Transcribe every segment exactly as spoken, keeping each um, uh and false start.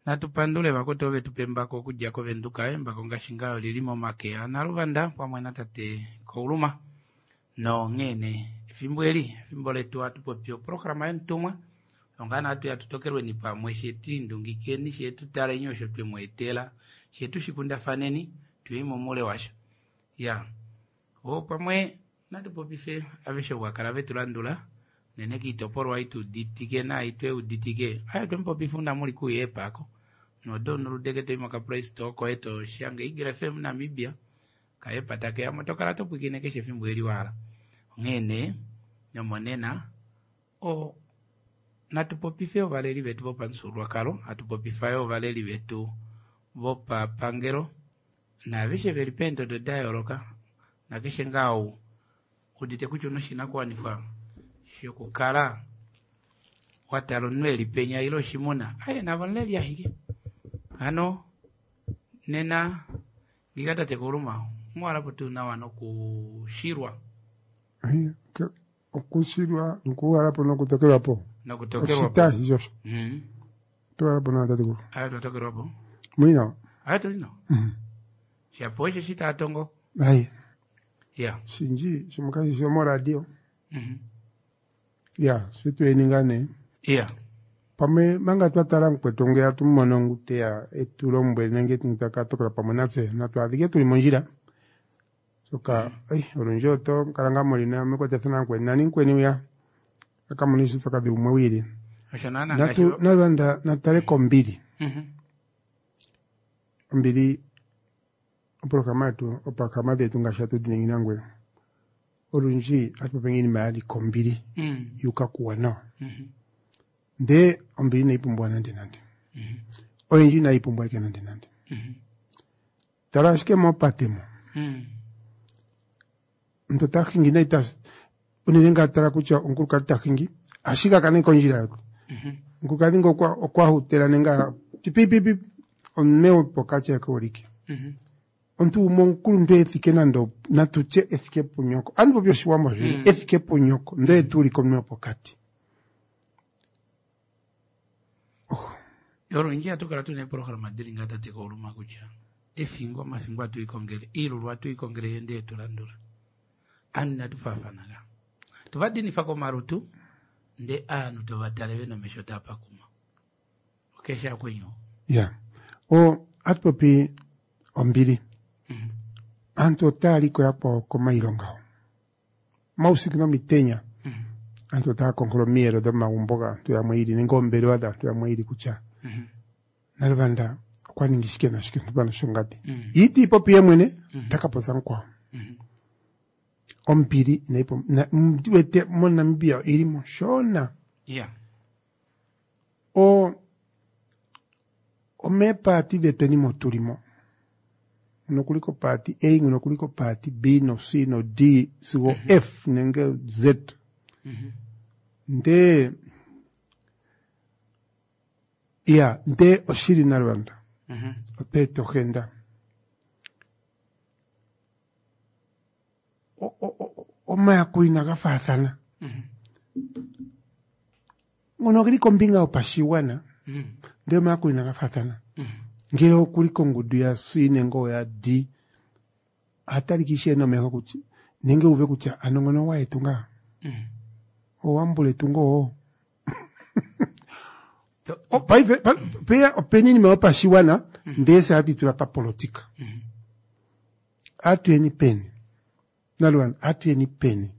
Natu pandule vakwetu ove tupa embako okudja kovenduka, embako ngaashi ngaa olili momake aNaluvanda pamwe natate Kauluma. Nonghee nee efimbo eli efimbo letu hatu popi oprograma yomutumwa onga natu ya tutokelweni pamwe shetu indungikeni shetu taleni osho twemu etela shetu shikundafaneni tuye momuule washo. Ya o pamwe natu popife aveshe ovo vakala vetu landula unene kiitopolwa ituuditike nayi tweuditike ayo twemupopifa una muli kuye epako nodownloadeke toyi moka Play Store koye toshange Eagle F M Namibia kaepa takeyamo tokala topwikine keshe efimbo eli wahala. Onghee nee nomonena o natu popife ovaleli vetu vopamufyuululwakalo, hatu popifa yo ovaleli vetu vopapangelo naaveshe veli peendodo da yooloka nakeshe ngaa ou udite kutya una oshinakuwanifwa shokukala watala omunhu eli penya ile oshimuna aye navo omuleli ashike. Hano nena ngiika tate Kauluma omuwalapo tuu nawa nokushilwa okushilwa nokuwalapo nokutokelwapo nokutokelwapo oshitashi shosho mm. towalapo nawa tatekulu ayo twatokelwapo muli nawa. Ayo tuli nawa. Mhm. Shapo osho shitaatongo Aye ya shinji shomukashi shomoradio mm ya shitweni ngaa nee ya pamwe manga twatala mukwetu ngeya tumumono ngu teya etulombwele nenge taka tokola pamwe natse natu adhike tuli mondjila shoka ei olundji oto kala ngaa muli mekwatathano namukweni nani mukweni uya akamona uupyakadhi wumwe wiili. Osho naana natu ngaashi nalwanda natale kombili. Mhm. Ombili oprograma yetu oprograma dhetu ngaashi hatu dhi ningi nangwe olundji hatu popi iinima yali kombili Mm. yuka kuwanawa. Mhm. Ndee ombili inayi pumbiwa nande nande, oyendji inayi pumbiwa ike nande nande. Mhm. Tala ashike mopate mo Mm. omuntu ota hingi nayi ta unene ngaa tala kutya omukulukadhi ta hingi ashike akane kondjila yote. Mhm. Omukulukadhi ngo okwa okwa hutela nenge pipipipi omume wopokati ake ulike. Mhm. Omuntu gumwe omukuluntu ethike nande natutye ethike punyoko andi popi oshiwambo shili ethike punyoko ndee tuulike omume wopokati. Olundji hatu kala tuna eeprograma dili ngaa tate Kauluma kutya efingo omafingo atu ikongele iilulu atu ikongele yo ndee tulandula anu inatu faafana ga tovadinifa komalutu nde aanhu tovatale vena omesho taapakuma okesha akwenyu. Ya o atu popi ombili. Aantu otaya liko yakwawo komailonga ho mausiku nomitenya aantu otaya konkola omiyelo dhomagumbo gaantu yamwe ili nenge oombelewa dhaantu yamwe ili kutya Naluvanda okwa ningi shike nashike ntumba shongadi iti ipopi ye mwene taka popya mukwawo. Ombili inayi pum- na- ndi wete moNamibia ili mo shona. Ya o omeepaati dhetweni mo tulimo nguno okuli kopaati A, nguno okuli kopaati B no C no D sigo F nenge Z. Ndee ya ndee oshili Naluvanda Mhm. oteeta ohenda O- o- o- omayakulo inaga faathana ngono ogeli kombinga yopashigwana Mhm. ndee omayakulo inaga faathana ngele okuli kongundu ya C nenge oya D ohatalika ishewe nomeho kutya nenge uve kutya ano ngono owayetu ngaa Mhm. owambuletu ngoo. To- O, paife pa- peya opena iinima yopashiwana ndee se hatu itula papolitika atuyeni peni Naluvanda atuyeni peni.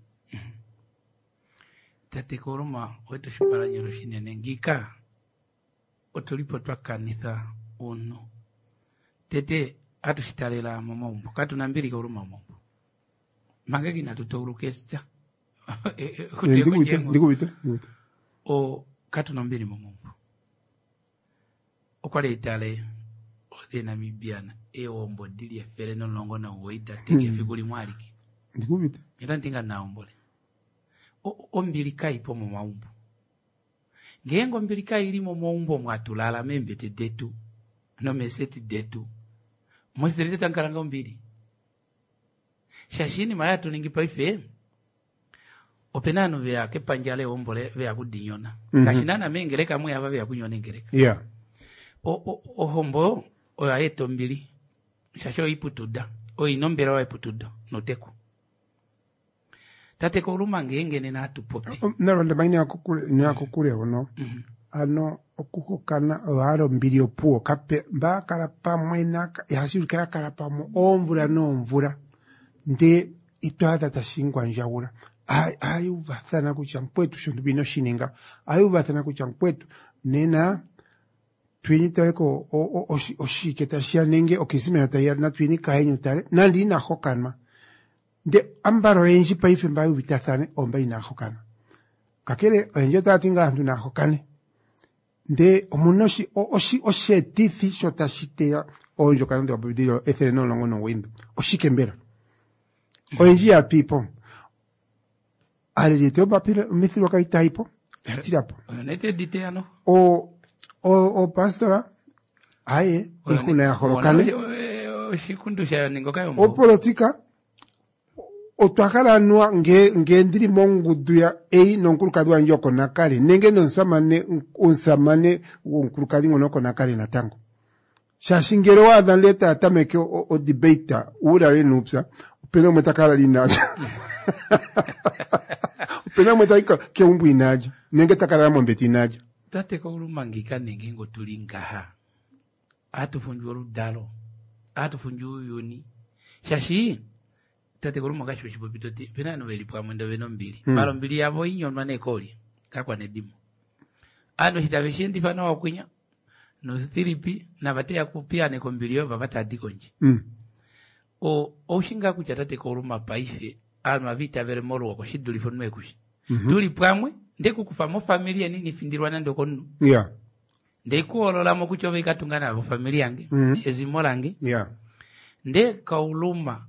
Tate Kauluma owetu oshipalanyolo shinene ngiika otulipo twakanitha uunhu tete atushitalela momaumbo katuna mbili Kauluma momaumbo manga inatu tauluka epya. Ndikuvite ndikuvite ndikuvite. O katuna ombili momaumbo okwali itale othe Namibian eewombo dili efele nomulongo nomugoyi dateka efiku limwe alike. Ndikuvite. Otandi nga naombole O- ombili kaipo momaumbo ngeenge ombili kaili momaumbo mwatulala meembete detu nomeeseti detu mositelite tamukala nga ombili shaashi iinima yatu ningi paife opena ovanhu veya kepandja lewombole veya kudinyona Mhm. ngaashi naana meengeleka mweya ava veya kunyona engeleka. Ya. Ohombo oyo hayi ombili shaashi oyo iputuda oyo ina ombelewa yeputudo noteku. Tate Kauluma ngeenge nena hatu popi nalonda ina kokule hono ano okuhokana oyo ombili opuwo kape mbakala pamwe ihashi ulike yakala pamwe oomvula noomvula ndee ito adha tashi ngwandjaula ohayuuvathana kutya mukwetu shontumba ino shininga ohayuuvathana kutya mukwetu nena tuyeni taleko oshike tashiya nenge okrisimesa tayiya natuyeni kaeni utale nande ina hokanwa nde ambala oyendji paife mba yuuvitathane oomba inaa hokana kakele oyendji otaya ti ngaa aantu naa hokane ndee omuna osheetithi sho tashi teya oondjokana dhoka ethele nomulongo nomugoyi ndo oshike mbela oyendji yatwiipo aaleli yetu yomithigululwakalo itayipo oyatilapo opastora aye iihuna ya holokane opolitika otwa hala anuwa nge nge ndili mongundu ya A nomukulukadhi wandje oko nakale nenge nomusamane omusamane womukulukadhi ngono oko nakale natango shaashi ngele waadha ndele taya tameke odebate uulale nuupya opena umwe takala inaalya opena umwe tayi keumbo inaalya nenge takalala mombete inaalya. Tate Kauluma ngika nenge ngo tuli ngaha ohatu fundju oludalo ohatu fundju uuyuni shaashi tate Kauluma ngaashi weshipopi toti opena ovanhu veli pamwe ndee ovena ombili maala ombili yavo oinyonwa nee koolye kakwanedimo ovanhu eshi tave sheendifa nawa okwinya nosithilipi nava teya kupiyaaneka ombili yoye vava taadi kondje. Oushi ngaa kutya tate Kauluma paife ovanhu ohava itavele moluhoko shidulife omunhu ekushi tuli pamwe ndekukufa mofamili yeni inifindilwa nande okomunhu yeah ndekuhololamo kutya ove ikatunga navo ofamili yange ezimo lange yeah nde Kauluma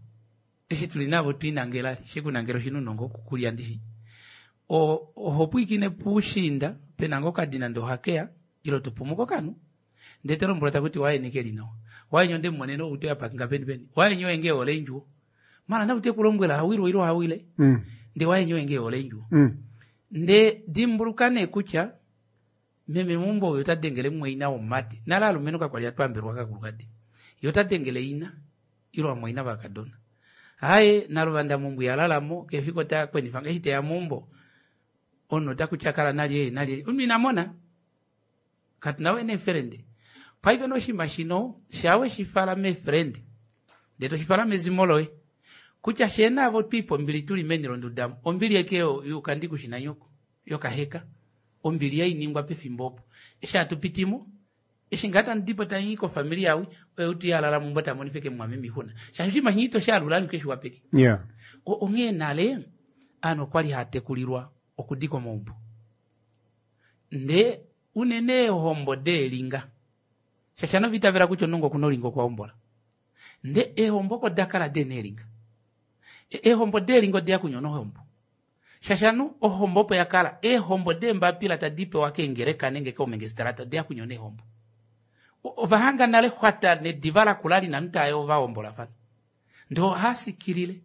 eshi tuli navo twiinangela shekunangela oshinunongo okukulya ndishi oho pwiikine puushiinda pena ngoo okadina ndee ohakeya ile topumuka okanhu ndee tolombwelwa takuti waeni keli nawa waeni ondemumonena outo yapakinga peni peni waeni oye ngee ehole eendjuwo maala nau tekulombwela hawilwa ile hawile ndee waeni oye ngee ehole eendjuwo ndee dimbuluka nee kutya meme meumbo oyo ota dengele mumwaina womumati nale alumenhu kakwali hatwaambelwa kakulukadi ye ota dengele ina ile vamwaina vakadona haye naluvanda meumbo ihalalamo kefiku ota kwenifa eshi teya meumbo omunhu otakutya kala nalye nalye omunhu ina mona katuna we neefelende paife noshinima shino shaa weshifala meefelende ndee toshifala mezimo loye kutya shee naavo twiipa ombili tuli meni londuda ombili eke yukandi kushina nyoko yokaheka ombili yainingwa pefimbo opo eshi hatupitimo eshi ngaa tamudipo tainyi kofamili yawi oye utu yalala meumbo tamonifa eke mumwameme oixuna shaashi oshinima shinyi itoshi alula alike shiwapeke yeah onghee nale ovanhu okwali haatekulilwa okudika omaumbo ndee unene eehombo deelinga shaashi ovanhu ovaitavela kutya omunhu okuna olinga okwa hombola ndee eehombo oko dakala dena eelinga eehombo deelinga odeya kunyona ohombo shaashi anu ohombo opo yakala eehombo deembapila tadi pewa keengeleka nenge koomengestrata odeya kunyona eehombo ovahanga nale xwata nediva lakula lina omunhu taye ovahombolafana ndee ohasikilile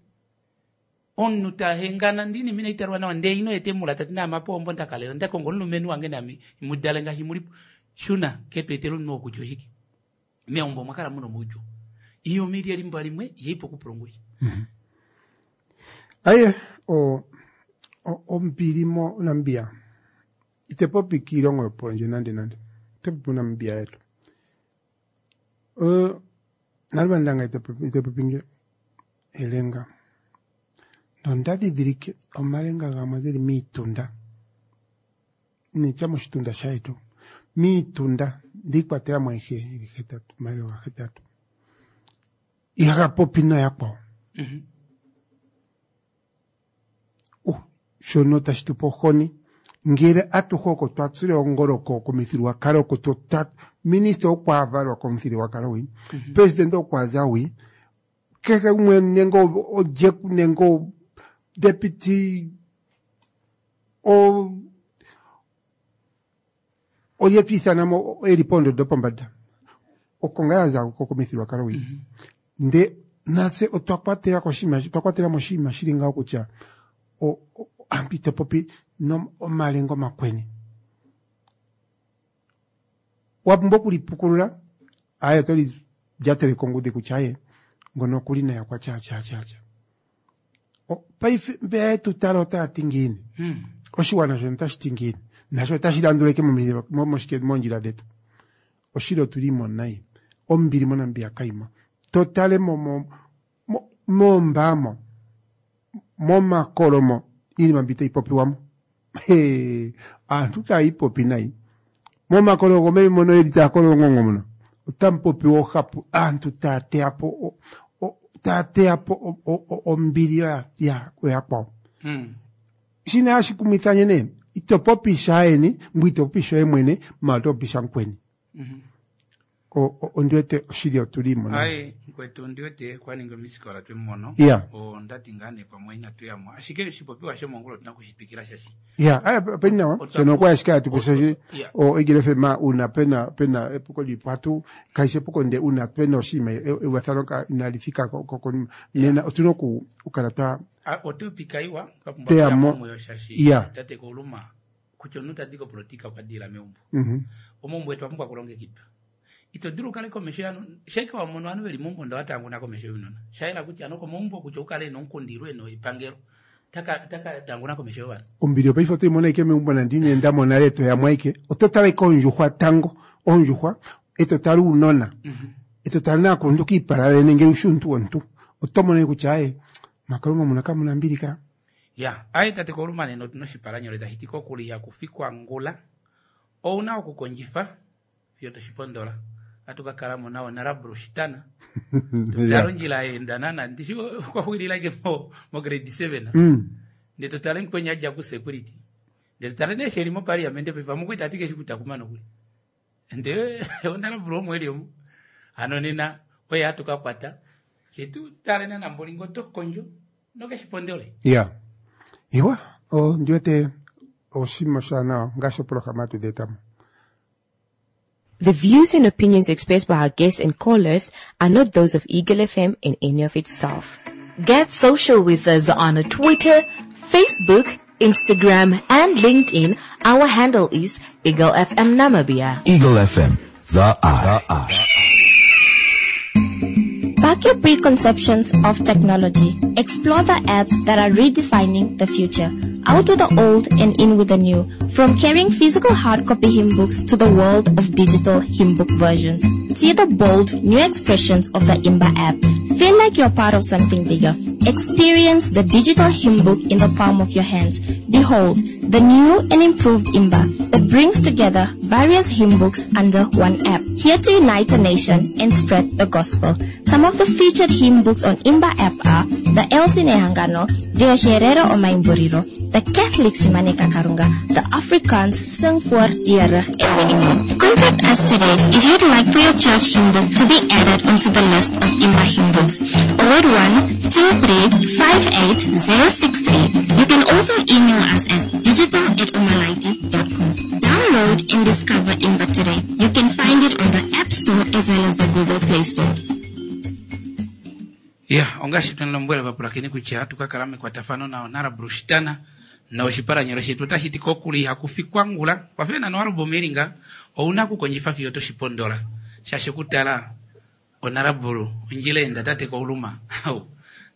omunhu tahengana ndini mina italwa nawa ndee ino etemula tati naamapo ohombo ndakalela ndakonga omulumenhu wange nami mudale ngaashi mulipo shuna ketweetela omunhu oo kutya oshike meumbo omwa kala muna omaudjuu iyo omili elimba limwe yeipo okupulungusha. Aye o ombili moNamibia ite popi kiilongo yopondje nande nande ite popi moNamibia yetu naluvandanga ite popi nge elenga nonda dhidhilike omalenga gamwe geli miitunda nitya moshitunda shayetu miitunda ndiikwatelamo ayihe ili hetatu omalelo gahetatu ihaga popi noyakwawo shono tashi tupe ohoni ngele atuhe oko twa tsile ongolo komithigululwakalo oko minista okwa valwa komuthigululwakalo wi president okwaza wi kehe gumwe nenge olye nenge deputy olye twiithanamo eli poondondo pombada oko ngaa yaza komithigululwakalo wi ndee natse otwa kwatela koshinima otwa kwatelamo oshinima shili ngaho kutya aantu ito popi omalenga omakweni Wa pumbwa okulipukulula aye oto lilyatele kongudi kutya aye ngono okuli naye okwa tya tya tya tya. Paife mbeya yetu tala otaya ti ngiini? Hmm. Oshiwana shono otashi ti ngiini? Nasho otashi landuleke moshike moondjila dhetu. Oshili otuli mo nayi. Ombili moNamibia kaimo. To tale mo mo moombaamo momakolomo iinima mbi tayi popiwamo. Hee, aantu taya ipopi nayi. Momakolo gomevi mono yeli taya kolongongo mono otamu popiwa oohapu aantu taya teya po taya teya po ombili yakwawo. Hmm. Shina hashi kumitha nee ito popi shaayeni ngwe ito popi shoye mwene ma oto popi shamukweni. Mm-hmm. Ondi wete oshili otuli mo nayi. Aye mukwetu ondi wete kwa ninga omisikola twemu mono. Yeah. Ondati ngaa nee pamwe inatu yamo ashike oshipopiwa shomongula otuna kushitwikila shashi. Ya, aya openi nawa. Shono okwa ashike hatu popi Yeah. o Eagle F M uuna pena pena epuko lilipo hatu kaishi epuko nde uuna pena oshinima euvathano inali thika konima nena otuna okukala twa Ah, otupika iwa twa pumbwa Teya okuya mo. momuyo shashi Yeah. tate Kouluma kutya omuntu tadi kopolitika okwa dila meumbo. Mhm. Omaumbo etu apumbwa kulongekidwa. Ito dulu ukale komesho yanu sheke wa mono anu veli meumbo ndo watanguna komesho younona. Shayela kutya ano komaumbo kutya ukale nonkundilwe no epangelo. Taka taka tanguna komesho yovanhu. Ombili yopaife otoyi mono ashike meumbo nande ino enda mo nale to yamo ashike oto tala ashike oondjuhwa tango oondjuhwa eto tala uunona eto tala naakuluntu kiipala yoyene ngele ushi omuntu womuntu oto mono ashike kutya aye makalunga muno kamuna mbili ka. Ya, aye tate Kouluma nena otuna oshipalanyole tashi ti kokuli ihaku ngula. Ouna okukondjifa fiyo toshipondola. Atu ka kala mo nawo Honorable Shitana. Tutale ondjila yeenda nana ndishi okwa xulila ashike mo, mo grade seven. Mm. Ndee totale mukweni adja ku security. Ndee totale nee sheli mo parliament paife mukwetu ati keshi kutakuma nokuli. Ndee Honorable omo eli omo. Hano nena oye hatu ka kwata. Shetu tale nana mbolingo oto kondjo nokeshipondole. Ya. Iwa, ondi wete oshinima oshiwanawa ngaashi opolohalama hatu dhi etamo. The views and opinions expressed by our guests and callers are not those of Eagle F M and any of its staff. Get social with us on Twitter, Facebook, Instagram, and LinkedIn. Our handle is Eagle F M Namibia. Eagle F M, the eye. The eye. Back your preconceptions of technology. Explore the apps that are redefining the future. Out with the old and in with the new. From carrying physical hard copy hymn books to the world of digital hymn book versions. See the bold new expressions of the Imba app. Feel like you're part of something bigger. Experience the digital hymn book in the palm of your hands. Behold, the new and improved Imba that brings together various hymn books under one app. Here to unite a nation and spread the gospel. Some of the featured hymn books on Imba app are the Elsie Nehangano, Riosherero Omaimboriro, the Catholic Simane Kakarunga, the Afrikaans Sing voor Diere, and many more. Contact us today if you'd like for your church hymn book to be added onto the list of Imba hymn books. oh eight one, two three five eight zero six three. You can also email us at digital at umalaiti dot com. Download and discover Imba today. You can find it on the App Store as well as the Google Play Store. Ya, ongashi tunalombwela vapulakeni kutya tukakala mekwatafano na Honorable Shitana na oshipalanyolo shetu otashi ti kokuli ihaku ngula. Kwafena no album elinga ouna okukondjifa fiyo toshipondola. Shaashi okutala Honorable ondjila enda tate Kouluma.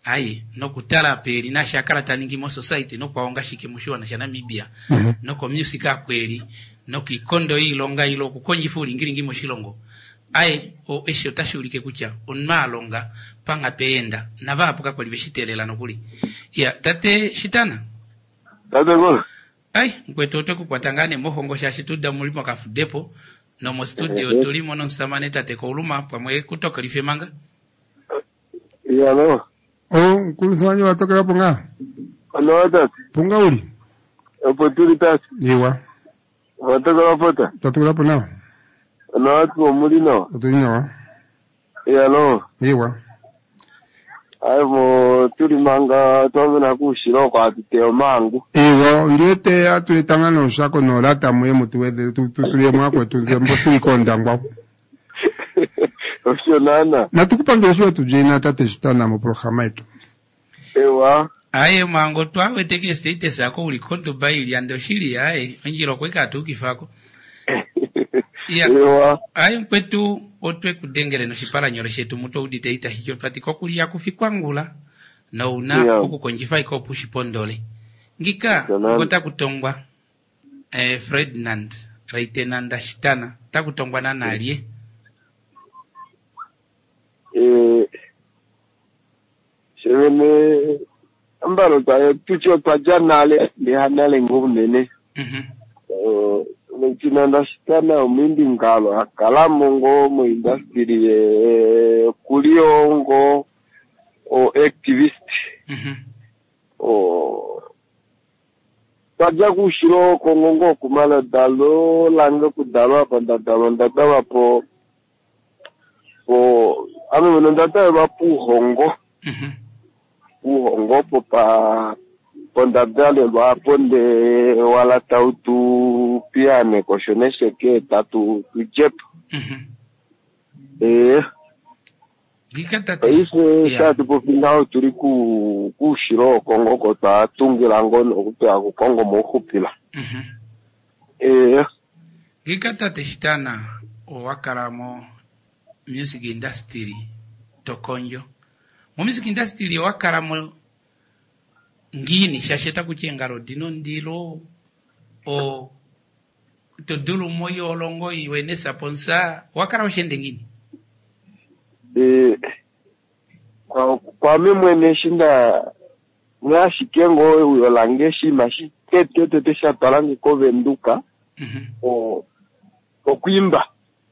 Aye, nokutala peli nasha akala taningi mo society nokwaonga shike moshiwana sha Namibia. Mm-hmm. Noko music akweli, nokikondo iilonga ilo okukondjifa ulingilingi moshilongo. Aye, o eshi otashi ulike kutya onmaalonga panga peenda navahapu kakwali veshiteelela nokuli. Ya, tate Shitana. Tate Kola. Ai, mukwetu otwe kukwata ngaa nee mohongo shaashi tuda muli mokafudepo nomo studio tulimo nomusamane tate Kouluma pamwe kutokelife manga. Ya no. O, nkuluntu wanje watokela po ngaa? Ano tate. Punga uli? Opo tuli tate. Iwa. Watokela po ta? Twatokela po nawa. Ano atu omuli nawa? Otuli nawa. Ya no. Iwa. Aye mo tuli manga twamena kuushila oko atuteya omangu. Iwa, ndiwete atuletanga noshako nolata muye mutuwedhele tuye mwakwetu nze mbo tuli kondangwa. Osho nana. Natukupangela sho tujena tate Shitana moprograma yetu. Ewa. Aye mango twawete ke status ako uli konto baili ando shili aye ondjila okweka atukifako. Ewa. Ayi mukwetu otwe kudengele noshipalanyole shetu mutu oudite itashi ti kokuliya kufikwangula nouna Yeah. okukondjifa iko opo ushipondole. Ngika Nonande. ota kutongwa eh, Ferdinand Reitenanda Shitana takutongwa nanalye. Eh, shevene ambalo twa tutye otwa dja nale ndeha nale ngoo unene. Mhm. Eh, Reitenanda Shitana omwiimbi ngalo akalamo ngoo moindastry ye okuliyo ngoo o activist. Mhm. O twadja kuushilo Kongo ngoo okumaladalo lange okudalwa apa ndadalwa ondadalwa po po ame mwene ondadalelwa puuhongo. Mhm. Puuhongo opo pa pondadalelwa apo nde wala tau tu piyaaneko osho nesheke tatu tudjepo. Mhm. Ee Ngika tate. paife Yeah. tatupopi ngaho tuli ku kuushilo wokongo oko twatungila ngoo nokupewa kukongo mouxupila. Mhm. Ee Ngika tate Shitana owakala mo music industry tokondjo. Mo music industry owakala mo ngiini shaashi takuti eengalo odina ondilo o todulu moiolongo iwe nesaponsa owakala oshende ngiini? Ee kwa- kwame mwene eshi nda ngaashike ngoo euyo lange oshinima shitetetete sha twalange kovenduka Mhm. o- okwiimba.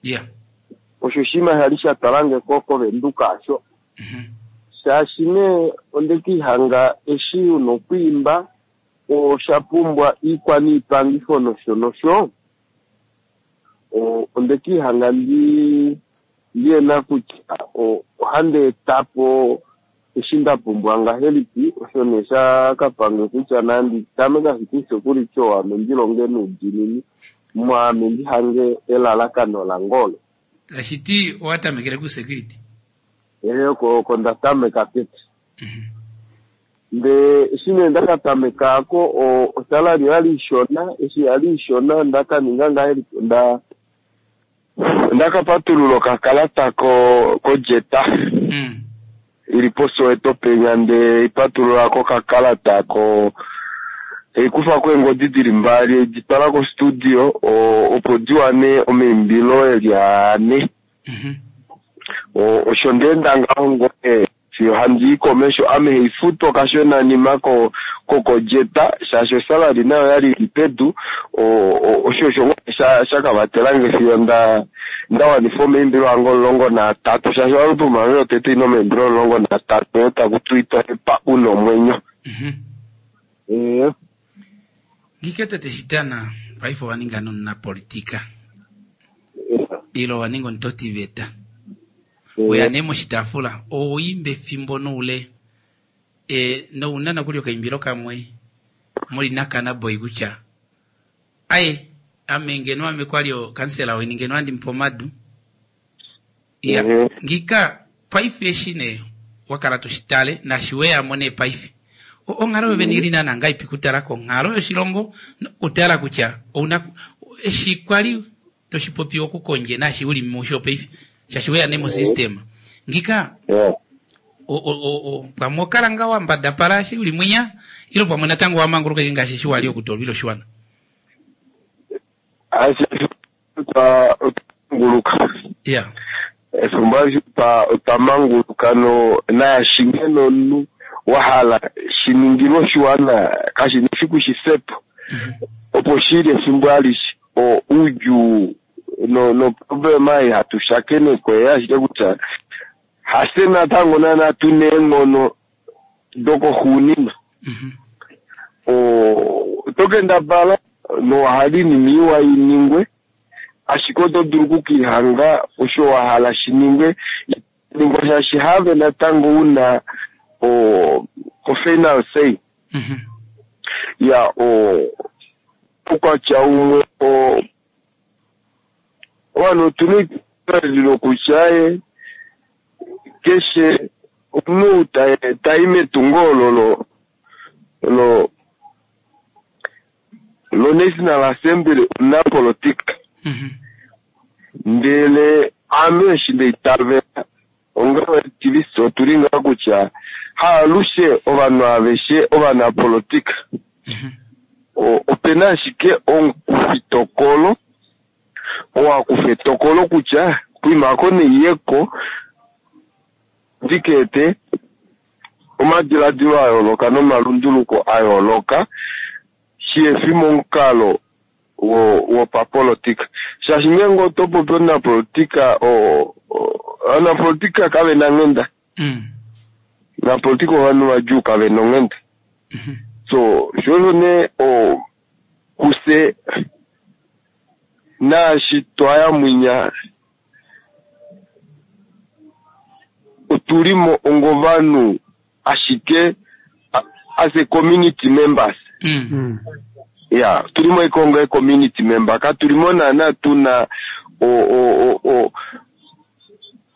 Yeah. Osho oshinima shali sha twalange ko kovenduka asho. Mhm. Shaashi nee ondekihanga eshi una okwiimba osha pumbwa iikwaniipangifo nosho nosho o- ondekihanga ndi ndiyena kutya o- ohandi etapo eshi nda pumbwa ngahelipi osho nee shakapange kutya nandi tameke ashike osekurity oo ame ndilonge noudiinini mwaame ndihange elalakano lange olo. Tashiti owatamekele ku security. Ehe oko oko ndatameka tete. Mhm. Ndee eshi nee ndakatamekako o- osalary oyali ishona eshi yali ishona ndakaninga ngahelipi nda ndakapatulula okakalata ko kojeta Mm. ili poSoweto penya nde ipatulula kokakalata ko eikufako eengodi dili mbali editwala kostudio o- opo diwane omaimbilo eli ane. Mhm. O- osho ndeenda ngaho ngoo fiyo handii komesho ame haifutwa kashonanima ko kokojeta shaashi osalary nayo oyali ili pedu o- o- osho osho ngoo sha shakavatelange fiyo nda ndawanifa omaimbilo ange omulongo naatatu shaashi oalbum yange yotete ina omaimbilo omulongo naatatu oyo taku tiwa epa una omwenyo. Mhm. Ee Ngika tate Shitana paife owaninga nomunapolitika ilo owaninga omutotiveta. Weya nee moshitaafula owoimba efimbo noule e, nouna nokuli okaimbilo kamwe muli nakanaboy kutya aye ame ngeno ame kwali okansela weni ngeno andimupa omadu. Ya, Ehe. ngika paife eshi nee wakala toshitale nashi weyamo nee paife O- onghalo yovene ili naana ngaipi kutala konghalo yoshilongo nokutala kutya ouna eshi kwali toshipopi okukondje nashi uli musho paife shaashi weya nee mosystem ngika Yeah. o- o- o- o- pamwe okala nga wambadapala eshi uli mwinya ilo pamwe natango wamanguluka ike ngaashi eshi wali okutolwila oshiwana. Ashi otwa otwamanguluka. Yeah. Efimbo alishe otwa otwamanguluka no naashi ngeno omunhu wahala shiningilwe oshiwana kashina efiku shifepo opo shili efimbo alishe o oudjuu no no problema ei hatu shakenekwa oye ashike kutya hafye natango naana tuna eenghono dokoxuuninwa. Mhm. O oto kendabala nowahala oinima iwa iningwe ashike oto dulu okukihanga osho wahala shiningwe ningwa shaashi have natango una o o final say. Mhm. Ya o oukwatya umwe o ovanhu otuna eitavelo kutya ye keshe omunhu ta- tai metungo olo lo lo lo National Assembly omunapolitika. Mhm. Ndele ame eshi ndeitavela onga activist otuli ngaa kutya haalushe ovanhu aveshe ovanapolitika. Opena ashike omukufitokolo oo akufa etokolo kutya kuimako neiyeko ndikeete omadiladilo a yooloka nomalunduluko a yooloka shihefi momukalo wopapolitika. Shaashi ngeenge oto popi omunapolitika, ovanapolitika kavena onghenda. Omunapolitika ovanhu vadjuu kavena onghenda. So sho nee kufye naashi twaya mwinya otulimo ongovanhu ashike as a community members. Mm. Ya, tulimo ikongo community member ka tulimo naana tuna o o o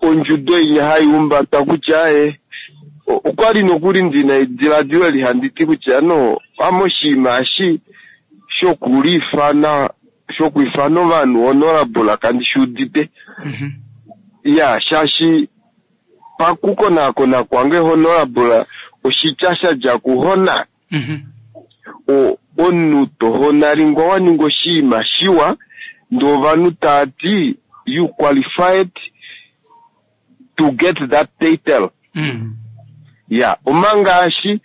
ondjudo inya hai umbata kutya e okwali nokuli ndina ediladilo eli handi ti kutya no amoshiima eshi shokuliifana shokwiifana ovanhu honorable kandi shuudite. Ya, shaashi pakukonakona kwange honorable oshitya shadja kuhona. O omunhu tohonalingwa waninga oshiima shiwa ndee ovanhu taati you qualified to get that title. Mm. Ya, omanga ashi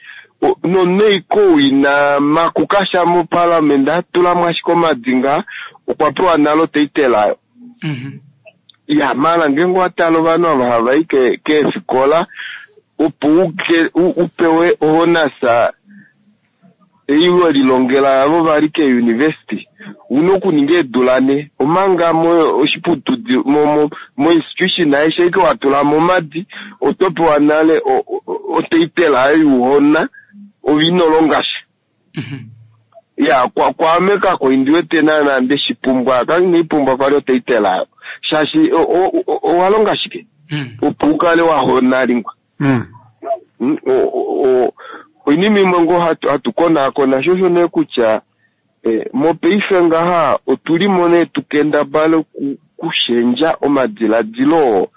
noneiko ina makukasha mo parliament atulamo ashike omadinga okwa pewa nalo title ayo. Mm-hmm. Ya, mala ngeenge owatala ovanhu ava hava i keefikola opo upewe ohonasa ei welilongela avo vali ke-university una okuninga eedula ne omanga mo oshiputudi mo mo institution aishe ike watulamo omadi oto pewa nale otitle ayo yuhona ove inolonga sha. Ya, kwaame kako indiwete naana ndeshipumbwa kainaipumbwa kwali otitle ayo shaashi owalonga shike opo ukale wahonalingwa. Oinima imwe ngoo hatu konaakona shosho nee kutya mopaife ngaha otulimo nee tukendabale kushendja omadiladilo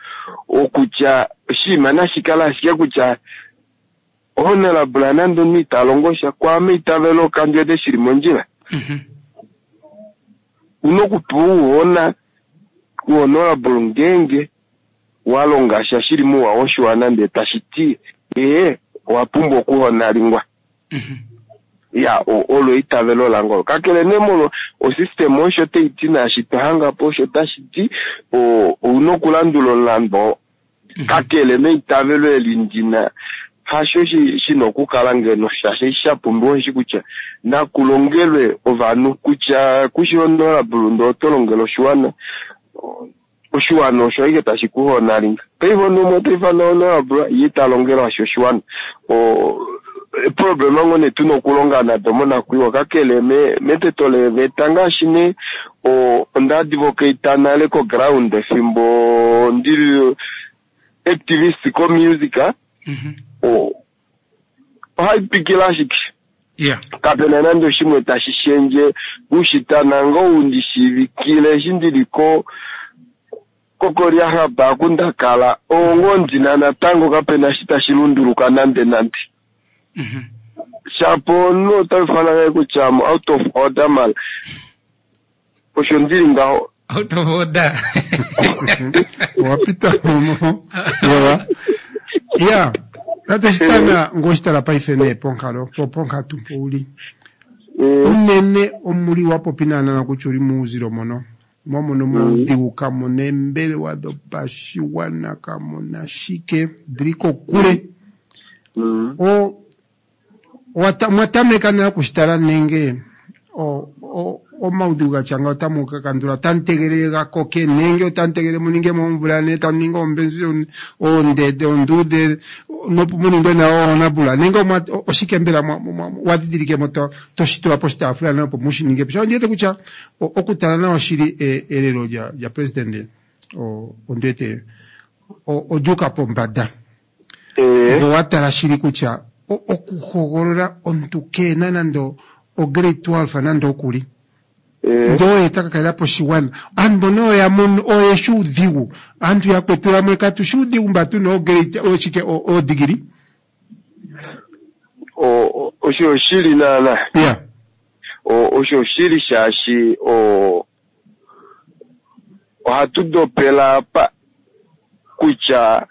okutya oshinima nashikale ashike kutya honorable nande omunhu ita longo sha kwaame itavelo kandiwete shili mondjila. Una okupewa ouhona uhonorable ngeenge walonga sha shili mouwa woshiwana ndee tashi ti ee owapumbwa okuhonalingwa. Ya, olo eitavelo lange olo. Kakele nee molwo osystem osho taiti naashi twahangapo osho tashi ti ouna okulandula omulandu. Kakele meitavelo eli ndina hasho shina okukala ngeno shaashi shapumbiwa oshi kutya nakulongelwe ovanhu kutya kushi honorable ndee oto longele oshiwana oshiwana osho ashike tashi kuhonalinga. Paife omunhu umwe otaifana honorable ye ita longelwa shi oshiwana. Problema ngoo nee tuna okulonga nado monakwiiwa kakele meteto leeveta ngaashi nee onda advocate nale ko-ground efimbo ndili activist ko-music ohaipikile ashike. Kapena nande oshimwe tashi shendje kushitana ngoo undishiivikile eshi ndili ko kokolyahaba akundakala ongo ndina natango kapena shi tashi lunduluka nande nande. Shapo omunhu otaifana kutya am out of order mala osho ndili ngaho. Out of order. Wapita momo. Ya, tate shitana ngoshitala paife nee ponkalo ponkatu mpo uli. Unene omuli wapopi naanana kutya uli muuzilo mono. Mwamono moudhigu kamuna eembelewa dopashiwana kamuna shike dili kokule. O mwatameka nale okushitala nenge omaudhigu gatya ngawo otamu kakandula otamu tegelele gakoke nenge otamu tegelele muninge moomvula ne tamu ningi oombenzi oondede oonduudhe nopo muningwe nawo oonabula nenge oshike mbela wadhidhilikemo toshitula poshitaafula nayo opo mushininge po. Ondiwete kutya okutala nawa shili elelo lya president ondiwete olyuuka pombada. Ngo watala shili kutya okuhogolola omuntu keena nande o grade twelve nande okuli. Eh. Ndee oye ta ka kalela po oshiwana. Aantu mbono oyo ya mono oye shi uudhigu. Aantu yakwetu yamwe katu shi uudhigu mba tu na oograde oshike o- oodigiri. O- o- osho oshili naana Ya. O- osho oshili shaashi o ohatu dopela apa kutya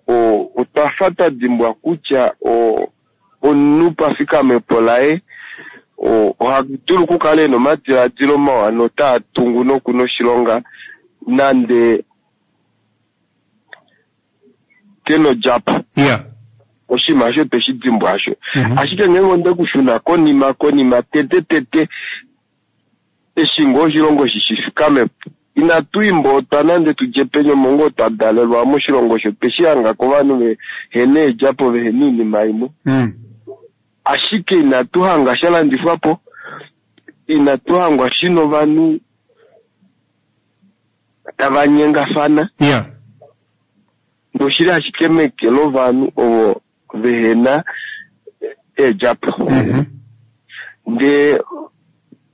o otwa fa twa dimbwa kutya o omunhu pafikamepo laye o oha dulu okukala ena omadiladilo mawa notaa tungu nokuna oshilonga nande kena odjapo Ya. oshinima osho tweshi dimbwa asho Mhm. ashike ngeenge onde kushuna konima konima tete tete eshi ngoo oshilongo shi shifikame inatu imbootwa nande tudje penyomongo twa dalelwa moshilongo osho tweshi hanga kovanhu vehena eedjapo vehena iinima imwe Mm. ashike inatu hanga sha landifwa po inatu hangwa shina ovanhu tava nyengafana Ya. noshili ashike meke lovanhu ovo vehena eedjapo Mhm. ndee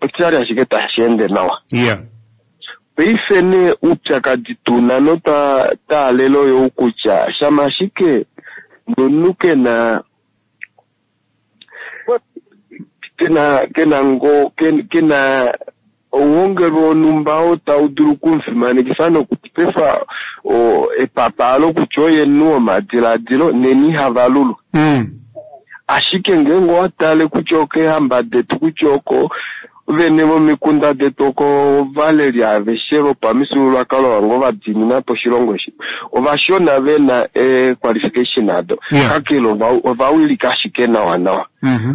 oshali ashike tashi ende nawa Ya. paife nee oupyakadi tuna notwa taalela oyo kutya shama ashike nomunhu kena kena kena ngo ken- kena ouhongelwe wonhumba oo tau dulu okumufimanekifa nokupefa o- epapa kutya oye omunhu womadiladilo neni ihava lulu Mm. ashike ngeenge owa tale kutya okeehamba detu kutya oko vene vomikunda detu oko ovaleli aveshe vopamifyuululwakalo wange ovadiinina po oshilongo eshi ovashona vena eequalification ado Yeah. kakele ova- ovawilika ashike nawa nawa Mhm.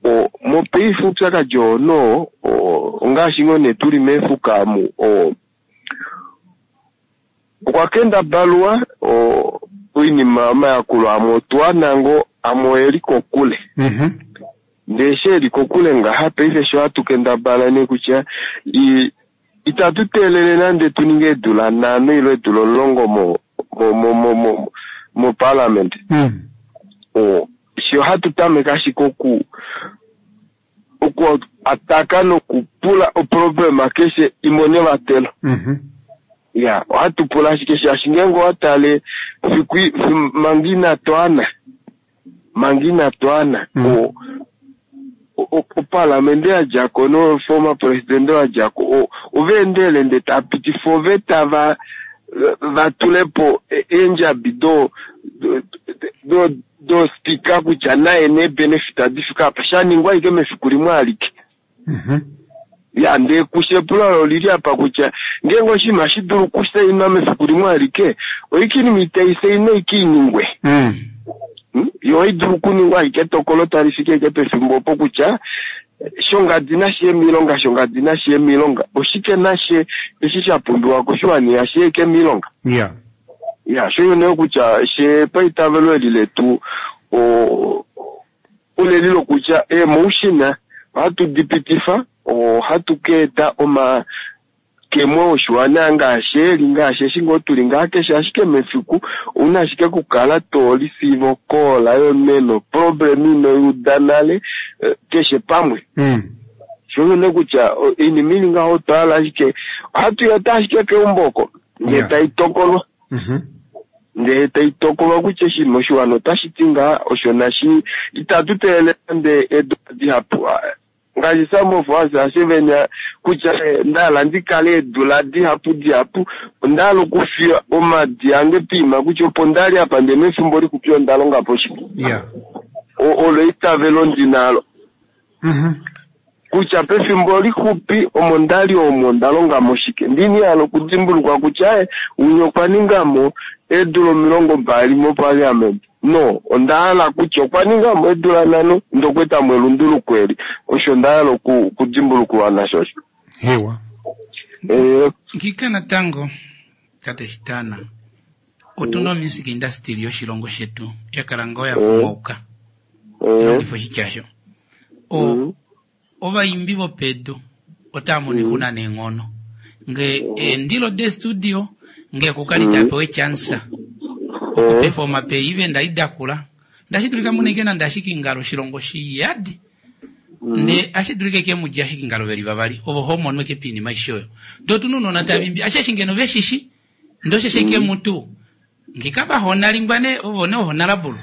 o mopaife oupyakadi oo noo o- ongaashi ngoo nee tuli meefuka amu o okwa kendabalwa o oinima omayakulo amwe otuwana ngoo amwe oeli kokule Mhm. ndee eshi eli kokule ngaha paife sho hatu kendabala nee kutya i- itatu teelele nande tu ninge eedula nhano ile eedula omulongo mo mo mo mo mo moparliament Mm. o sho hatu tameke ashike oku oku ataka nokupula oproblema keshe imone vatelo Mhm. ya ohatu pula ashike shaashi ngeenge owa tale fiku fi- manga inatu ana manga inatu ana Mm. o- o- opalamende yadjako noformer presidente wadjako o- ovaendele nde tapitifa oveta va vatulepo e- eendjabi do do- do do spika kutya naye neebenefit adifika apa shaningwa ashike mefiku limwe alike Mhm. ya ndee kushe epulo olili apa kutya ngeenge oshinima shi dulu okusainwa mefiku limwe alike oikinima itaisainwa ikiiningwe Mm. Hmm? Yo oidulu okuningwa ashike etokolo tali fiki ashike pefimbo opo kutya shongadi nashiye miilonga shongadi nashiye miilonga oshike nashe eshi sha pumbiwa koshiwana ihashi eke miilonga Ya. ya sho nee kutya she paitavelo eli letu o oleli lokutya eemotion ohatu dipitifa ohatu keeta oma kemwe oshiwana ngaashi eli ngaashi eshi ngoo tuli ngaa keshe ashike mefiku ouna ashike okukala tolisiiva okoola yomeno problem inoyuda nale eh, keshe pamwe Mm. sho nee kutya o- oinima ili ngaho otwahala ashike ohatu yeta ashike keumbo oko ndee Yeah. tai tokolwa Mhm. ndee tai tokolwa kutya oshinima oshiwana otashi ti ngaa osho nashi itatu teelele nande eedula dihapu Ah, ngaashi some of us ashivenya kutya eh, ndahala ndikale eedula dihapu dihapu ondahala okufiya omadi ange piima kutya opo ndali apa ndee mefimbo lixupi onda longa po shike Ya. O- olo eitavelo ndinalo Mhm. kutya pefimbo lixupi omo ndali omo ndalonga mo shike ndini hala okudimbulukwa kutya eh, unye okwa ningamo eedula omilongo mbali moparliament no onda hala kutya okwa ningamo eedula nhano ndokwetamo elunduluko eli osho nda hala oku- okudimbulukiwa nasho osho Hewa. Eh, Ngika natango tate Shitana otuna omusic industry yoshilongo shetu yakala ngoo ya fumauka eh, longifa oshitya sho o ovaimbi vopedu otava mono oixuna neenghono nge eendilo destudio nge kukali tapewa echansa okupefoma pe event aidakula ndashi dulika muneke nande ashike ingalo oshilongo shiyadi Nde ashi dulike ke mudja ashike ngalo veli vavali ovo ho mono ke piinima aishe oyo. Ndee otuna ounona tava imbi asheshi ngeno veshishi ndee osheshi ke mutu ngika vahonalingwa ne ovo ne ohonalabulu.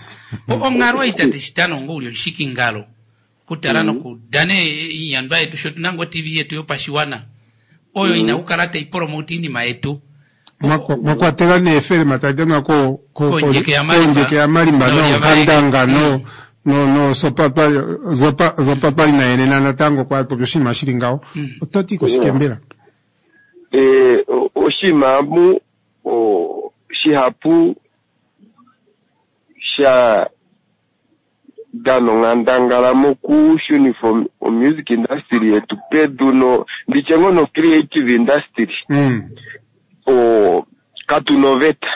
Onghalo ei tate Shitana ongo uli omushikingalo kutala nokudana iinyandwa yetu sho tuna ngo T V yetu yopashiwana oyo ina kukala tai promote iinima yetu. Mwa kwatelwa neefelema tadi danwa ko ko Kondjeke ya Malimba. Kondjeke ya Malimba No, nonkandanga no no no sopa zopa zopa pali nayenena natango kwa popya oshinima shili ngaho. Oto ti koshike mbela? Eh, o- oshinima mu o, shihapu sha dana onghandangala mokushunifa o- o music industry yetu pedu no nditye ngoo no creative industry Mm. o katuna oveta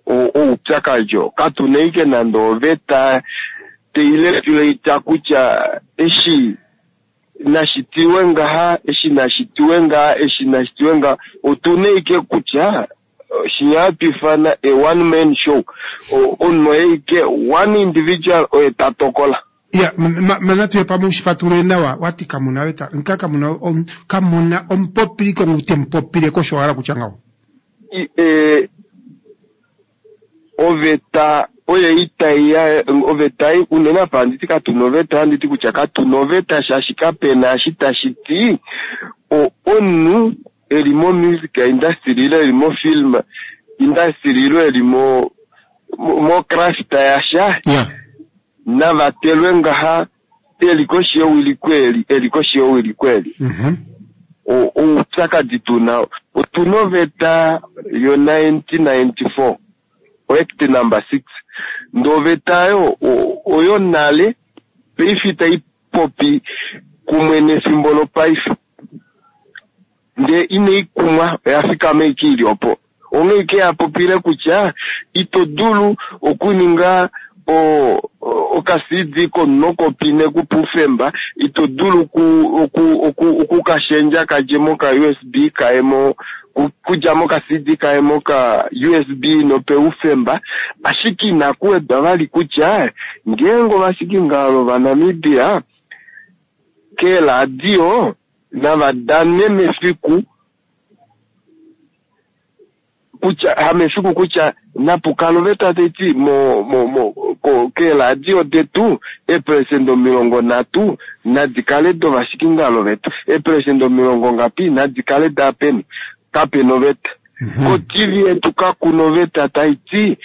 o- oupyakadi oo katuna ike nande oveta teiregulate kutya eshi nashitiwe ngaha eshi nashitiwe ngaha eshi nashitiwe ngaha. Otuna ike kutya shinya hatu ifana a one man show. O- omunhu oye ike one individual oye ta tokola. Ya, mana tuye pamwe ushifatulule nawa wati kamuna veta nka kamuna om, kamuna omupopiliko ngu temupopile kosho wala kutya ngaho. I- eh, oveta oyo itaiya oveta ei unene apa handiti katuna oveta handiti kutya katuna oveta shaashi kapena eshi tashi ti o- omunhu eli mo music industry ile eli mo film industry ile eli mo mo mo craft yasha Ya. navatelwe ngaha eli koshi yewiliko eli eli koshi yewiliko eli. Mhm. O- oupyakadi tuna otuna oveta yo nineteen ninety-four Act number six ndee oveta oyo o- oyo nale paife itai popi kumwe nefimbo lopaife ndee inai kumwa oya fikama ike ili opo onghee ike yapopile kutya ito dulu okuninga o- o- oka-C D komunokopine kupufemba ito dulu ku- oku- oku- okukashendja kadje moka U S B kaye mo ku- kudja moka C D kaye moka U S B nopeufemba ashike inakuwedwa vali kutya ngeenge ovashikingalo vaNamibia keeradio navadane mefiku kutya hamefiku kutya napukala oveta taiti mo mo mo ko keeradio detu eeperesenda omilongo nhatu nadi kale dovashikingalo vetu eeperesenda omilongo ngapi nadi kale daapeni kapena oveta. Ko T V yetu kakuna oveta taiti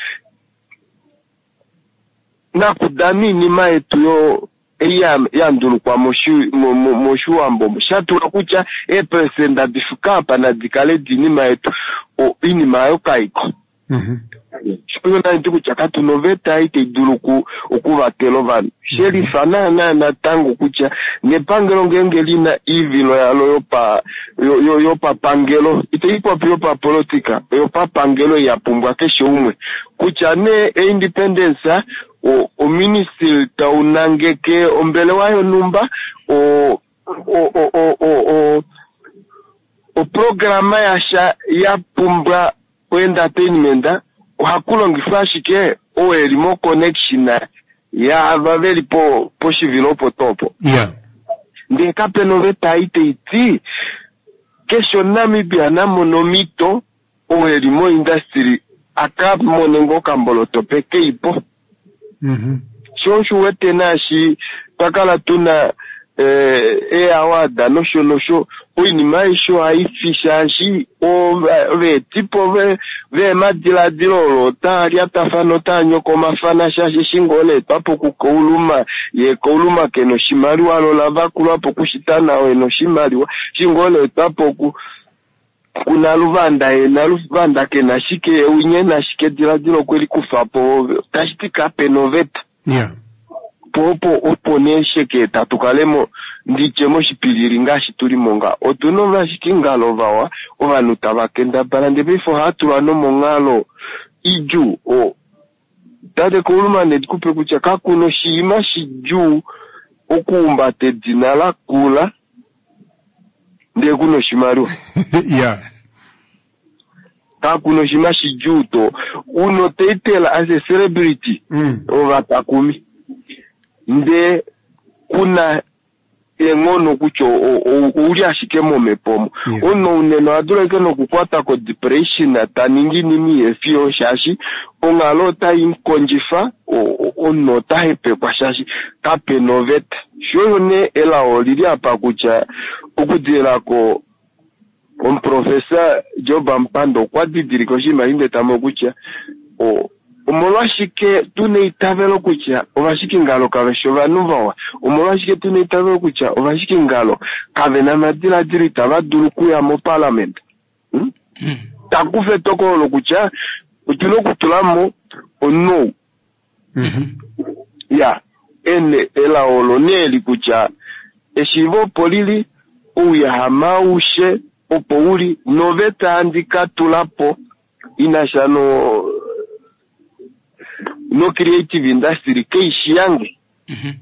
nakudana iinima yetu yo ei ya- ya ndulukwa moshi- mo- mo- moshiwambo shatulwa kutya eeperesenda difika apa nadi kale diinima yetu o- iinima ayo kaiko. Mhm. Osho nandi kutya katuna oveta ei tai dulu oku- okuvatela ovanhu shelifa naana natango kutya nepangelo ngeenge lina iivilo yalo yopa yo- yo- yopapangelo itai popi yopapolitika yopapangelo ya pumbwa keshe umwe kutya nee eindependence o oministry taunangeke ombelewa yonhumba o o o o o o oprograma yasha ya pumbwa oentertainment ohaku longifwa ashike oo eli mo connection yaava veli po poshivilo opo tuu opo. Ya. Ndee kapena oveta ei taiti keshe omuNamibia namone omhito oo eli mo industry aka mone ngoo okamboloto pekeipo. Mhm. Sho osho uwete naashi twakala tuna eh, eaward nosho nosho oinima aishe ohaifi shaashi oveetipo ve veemadiladilo olo otaa lyatafana otaa nyokomafana shaashi eshi ngoo leetwapo kukauluma ye kauluma kena oshimaliwa lo lavakulwapo kushitana ena oshimaliwa eshi ngoo leetwapo ku kunaluvanda ye naluvanda kena shike winye ena shike ediladilo okwe likufapo tashiti kapena oveta. Ya. Po opo opo nee sheke tatu kalemo nditye moshipilili ngaashi tulimo nga otuna ovashikingalo vawa ovanhu tava kendabala ndee paife ohaatulwa nomonghalo idjuu o tate Kauluma ndikupe kutya kakuna oshinima shidjuu okuhumbata edina lakula ndee kuna oshimaliwa. Ya. Kakuna oshinima shidjuu to una otitle as a celebrity Mm. ovatakumi ndee Kuna eenghono kutya ouli ashike momhepo omo. Omunhu unene oha dulu ashike nokukwata ko-depression ta ningi inima ihefiyo shaashi onghalo otai mukondjifa, omunhu ota hepekwa shaashi kapena oveta. Sho osho nee elao olili apa kutya okudilila ko omuprofesa Job Amupanda okwa didilika oshinima eshi ndee tamono kutya omolwashike tuna eitavelo kutya ovashikingalo kave shi ovanhu vawa, omolwashike tuna eitavelo kutya ovashikingalo kave na omadiladilo itava dulu okuya moparliament. Hmm? Mm. Takufa etokolo lokutya otuna okutula mo omunhu ou. Mm-hmm. Ya, ene elao olo nee li kutya eshiivo opo lili, ouyahame aushe opo uli, noveta handi ka tula po inasha no no creative industry kaishi yange. Mm-hmm.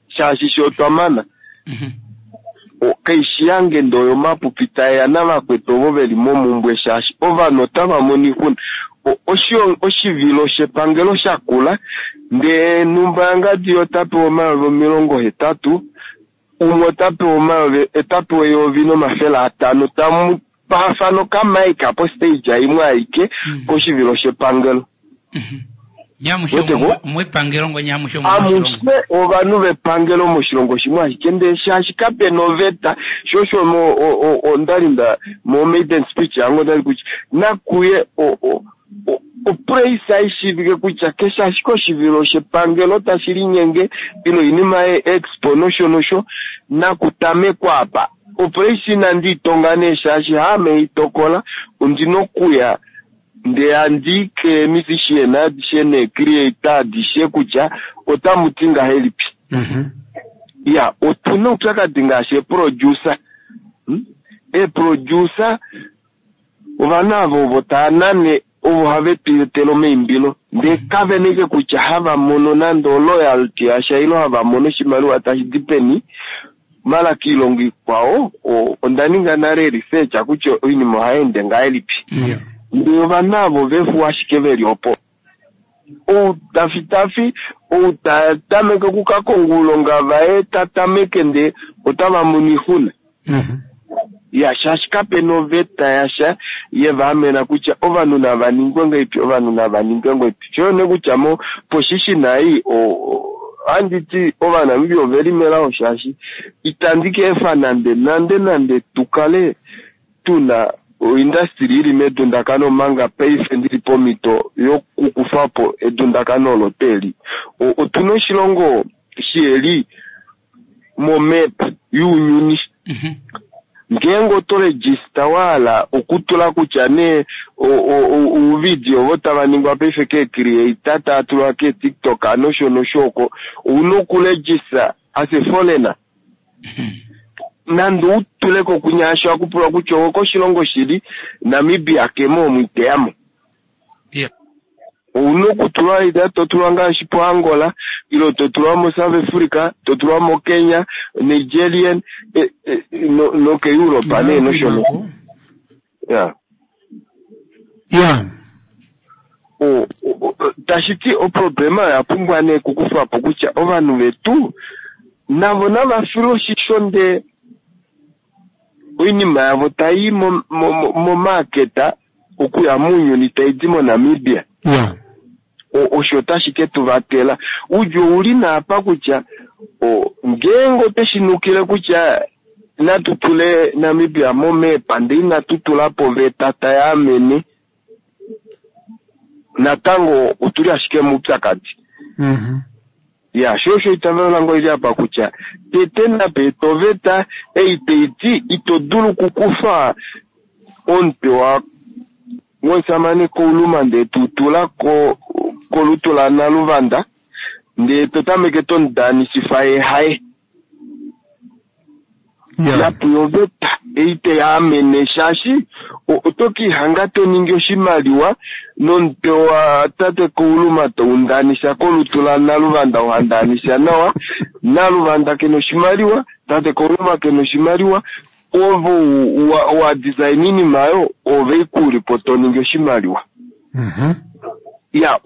Shaashi sho otwa mana. Mm-hmm. Kaishi yange ndo yomapupi taeya navakwetu ovo veli momumbwe shaashi ovanhu otava mono oixuna. Oshivilo shepangelo shakula ndee numba yangadi ota pewa omayovi omilongo hetatu, umwe ota pewa omayovi ota pewa eyovi nomafele atano, tamu paafana okamaika po stage imwe aike koshivilo shepangelo. Amushe ovanhu vepangelo moshilongo shimwe ashike ndee shaashi kapena oveta, sho osho ondali nda mo maiden speech yange ondali kutya nakuye opraise aishiivike kutya keshe ashike oshivilo shepangelo tashi linyenge ile oinima ye expo nosho nosho nakutamekwa apa. Opraise inandi itonga nee shaashi haame itokola, ondina okuya ndee handi ke musician adishe ne creator adishe kutya otamu ti ngahelipi. Mm-hmm. Ya, otuna oupyakadi ngaashi eproducer. Hmm? Eproducer ovanhu avo ovo tava nane ovo have tu etele omaimbilo ndee kave neke kutya hava mono nande oloyalty yasha ile hava mono oshimaliwa tashi di peni. Mala kiilongo ikwao onda ninga nale research kutya oinima ohai ende ngahelipi. Yeah. Ndee ovanhu avo vefu ashike veli opo. Ou tafitafi, ou ta tameke okukakonga oulonga vaye ta tameke ndee otava mono oixuna. Mm-hmm. Ya, shaashi kapena oveta yasha yeva amena kutya ovanhu nava ningwe ngahelipi, ovanhu nava ningwe ngahelipi. Sho ne kutya mo position ei ohandi ti Ovanamibia oveli melao shaashi itandi ka efa nande nande nande tukale tuna oindustry ili medundakano omanga paife ndili pomhito yokukufa po edundakano olo tweli. Otuna oshilongo shiheli momap younyuni. Mm-hmm. Ngeenge oto register wahala okutula kutya nee ouvidio ovo tava ningwa paife keecreator tava tulwa keTikTok nosho nosho oko, ouna okuregister as a foreigner. Nande utuleko kunya sho akupulwa kutya owokoshilongo shili, Namibia kemo omu iteyamo. Yeah. Ouna okutulwa ida totulwa ngaashi po Angola, ilo totulwa mo South Africa, totulwa mo Kenya, Nigerian, e, e, no, no ke Europe nee nosho nosho. Yeah. Yeah. O, o, tashi ti oproblema oya pumbwa nee okukufwa po kutya ovanhu vetu navo nava filwe oshisho ndee oinima yavo tai momaketa okuya mounyuni tai di moNamibia. Yeah. Osho tashi ke tu vatela. Udju ouli naapa kutya ngeenge oteshi nukile kutya natu tule Namibia momepa ndee inatu tula po oveta tai amene, natango otuli ashike moupyakadi. Mm-hmm. Ya, sho osho itavelo lange oli apa kutya tete nape oveta ei tai ti ito dulu okukufa omutwe wa womusamane Kouluma ndee tutula ko kolutu la Naluvanda ndee to tameke tomudanisifa ye haye. Yeah. Napuya oveta ei tai amene shaashi oto kiihanga to ningi oshimaliwa nomutwe wa tate Kouluma toundanisa kolutu la Naluvanda ohandanisa nawa, Naluvanda kena oshimaliwa, tate Kouluma kena oshimaliwa, ovo wa, wa design iinima oyo ove ikuulipo to ningi oshimaliwa. Mm-hmm. Ya,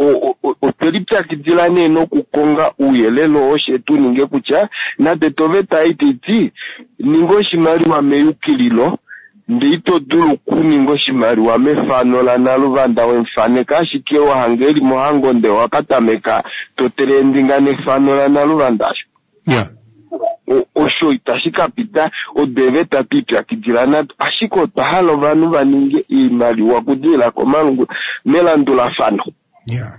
otwe lipyakidila nee nokukonga ouyelele oo she tu ninge kutya nande toveta ei taiti ninga oshimaliwa meyukililo ndee ito dulu okuninga oshimaliwa mefano laNaluvanda wemufaneka ashike wahanga eli mohango ndee wakatameka to trendinga nefano laNaluvanda asho. Yeah. Osho itashi kapita odo eeveta twiipyakidila nado, ashike otwa hala ovanhu vaninge oimaliwa okudilila komalungula melandulafano. Yeah.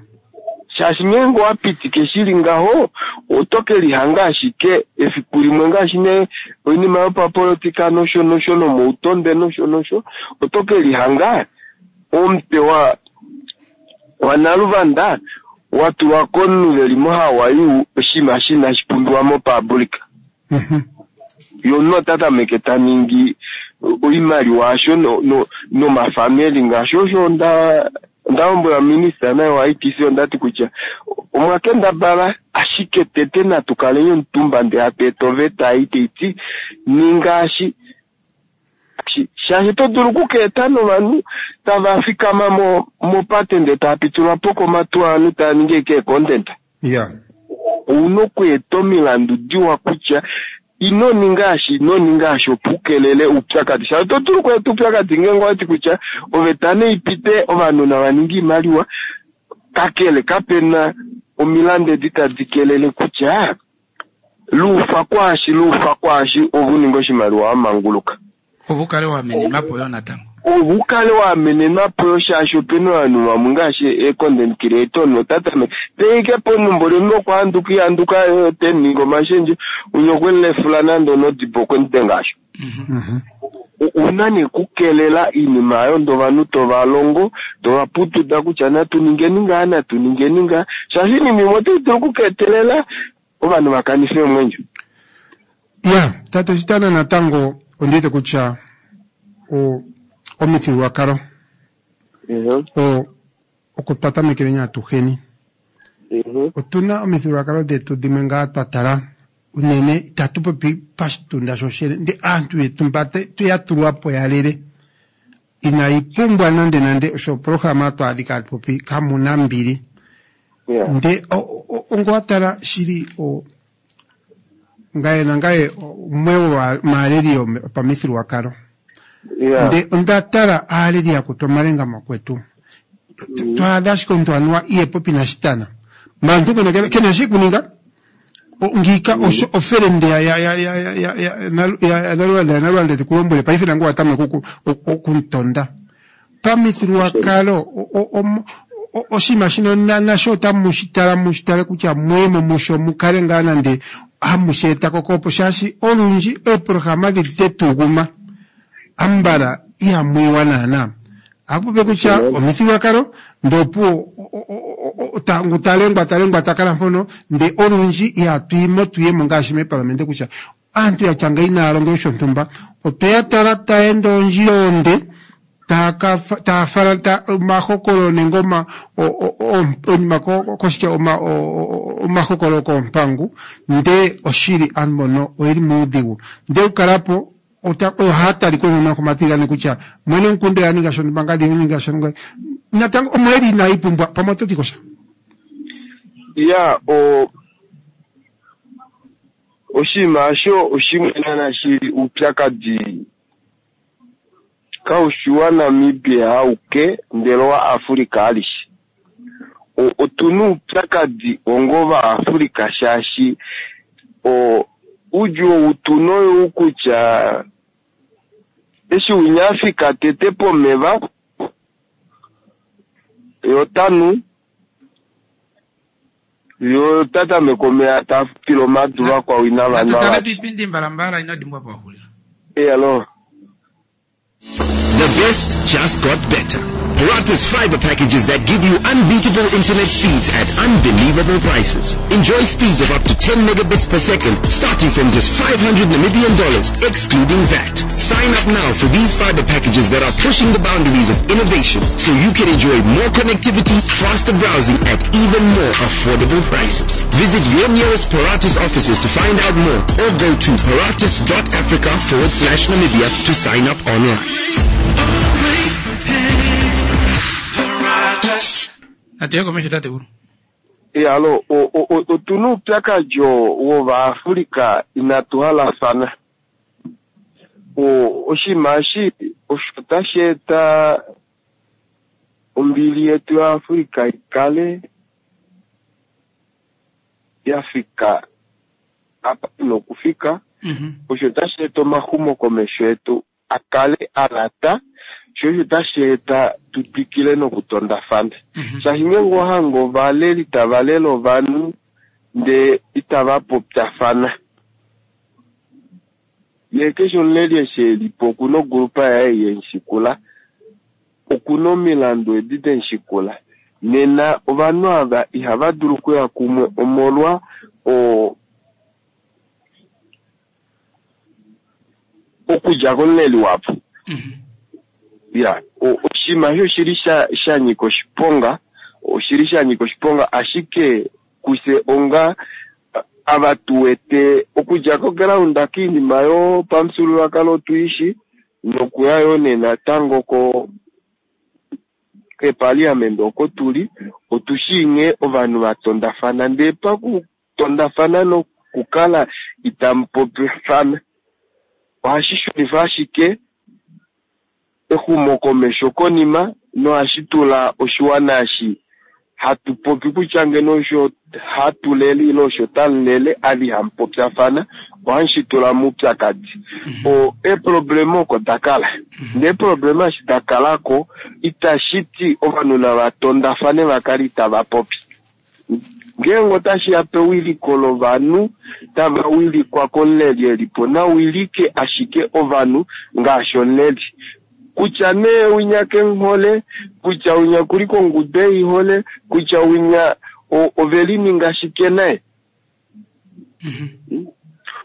Shaashi ngeenge owapitike shili ngaho oto ke lihanga ashike efiku limwe ngaashi nee oinima yopapolitika nosho nosho nomoutonde nosho nosho oto ke lihanga omutwe wa waNaluvanda wa tulwa komunhu veli moHawaii oshinima shi inashi pumbiwa mopublic. Mm-hmm. Ye omunhu ota tameke ta ningi oimaliwa asho no, no, nomafamili ngaashi osho onda onda lombwela minista naye wa I T C ondati kutya omwa kendabala ashike tete natu kaleni omutumba ndee hatu eta oveta ei taiti ningaashi shaashi oto dulu okukeeta novanhu tava fikama mo mopate ndee tava pitulwa po komatu ovanhu tava ningi ashike content. Yeah. Ouna okweeta omilandu diwa kutya ino ninga ashi, ino ninga ashi opo ukelele oupyakadi. Shaashi oto dulu okweeta oupyakadi ngeenge owati kutya oveta neipite ovanhu nava ninge oimaliwa, kakele kapena omilandu edi tadi kelele kutya luufa kwaashi, luufa kwaashi ove uninge oshimaliwa wa manguluka. Ove ukale wa amenenwa po yo natango. Ove ukale wa amenenwa po yo shaashi opena ovanhu vamwe ngaashi e-content creator nota tameke teike ponumbo limwe okwaanduka ihanduka yo te ningi omashendjo unye okwelefula nande onodibo okwemudenga asho. Mm-hmm. Ouna nee okukelela iinima ayo ndee ovanhu tova longo tova putuda kutya natu ningeni ngaa, natu ningeni ngaa, shaashi iinima imwe otai dulu okukeetelela ovanhu va kanife omwenyo. Ya, tate Shitana natango ondiwete kutya o omifyuululwakalo Mhm. o oko twa tamekele atuheni. Mhm. Otuna omifyuululwakalo detu dimwe ngaa twa tala unene itatu popi pashitunda shoshene ndee aantu yetu mba ya tulwa po yalele inayi pumbwa nande nande osho oprograma twaadhika hatu popi kamuna mbili. Yeah. Nde ongo wa tala shili o ngaye nangaye umwe womaaleli yopamifyuululwakalo. Yeah. Nde onda tala aaleli yakutu omalenga makwetu twaadha ashike omuntu anuwa iye popi naShitana maantu kena kena shi kuninga ngiika osho ofelende ya ya ya ya ya ya ya ya ya Nalwanda tekulombwele paife nangu watameka okuntonda pamifyuululwakalo oshinima shino nasho otamu shi tala mu shi tale kutya mwemo musho mukale ngaa nande hamu shi eta kokopo shaashi olundji eeprograma dhedi tetuguma ambala ihamwiwa naana akupope kutya omifyuululwakalo ndopuwo ngu talengwa talengwa takala mpono nde olundji ihatwiimo tuyemo ngaashi meparlamente kutya aantu yatya ngeyi naya longe shontumba otweya tala taenda ondjila onde taya fala omahokololo nenge oma oinima koshike omahokololo koompangu ndee oshili aantu mbono oyeli muudhigu ndee okukalapo ohaya talika unene komatiligane kutya mwene womukunda oya ninga shontumba ngadi ninga shontumba natango omweli inayi pumbwa pamwe oto ti kosha. Ya, o oshinima osho oshimwe naana shili uupyakadi kaushi waNamibia auke ndele owaAfrica alishe. Otuna uupyakadi onga ovaAfrica shaashi o uudjuu ou tuna oyou kutya eshi winya afika tete pomeva ye otanu ye ota tameke omeya tafutile omadu vakwao inava nwa Natu tale vali. piipindi mbalambala ino dimbwa pwahulila. Elo. The best just got better. Paratus fiber packages that give you unbeatable internet speeds at unbelievable prices. Enjoy speeds of up to ten megabits per second, starting from just five hundred Namibian dollars, excluding V A T. Sign up now for these fiber packages that are pushing the boundaries of innovation so you can enjoy more connectivity, faster browsing at even more affordable prices. Visit your nearest Paratus offices to find out more or go to paratus dot africa forward slash Namibia to sign up online. Natuye komesho tatekulu. Alo, otuna oupyakadi wovaAfrika inatu halafana. Oshinima eshi osho tashi eta ombili yetu yaAfrika ikale yafika apa ina okufika. Osho tashi eta omaxumokomesho etu akale alata, sho osho tashi eta tutwikile nokutondafana. Shaashi ngeenge owahange ovaleli tava lele ovanhu ndee itava popyafana, yee keshe omuleli eshi elipo okuna ogrupa yaye yemushikula, okuna omilandu edi demushikula. Nena ovanhu ava ihava dulu okuya kumwe omolwa o okudja komuleli wavo. Ya, oshinima eshi oshili sha nyika oshiponga, oshili sha nyika oshiponga, ashike kufye onga ava tuwete okudja koground kiinima yopamufyuululwakalo otuishi, nokuya yoo nee natango ko keparliament oko tuli, otushii nghee ovanhu vatondafana, ndee pakutondafana nokukala itamu popyafana ohashi xulifa ashike exumokomesho konima, nohashi tula oshiwana eshi hatu popi kutya ngeno osho hatu lele ile osho tamulele ava ihamupopyafana, ohashi tula moupyakadi. O eeproblema oko dakala, neeproblema eshi dakalako itashi ti ovanhu navatondafane vakale itava popi. Ngeenge otashi ya pewiliko lovanhu tava wilikwa komuleli elipo, nawilike ashike ovanhu ngaashi omuleli. Kutya nee winya kemuhole, kutya winya kuli kongudu eihole, kutya winya ovelininga shike naye.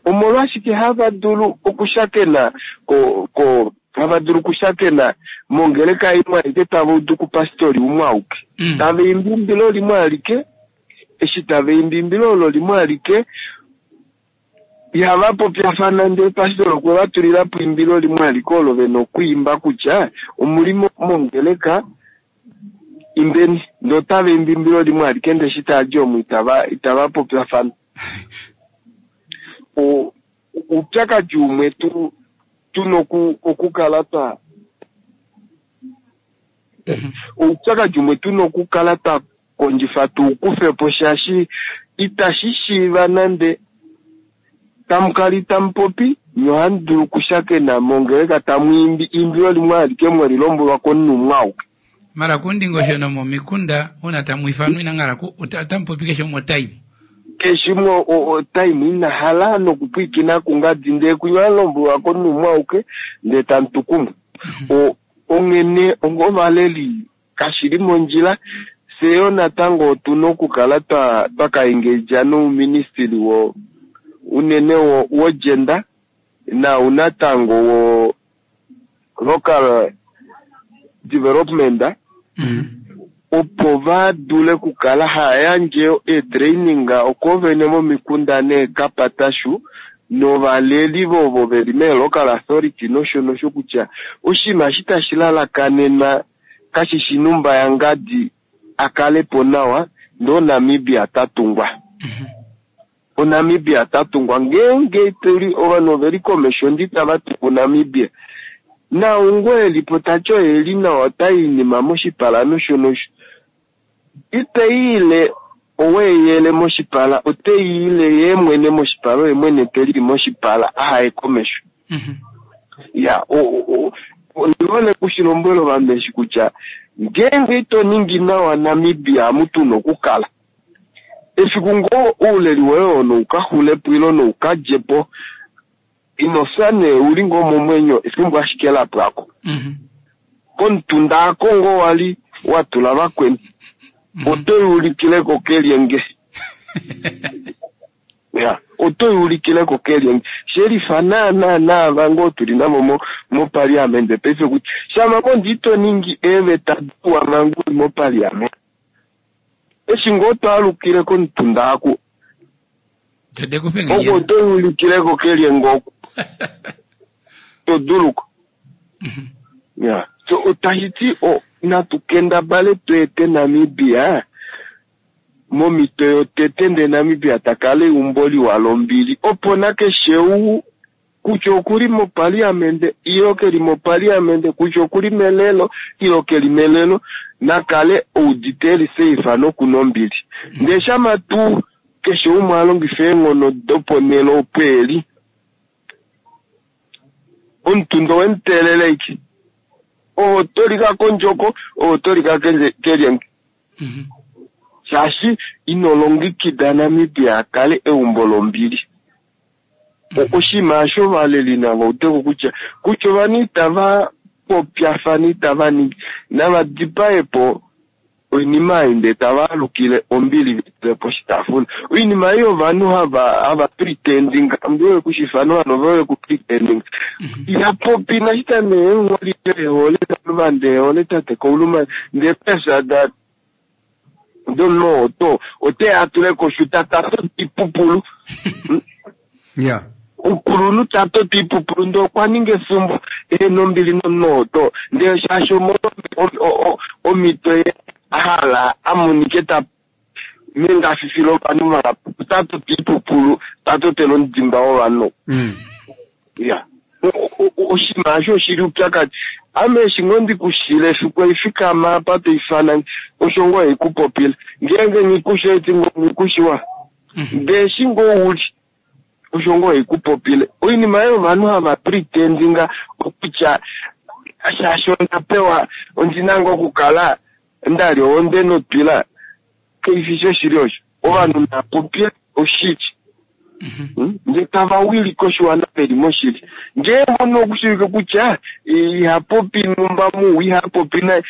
Omolwashike hava dulu okushakena ko ko hava dulu okushakena mongeleka imwe alike tava udu kupastori umwe auke, tava imbi imbilo limwe alike, eshi tava imbi imbilo olo limwe alike ihava popyafana, ndee pastori okwe va tulilapo imbilo limwe alike olo vena okwiimba kutya omuli mongeleka imbeni, ndee otava imbi imbilo limwe alike, ndee eshi tadi omo itava itava popyafana. Oupyakadi umwe tu tuna okukala twa oupyakadi umwe tuna okukala twa kondjifa tuukufepo, shaashi itashi shiiva nande tamukala itamupopi nye ohamu dulu okushakena mongeleka tamu imbi imbilo limwe alike mweli lombwelwa komunhu umwe auke. Mara kundingosho nomomikunda uuna tamu ifanwa inanghala otamupopi keshe umwe otaimu keshe umwe otaimu ina hala nokupwiikina kungadi, ndee kunya lombwelwa komunhu umwe auke ndee tamu tu kumwe. Onghene onga ovaleli kashili mondjila, fye yo natango otuna okukala twa twakaengedja nouministili wo unene wo gender nau natango wo local development, opo va dule okukala haya yandje eetraining okoovene momikunda neekapatashu novaleli vovo veli mee-local authority nosho nosho, kutya oshinima eshi tashi lalakanenwa kashishi numba yangadi akalepo nawa ndee oNamibia tatungwa. ONamibia tatungwa ngeenge tuli ovanhu oveli komesho ndi tava tungu Namibia, naungo elipo tati oyeli nawa otai inima moshipala nosho nosho, iteiile oweyele moshipala, oteiile yeemwene moshipala, oye mwene teli moshipala ahaye komesho. Ya, ondihole kushilombwela ovanhu eshi kutya ngeenge ito ningi nawa Namibia amu tuna okukala, efiku ngoo ouleli woye oo noukaxulepo ile noukadjepo, ino fya nee uli ngoo momwenyo efimbo ashike lapwako. Komutunda ako ngoo wali watula vakweni, otoyuulikileko kelyenge. Ya, otoyuulikileko kelyenge. Shelifa naana naava ngoo tuli navo moparliament paife kutya shama ngo ito ningi eeveta diwa manga uli moparliament, eshi ngoo twaalukile komutunda aku oko otoyuulikileko kelyenge oku toduluko. Ya, so tashi ti Natu kendabale tweete Namibia momito yotete ndee Namibia takala eumbo liwa lombili opo nakeshe ou kutya okuli mopaliamente ilo keli mopaliamente kutya okuli melelo ilo keli melelo nakale oudite eli safe nokuna ombili. Ndee shama tuu keshe umwe alongifa eenghono doponhele opo eli omutundo wemuteelele iki oho tolika kondjoko oho tolika kelyenge shaashi ino longekida Namibia akale eumbo lombili. Oshinima osho ovaleli nava udeko kutya kutya ovanhu itava popyafana itava ningi nava dipaepo oinima ei ndee tava alukile ombili vitule poshitaafula. Oinima ei ovanhu hava hava pretending mbi kushifana ovanhu vove ku pretending ihapopi nashita nee ehole naluvanda ehole tate Kauluma ndee pesa da domunhu ote atule koshuta tato ipupulu yeah omukulunhu tato ipupulu ndee okwa ninga efumbo ehena ombili nomunhu oto ndee shaashi omito ye ahala amonike ta mengafifilo ovanhu vahapu tato ipupulu tatotele omudimba wovanhu. Ya oshinima osho oshili upyakadi. Ame eshi ngoo ndikushile efiku eifikama apa toifana osho ngoo haikupopile ngeenge nghikushe eti ngoo nghikushiwa ndee eshi ngoo uli osho ngoo haikupopile. Oinima ei ovanhu hava pretendinga okutya shaashi onda pewa ondina ngoo okukala ndali ohonde notwila kaifishi oshili osho. Ovanhu napopye oshili ndee tava wilike oshiwana veli moshili. Ngee omunhu okushivike kutya ihapopi numba muwa ihapopi naye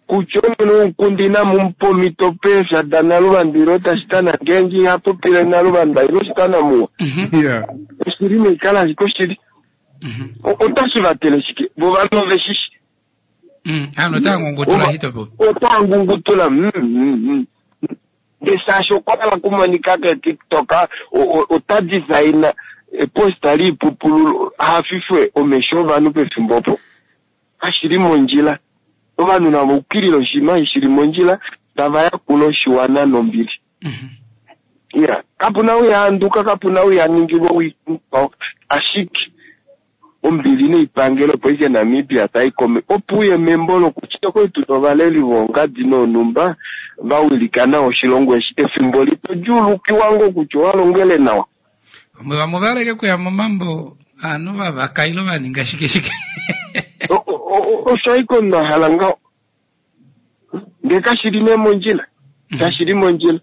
kutya omwene womukunda inamumupa omhito peefya danaluvanda ilo tashitana ngeenge ihapopile naluvanda ilo shitana muwa. Yeah. Oshili neikala ashike oshili. Otashi vatele shike vo ovanhu ove shishi. Ano otava ngungutula shitopo. Otava ngungutula. Ndee shaashi okwa hala okumonika keTikTok ota designa eposta liipupulu hafifwe omesho ovanhu pefimbo opo. Kashili mondjila. Ovanhu nava ukilile oshinima shili mondjila tava yakula oshiwana nombili. Ya kapuna ou yaanduka kapuna ou yaningilwa owii ashike ombili neipangelo opo ike Namibia taikome opo uye membo lokutya okwali tuna ovaleli voongadi noonumba vawilika nawa oshilongo eshi efimbo lipo djuulukiwa ngoo kutya owalongele nawa. Vamwe vamwe ovaleke kuya momambo aanhu vavaka ilo vaninga shike shike. Osho ashike omunhu ahala ngaho ndee kashili nee mondjila kashili mondjila.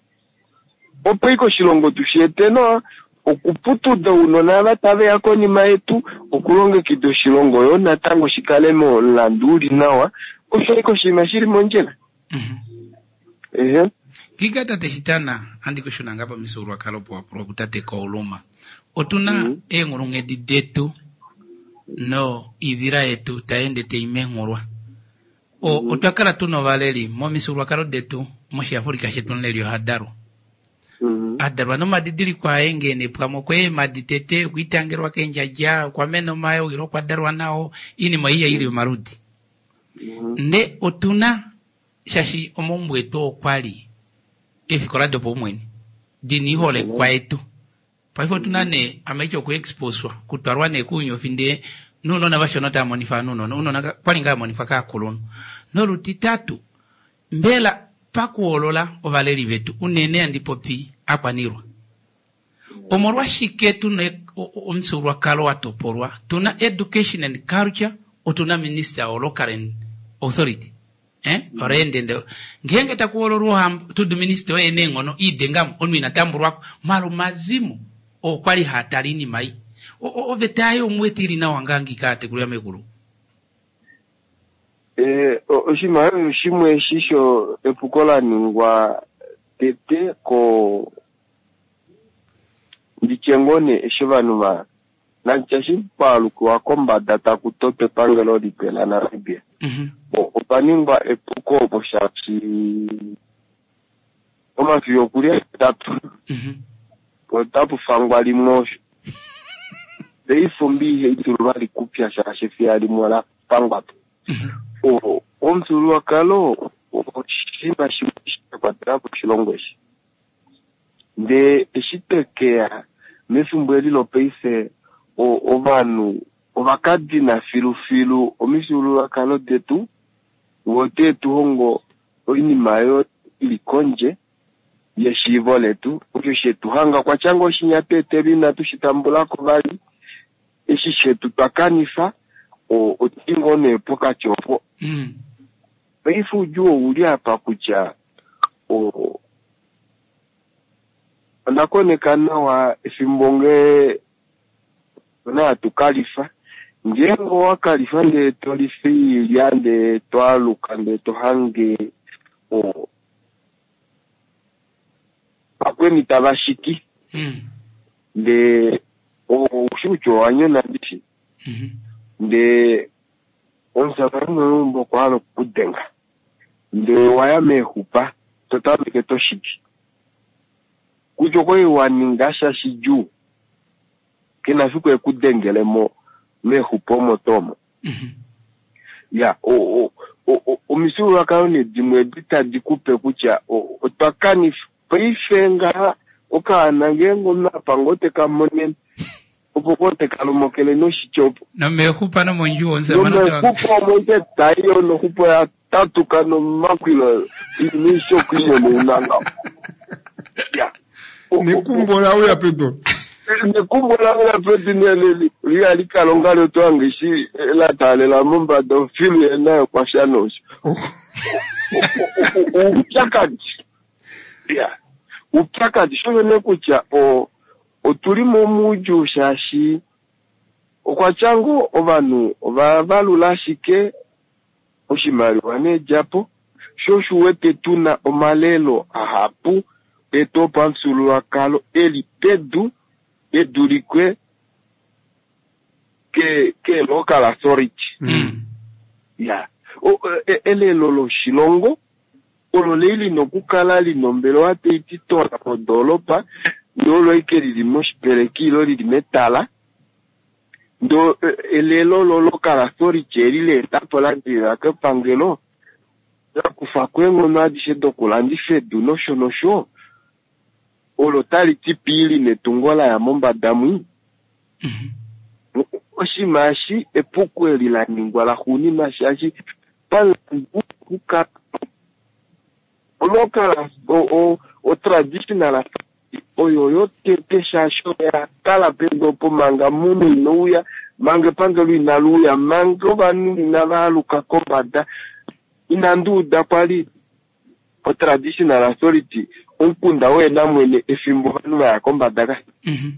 Opo ike oshilongo tushiete nawa okuputuda ounona ava taveya konima yetu okulongekida oshilongo yo natango shikale momulandu uli nawa osho ashike oshinima shili mondjila. Ehe. Ngika tate Shitana andi kushuna nga pamifyuululwakalo opo wapulwa kutate Kauluma. Otuna eenghulunghedi detu no ivila yetu taende taimenghulwa. Otwa kala tuna ovaleli momifyuululwakalo detu moshiAfrika shetu omuleli ohadalwa. Adalwa nomadidiliko aye ngene pamwe okweemadi tete okwiitangelwa keendjadja okwamena omayo ilo okwadalwa nao iinima ei ili omaludi. Nde otuna shaashi omaumbo etu okwali eefikola dopaumwene dina iholekwa yetu. Paife otuna nee amaityo okuexposwa kutwalwa nee kuunyofi ndee nounona vashona otava monifa nounona ounona kwali ngaa monifwa kaakulunhu. Nolutitatu mbela pakuhoolola ovaleli vetu unene andi popi akwanilwa. Omolwashike tuna omufyuululwakalo wa topolwa tuna education and culture otuna minister o local and authority. Eh? Orende ndo. Ngeenge takuhoololwa ohamba tudu minister oye neenghono iidengamo omunhu ina tambulwako malo mazimo okwali haatala iinima ei. Oveta yayo omuwete ili nawa ngaa ngika atekulu yamekulu. Eh oshinima osho shimwe eshi sho epuko la ningwa tete ko nditye ngoo nee eshi ovanhu va nanditye eshi kwaalukiwa kombada taku totwa epangelo lipe laNamibia. Opa ningwa epuko opo shaashi omafiya okuli ahetatu otapu fangwa limwe osho. Paife ombi ihai dulu vali kupya shaashi efiya limwe ola fangwa po. Omufyuululwakalo oshinima shimwe sha kwatela po oshilongo eshi. Ndee eshi twekeya mefimbo eli lopaife ovanhu ovakadina filufilu omifyuululwakalo detu, vo ote tu hongo oinima oyo ili kondje yeshiivo letu, osho shetu hanga kwatya ngoo oshinya tweetelwa inatu shi tambulako vali, eshi shetu twa kanifa otuli ngoo nee pokati opo. Mm. Paife oudjuu ouli apa kutya o onda koneka nawa efimbo ngee ona hatu kalifa, ngeenge owa kalifa ndee tolifa oilya ndee twaaluka ndee tohange o vakweni tava shiki Mm. ndee oushi kutya owa nyona ndishi, Mhm. ndee omushamane weumbo okwa hala okukudenga ndee waya meexupa totameke toshiki kutya okwali wa ninga sha shidjuu kena fiku ekudengele mo meexupa omo tuu omo. Mhm. Ya o- o- o- omifyuululwakalo nee dimwe edi tadi kupe kutya o- otwa kanifa paife ngaha okaana ngeenge omunhu apa ngoo teka monene opo koo teka lomokele noshitya opo Nomeexupa nomondjuwo omushamane ota- nomeexupa omo ike taiyo noxupo ya tatuka nomakwilo inisho okwinyona ya Nekumbo lauya pedu. Nekumbo lauya pedu neleli liali kala ongalo twange eshi la taalela mombada ofilu yenayo kwasha nosho oupyakadi ya oupyakadi sho ne kutya o otuli momuudjuu shaashi okwatya ngoo ovanhu ova valula ashike oshimaliwa needjapo sho osho uwete tuna omalelo ahapu etu opamufyuululwakalo eli pedu edulikwe ke ke local authority. Mm. Ya o, e, elelo loshilongo olo lei lina okukala lina ombelewa tai ti tola modoolopa ndee olo ike lili moshipeleki ilo lili metala ndee elelo lo local authority eli leetapo ladilila kepangelo lakufako eenghono adishe dokulandifa edu nosho nosho olo tali ti pii netungo laya mombada mwi. Mhm. Oshinima eshi epuko eli la ningwa laxuuninwa shaashi pamulandu wokukala olocal o-traditional authority oyo yotete shaashi oya kala pedu opo manga munhu inouya manga epangelo inali uya manga ovanhu inava aluka kombada inandi uda kwali o-traditional authority omukunda woyena mwene efimbo ovanhu vaya kombada ka Mhm.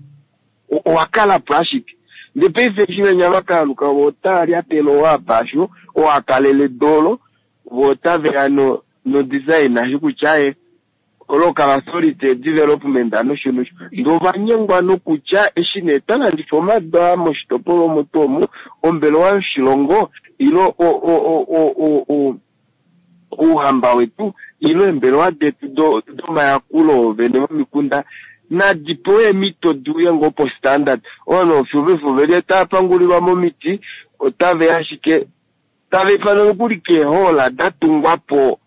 owa kala po ashike ndee paife eshi venya vakaaluka vo otava lyatele owapasho owakalele dolo vo otaveya no no design ashi kutya aye local authority development nosho nosho ndee ovanyengwa nokutya eshi nee twalandifa omadu aa moshitopolwa omo tuu omu ombelewa yoshilongo ilo o- o- o- o- o- ouhamba wetu ilo eembelewa detu do- domayakulo vene vomikunda nadi pewe eemhito diuye ngoo po standard ovanhu ofyovefo veli tava pangulilwa momiti otave ashike tava ifana nokuli keehoola da tungwa po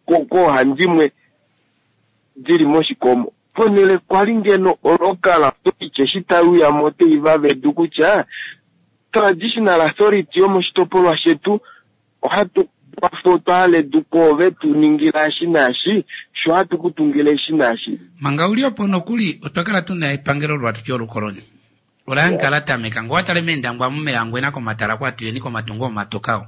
ko- koohandimwe dili moshikomo ponhele kwali ngeno olocal authority eshi taiuya mo otei vavedu kutya traditional authority yomoshitopolwa shetu ohatu kwafa otwahala edu koove tu ningila eshi naashi sho hatu kutungila eshi naashi. Manga uli opo nokuli otwa kala tuna epangelo lwatu lyolukoloni ola yankala tameka ngo watale meendangwa mumeyangwena komatala kwatuyeni komatungo omatokao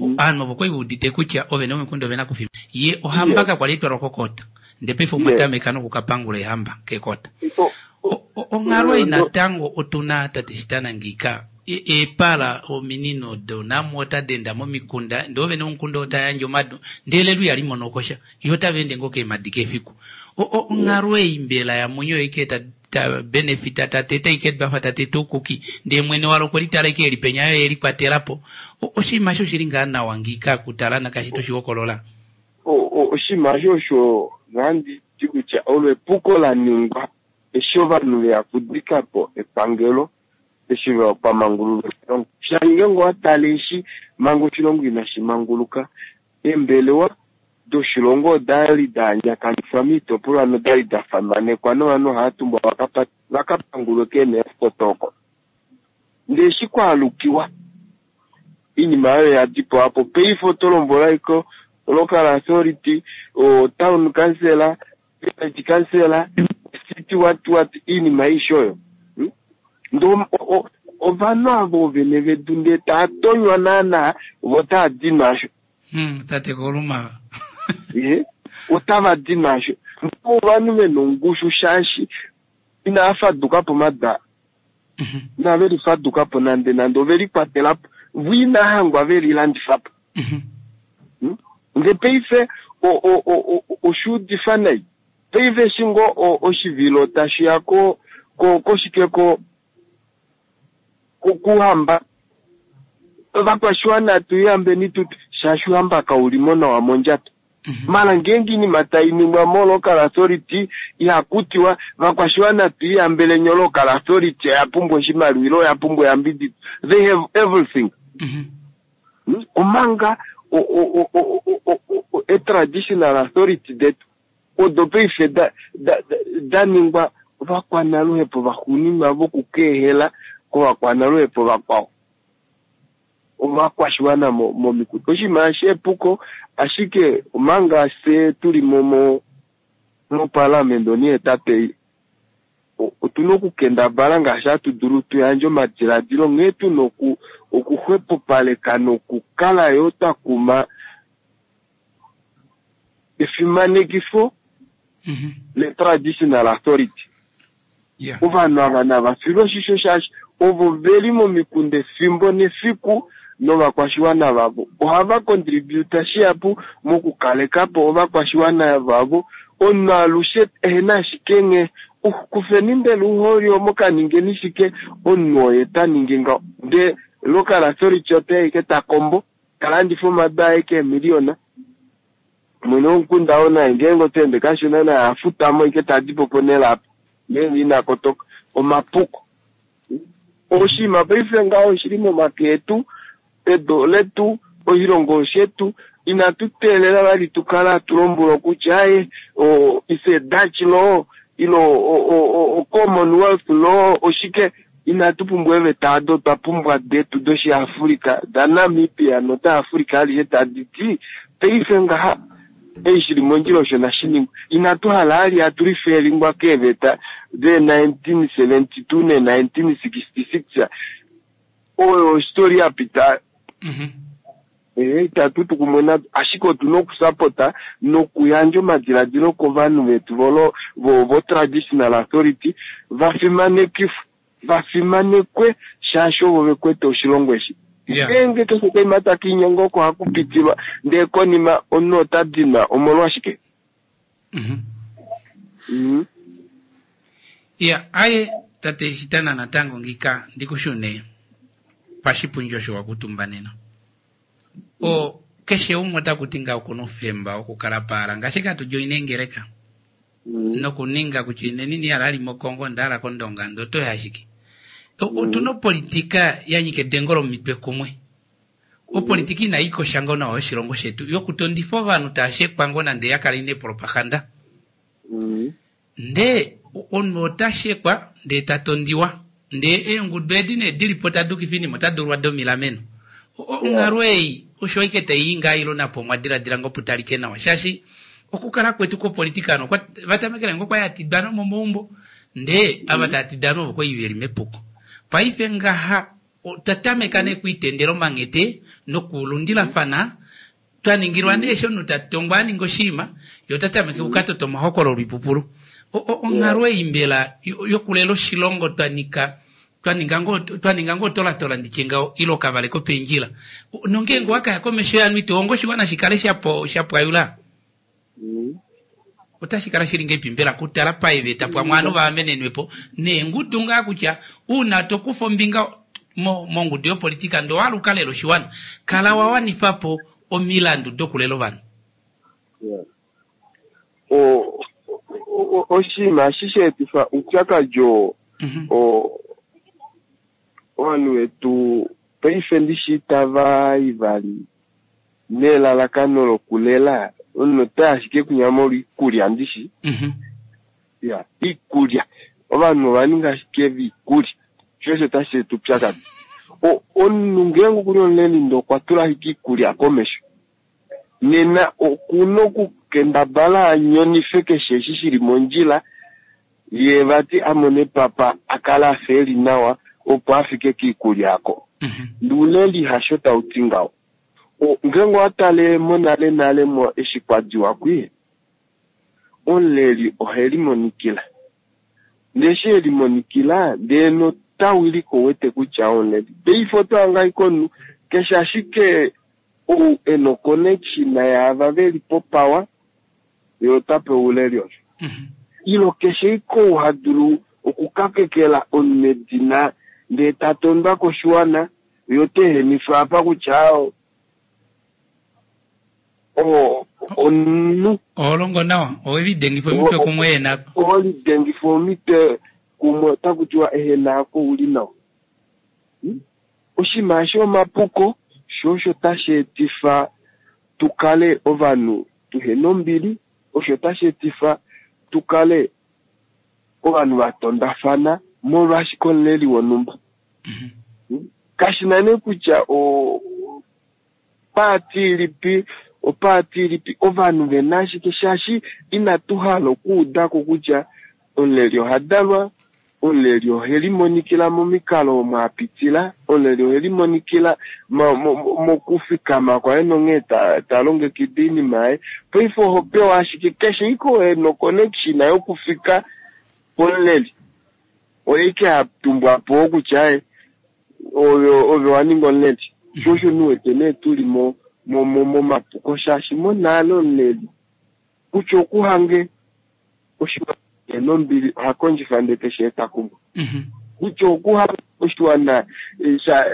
ovanhu ovo kwali udite kutya ovene vomikunda ovena kufima ye ohamba Yes. kakwali itwalwa kokota ndee paife Yes. omwatameka nokukapangula ehamba kekota. O- O- o- onghalo ei No. natango otuna tate shitana ngika E- eepala ominino donamwo otadi enda momikunda ndee ovene vomukunda otayandje omadu ndee lelo ihali mono kosha iyo otava ende ngoo keemadi kefiku. O- o- onghalo ei mbela yamunyo ike ta ta benefita tateta ike bafa tateta ukuki ndee mwene walo kweli tala ike eli penya yo eli kwatelapo. O- oshinima osho shili ngaa nawa ngika kutala nakashi toshihokolola. O- o- oshinima osho osho ngandi ti kutya olo epuko la ningwa eshi ovanhu veya kudika po epangelo Eshi kwa mangululwa oshilongo. Shaashi ngeenge owa tale eshi manga oshilongo inashi manguluka, eembelewa doshilongo oda li da andjakanifwa moitopolwa noda li da famanekwa novanhu ohava tumbwa vaka pangulwe keeneefkota oko. Ndee eshi kwaalukiwa, oinima oyo oya dipawa po. Paife oto lombwelwa ashike local authority, o town council, village council, city what what, oinima aishe oyo. Ndee ovanhu ava oovene vedu ndee taa tonywa naana vo otaa di naasho. Hmm, tate Koluma. Ye, otava di naasho. Ovanhu ve na ongushu shaashi inava faduka po mada. Inave lifaduka po nande nande, ove likwatela po. Vo inava hangwa ve lilandifa po. Ndee paife oshuudifa nai. Paife eshi ngoo oshivilo tashi ya ko koshike ko kuhamba, ovakwashiwana tuyambeni tutu shaashi uhamba kaulimo nawa mondjato. Mala ngeenge oinima tai ningwa mo-local authority ihakutiwa vakwashiwana tuiyambeleni o-local authority oya pumbwa oshimaliwa ile oya pumbwa eyambidido. They have everything. Omanga e-traditional authority detu odo paife da ningwa ovakwanaluhepo vaxuuninwa vokukeehela kovakwanaluhepo vakwao. Ovakwashiwana momikunda. Oshinima eshi epuko, ashike omanga fye tuli mo moparliament onihetatu ei, otuna okukendabala ngaashi hatu dulu tuyandje omadiladilo nghee tuna okuxwepopaleka nokukala yo twa kuma efimanekifo le-traditional authority. Ovanhu ava nava filwe oshisho shaashi ovo veli momikunda efimbo nefiku novakwashiwana vavo. Ohava contributa shihapu mokukaleka po ovakwashiwana vavo. Omunhu alushe ehena ashike nghee kufeni mbela ouholi omo kaningeni shike, omunhu oye ta ningi ngaho. Ndee local authority ote ashike ta kombo, ta landifa omadu aye keemiliyona. Mwene womukunda oo naye ngeenge ota ende kashona naye afutamo ashike tadi po ponhele apa ngeenge ina kotoka. Omapuko. Oshinima paife ngaho oshili momake etu, edu letu, oshilongo shetu. Inatu teelela vali tukale hatu lombwelwa kutya aye it's a Dutch law ilo o Commonwealth law oshike. Inatu pumbwa eeveta ado, otwa pumbwa detu doshiAfrika, daNamibia nodaAfrika alishe tadi ti paife ngaha ei shili mondjila osho nashi ningwe. Inatu hala ali hatu lifelingwa keeveta de nineteen seventy two ne nineteen sixty six. Oyo ostory ya pita. Eh, itatu tu kumwe nado, ashike otuna okusapota nokuyandja omadiladilo kovanhu vetu volo vo, vo traditional authority vafimanekifwe, vafimanekwe shaashi ovo vekwete oshilongo eshi. Ngeenge keshe kaima taka inyenga oko haku pitilwa, ndee konima omunhu ota dinwa omolwashike? Mm. Ya, aye tate Shitana natango ngika ndikushune pashipundi osho wakutumba nena. O keshe umwe ota kuti nga okuna oufemba wokukala paala ngaashi katu joine ngeleka. Nokuninga kutya ineni ni ala ali moKongo ndala kOndonga ndo otoya ashike. Otuna opolitika ya nyika edengo lomitwe kumwe. Opolitika inayi kosha ngoo nawa oshilongo shetu yokutondifa ovanhu tava shekwa ngoo nande ya kala ine propaganda. Ndee omunhu ota shekwa ndee ta tondiwa. Ndee eengudu edi nee dilipo tadukifa oinima ota dulwa domilameno. Onghalo ei osho ashike tai ngaa ilo napo omwa diladila ngoo putalike nawa shaashi okukala kwetu kwopolitika ano vatamekele ngoo kwali hatidana momaumbo ndee ava tava tidana ovo kwali veli mepuko. Paife ngaha otwa tameka nee okwiitendela omanghete nokulundilafana twa ningilwa nee eshi omunhu ta tongwa a ninga oshinima ye ota tameke okukatota omahokololo oipupulu. Onghalo ei mbela yokulela oshilongo twa nika twa ninga ngoo twa ninga ngoo tolatola nditye ngaho ile okavale kopendjila nongeenge owakaya komesho yanu ito hongo oshiwana shikale shapo shapwayula otashi kala shili ngeipi mbela kutala paeveta pwamwe ovanhu vaamenenwepo neengudu ngaa kutya uuna tokufa ombinga mongudu yopolitika ndee owahala ukalele oshiwana kala wawanifapo omilandu dokulela ovanhu. Oshinima eshi sheetifa oupyakadi oo Ovanhu vetu paife ndishi itava i vali nelalakano lokulela, omunhu ota ashike kunya molwa iikulya ndishi. Mhm. Ya, iikulya. Ovanhu ova ninga ashike viikulya. Sho osho tashi eta upyakadi. O- Omunhu ngeenge okuli omuleli ndee okwa tula ashike iikulya komesho, nena okuna okukendabala a nyonife keshe eshi shili mondjila, ye vati a mone papa a kale afa eli nawa opo a fike kiikulya ako. Mhm. Nuuleli hasho tau ti ngaho. O- Ngeenge owa tale monale nale mo eshi kwa diwa kwi, omuleli ohe limonikila. Ndee eshi e limonikila, ndee nota wilike ouwete kutya omuleli. Paife oto hanga ashike omunhu keshe ashike ou e na oconnection yaava veli popower, ye ota pewa ouleli osho. Mhm. Ilo keshe ike ou ha dulu okukakekela omunhu edina ndee ta tondwa koshiwana, ye ota ehenifwa apa kutya o- o- omunhu Oho longo nawa, owe lidengifa omitwe kumwe yena. oho lidengifa omitwe kumwe otaku tiwa ehena ako uli nawa. Hmm? Oshinima eshi omapuko, sho osho tashi etifa tu kale ovanhu tuhena ombili, osho tashi etifa tu kale ovanhu va tondafana molwashike omuleli wonhumba. Hmm? Kashi na nee kutya o paati ilipi, opaati ilipi, ovanhu vena ashike shaashi inatu hala okuudako kutya omuleli oha dalwa, omuleli ohe limonikila momikalo omo a pitila, omuleli ohe limonikila mo- mo- mo- mokufikama kwaye nonghee ta, ta longekida oinima yaye. Paife oho pewa ashike keshe ike oo e na oconnection yokufika pomuleli, oye ike ha tumbwa po kutya e, ove ove wa ninga omuleli. Sho osho nu wete nee tuli mo mo- mo- momapuko shaashi monale omuleli kutya okuhange oshiwana nombili oha kondjifa ndee teshi eta kumwe. Mhm. Kutya okuhange oshiwana eh, sha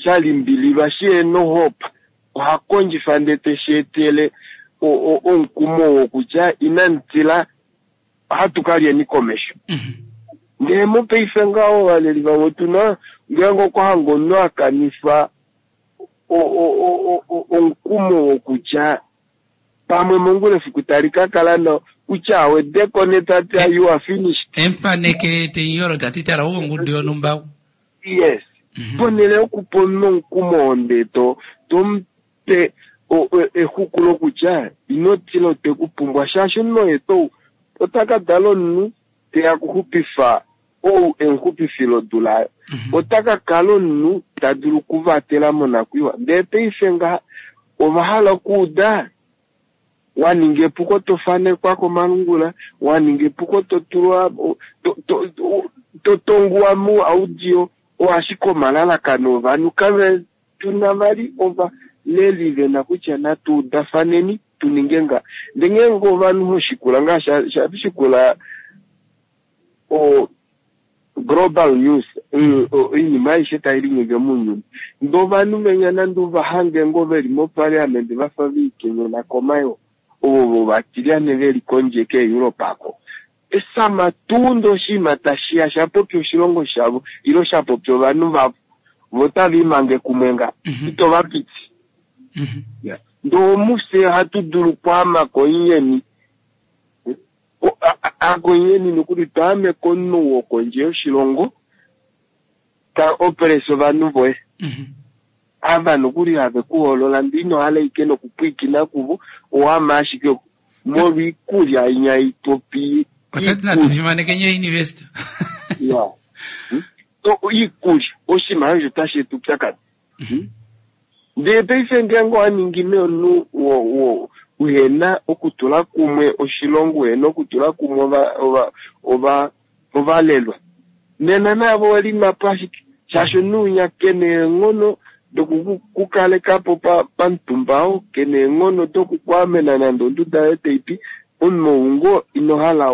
sha limbililwa shi nohope oha kondjifa ndee teshi etele o- o- omukumo wokutya inamu tila ohatu ka lyeni komesho. Mhm. Ndee mopaife ngaho ovaleli vamwe tuna ngeenge okwa hanga omunhu a kanifa o- o- o- o- omukumo wokutya pamwe mongula efiku tali ka kala nawa kutya awedeko netata you are finished. Emfaneke tenyolo tati tala uwo ongudu yonhumba. Yes. Mhm. Ponhele yokupa omunhu omukumo oo ndee to tomupe o- o- exuku lokutya ino tila ote ku pumbwa shaashi omunhu oye tou ota ka dala omunhu teya kuxupifa ou emuxupifilo odula ayo. Mhm. Ota ka kala omunhu ta dulu okuvatela monakwiiwa. Ndee paife ngaha ova hala okuuda wa ninga epuko to fanekwa komalungula, wa ninga epuko to tulwa to, to, to, to tonguwa mu audio, oashike omalalakano ovanhu kave tuna vali ovaleli vena kutya natu udafaneni tu ninge nga. Ndee ngeenge ovanhu hoshikula ngaa sha- sha shikula o global news, mm, oinima aishe tai linyenge mounyuni. Ndee ovanhu venya nande uvahange ngoo veli moparliament vafa veikenyena komayo, ovo vatilyane veli kondje keEurope ako. Esama tuu ndee oshinima tashiya sha popya oshilongo shavo ilo sha popya ovanhu vavo, vo otava imange kumwe nga, Mhm. ito va piti. Mhm. Ndee omufye ohatu dulu okwaama koinyeni. O- a- a- akoinyeni nokuli twaame komunhu wokondje yoshilongo ta operesa ovanhu voye. Mhm. Ava nokuli have kuhoolola ndee ino hala ike nokupwiikina kuvo, owaama ashike molwa iikulya inya ipopi Otati natu fimaneke nye university. Ya. Hmm? O- iikulya oshinima osho tashi eta upyakadi. Mhm. Ndee paife ngeenge owa ningi nee omunhu wo- wo- uhena okutula kumwe oshilongo, uhena okutula kumwe ova- ova- ova- ovalelwa, nena navo owelimapo ashike shaashi omunhu unya kena eenghono dokukukalekapo pamutumba oo, kena eenghono dokukwaamena nande onduda yoye taipi, omunhu ou ngoo ino hala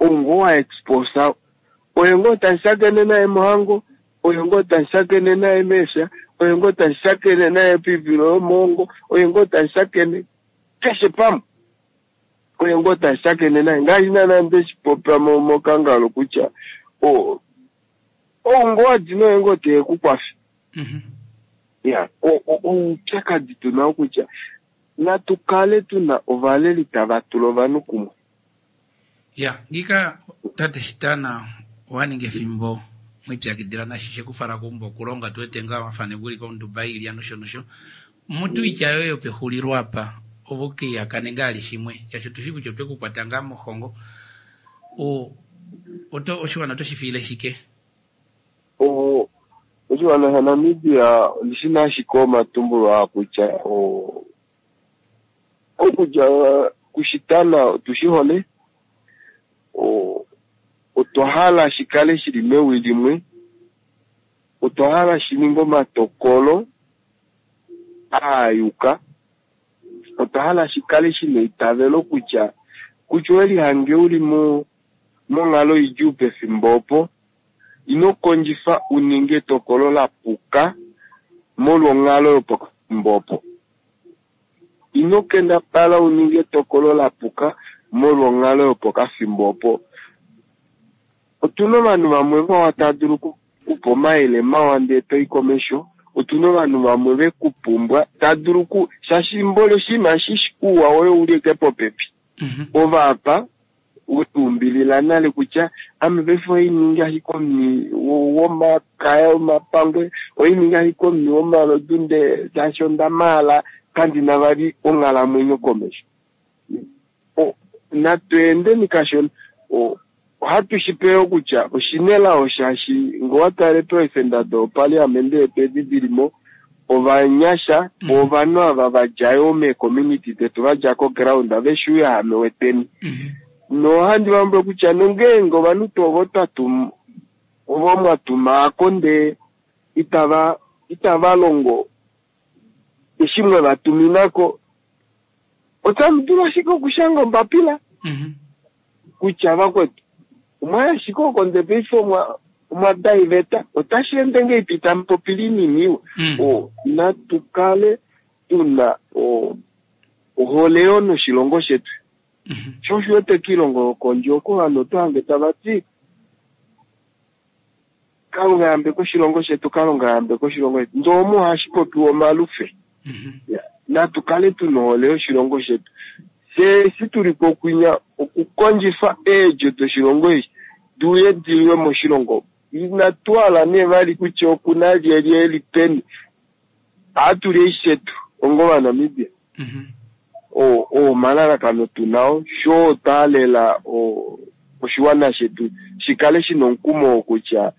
ou ngoo wa exposa, oye ngoo tamu shakene naye mohango, oye ngoo tamu shakene naye meefya, oye ngoo tamu shakene naye poivilo yomoongo, oye ngoo tamu shakene keshe pamwe, oye ngoo tamu shakene naye. Ngaashi naana ndeshi popya mo- mokangalo kutya o- Ou ngoo wadi noye ngoo teye ku kwafe. Mhm. Ya, o- o- oupyakadi tu na okutya natu kale tuna ovaleli tava tula ovanhu kumwe. Ya, ngika tate Shitana owa ninga efimbo mwipyakidila nashishe kufala keumbo okulonga tuwete ngaa wafane guli konduba iilya nosho nosho. Mutu itya yoye yopexulilo apa ovo keihakane ngaa ali shimwe shaashi otushi kutya otwe kukwata ngaa mohongo. O oto oshiwana oto shi fiile shike? O- oshiwana shaNamibia oshi na ashike omatumbulo aa kutya o- okudja kushitana otu shi hole, o- otwa hala shi kale shili mewi limwe, otwa hala shi ninge omatokolo a yuka, otwa hala shi kale shina eitavelo kutya kutya oweli hange uli mo monghalo idjuu pefimbo opo, ino kondjifa u ninge etokolo la puka molwa onghalo yopokafimbo opo. Ino kendabala u ninge etokolo la puka molwa onghalo yopokafimbo opo. Otuna ovanhu vamwe vawa tava dulu okukupa omayele mawa ndee toi komesho. Otuna ovanhu vamwe ve ku pumbwa tava dulu ku shaashi mboli oshinima eshi ouwa woye ouli eke popepi. Mhm. Ova apa wetuumbilila nale kutya ame paife oiningi ashike omuni womakaya omapangwe, oiningi ashike omuni womalodu ndee shaashi onda maala kandina vali onghalamwenyo komesho. O- natu endeni kashona. O- ohatu shi peyo kutya oshinelao shaashi ngee owa tale peefenda dopaliamende yetu edi dilimo ovanyasha Mhm. ovanhu ava vadja yoo meecommunity detu vadja koground veshi uuyahame weteni. Mhm. Nohandi valombwele kutya nongeenge ovanhu tuu ovo twa tum- ovo mwa tumaako ndee itava itava longo eshi mwe va tuminako, otamu dulu ashike okushanga ombapila Mhm. kutya vakwetu omwaya ashike oko ndee paife omwa omwa daiveta otashi ende ngeipi tamu popile inini iwa. Mm. O, natu kale tuna o, ohole yoo noshilongo shetu. Mhm. Sho osho wete kiilongo yokondje oko ovanhu oto hange tava ti Kalunga yambeka oshilongo shetu, Kalunga yambeka oshilongo shetu. Ndee omo ohashi popiwa omalufe. Mhm. Ya, natu kale tuna ohole yoshilongo shetu. Fye eshi tuli pokwinya okukondjifa eedjo doshilongo eshi diuye diliwe moshilongo. Inatu hala nee vali kutya okuna lyelye eli peni. Ohatu li eishetu onga Ovanamibia. Mhm. O- oo omalalakano tunao sho taalela o- oshiwana shetu shikale shina omukumo wokutya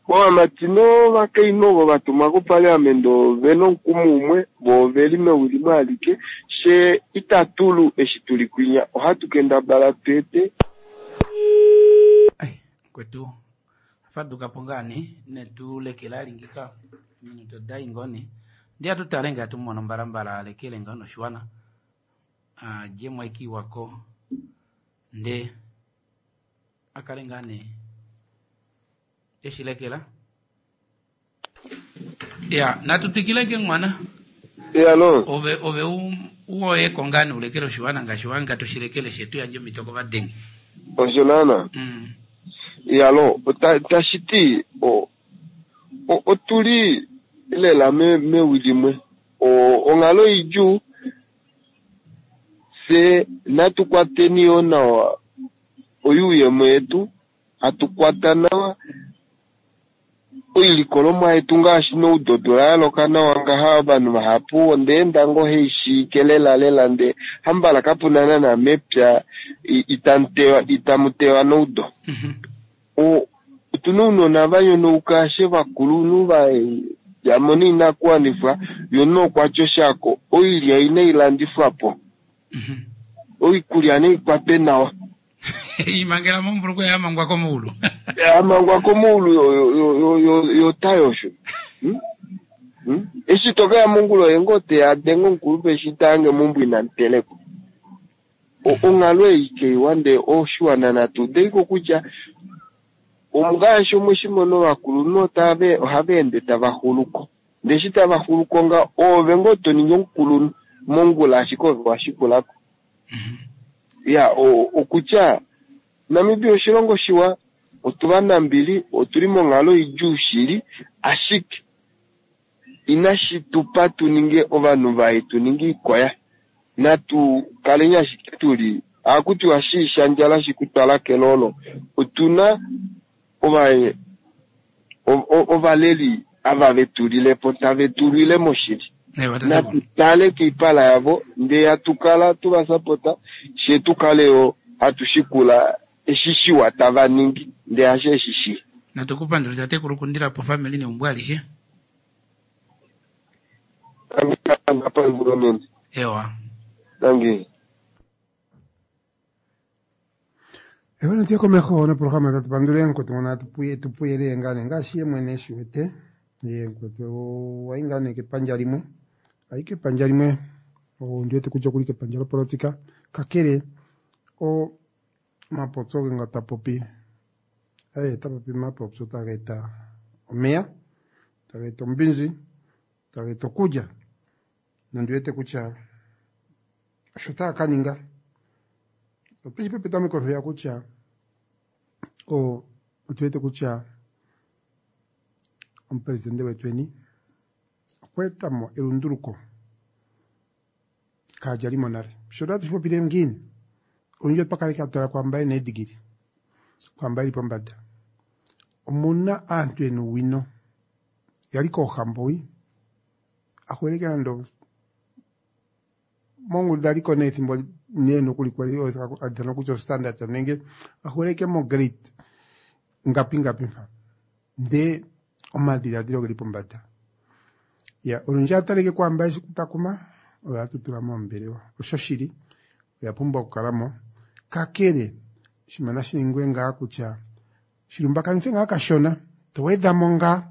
ovamati novakainhu ovo vatumwa kopaliamende ovena omukumo umwe vo oveli mewi limwe alike she itatulu eshi tuli kwinya ohatu kendabala tuete Ai, kwetu faduka po ngaa nee netulekela alingika minuto dai ngoo nee ndi atutale nge atumono mbalambala alekele ngao noshiwana adje mwaikiwako nde akale ngaa nee eshilekela ya natu twikileke mwana alo ove ove u- uwoyeko ngaa nee ulekele oshiwana ngaashi wanga toshilekele shetu yandje omito kovadenge osho naana mm. yalo ota- tashi ti o- o- otuli lela me- mewi limwe O- onghalo idjuu fye natu kwateni yoo nawa oyuuyemo yetu hatu kwata nawa oilikolomwa yetu ngaashi noudodola yaloka nawa ngaha ovanhu vahapu ondeenda ngoo heishiike lela lela ndee hambala kapuna naana mepya i- itamu itamu tewa noudo. Mhm. O- otuna ounona va nyonauka ashe vakulunhu va yamona inakuwanifwa yo nokwatya oshako oilya inailandifwa po Mhm. oikulya naikwatwe nawa imangela mombuluko yamangwa komuulu amangwa komuulu yotayosho Hmm? Hmm? Eshi tokeya mongula oye ngoo teya adenga omukulupe eshi taange meumbo inamutelekwa. O- onghalo ei keiwa ndee oshiwana natu udeiko kutya ongaashi omweshimono ovakulunhu otave ohava ende tava xuluko ndee eshi tava xuluko nga oove ngoo toningi omukulunhu mongula ashike ove washikulako. Ya o- okutya Namibia oshilongo shiwa Otuvanambili, otuli monghalo idjuu shili, ashike inashi tupa tu ninge ovanhu vai, tu ninge ikoya. Natu kaleni ashike tuli ohaku shi shandjala shikutwala kelolo. Otuna ova ovaleli ava vetulilepo tave tulile moshili. Natu tale kiipala yavo ndee hatu kala tuvasapota she tukale yo hatu shikula eshi shiwa tava ningi ndee hasho eshi shii. Natu kupandule tatekulu kundilapo family neumbo alishe. Ewa. Dankie. Ewa natuye komeho noprograma tatu pandule mukwetu ngono atupuye tupuyele ngaa nee ngaashi ye mwene eshi wete ye mukwetu wayi ngaa nee kepandja limwe ayi kepandja limwe ondi wete kutya okuli kepandja lopolitika kakele o mapopyo ge nga tapopi eh tapopi mapopyo taga eta omeya taga eta ombinzi taga eta okulya nondi wete kutya osho taya ka ninga otweshi petameko ya kutya o otu wete kutya omupresidente wetweni okwa etamo elunduluko kaalyalimo nale. Sho tatu shipopile ngiini olundji otwa kaleke hatu tala kwaamba yena eedigili kwaamba yeli pombada. Omuna aantu yena owino yali koohambo wi ahweleke nande mongudu aliko nee ethimbo nee nokuli kwali alithanwa kutya ostandard nenge ahweleke mo grade ngapi ngapi mpa ndee omadhiladhilo geli pombada. Ya olundji ataleke kwaamba eshi kutakuma oyo hatu tula moombelewa osho shili oya pumbwa okukalamo kakele oshinima nashi ningwe ngaa kutya shilumbakanithwe ngaa kashona towedhamo ngaa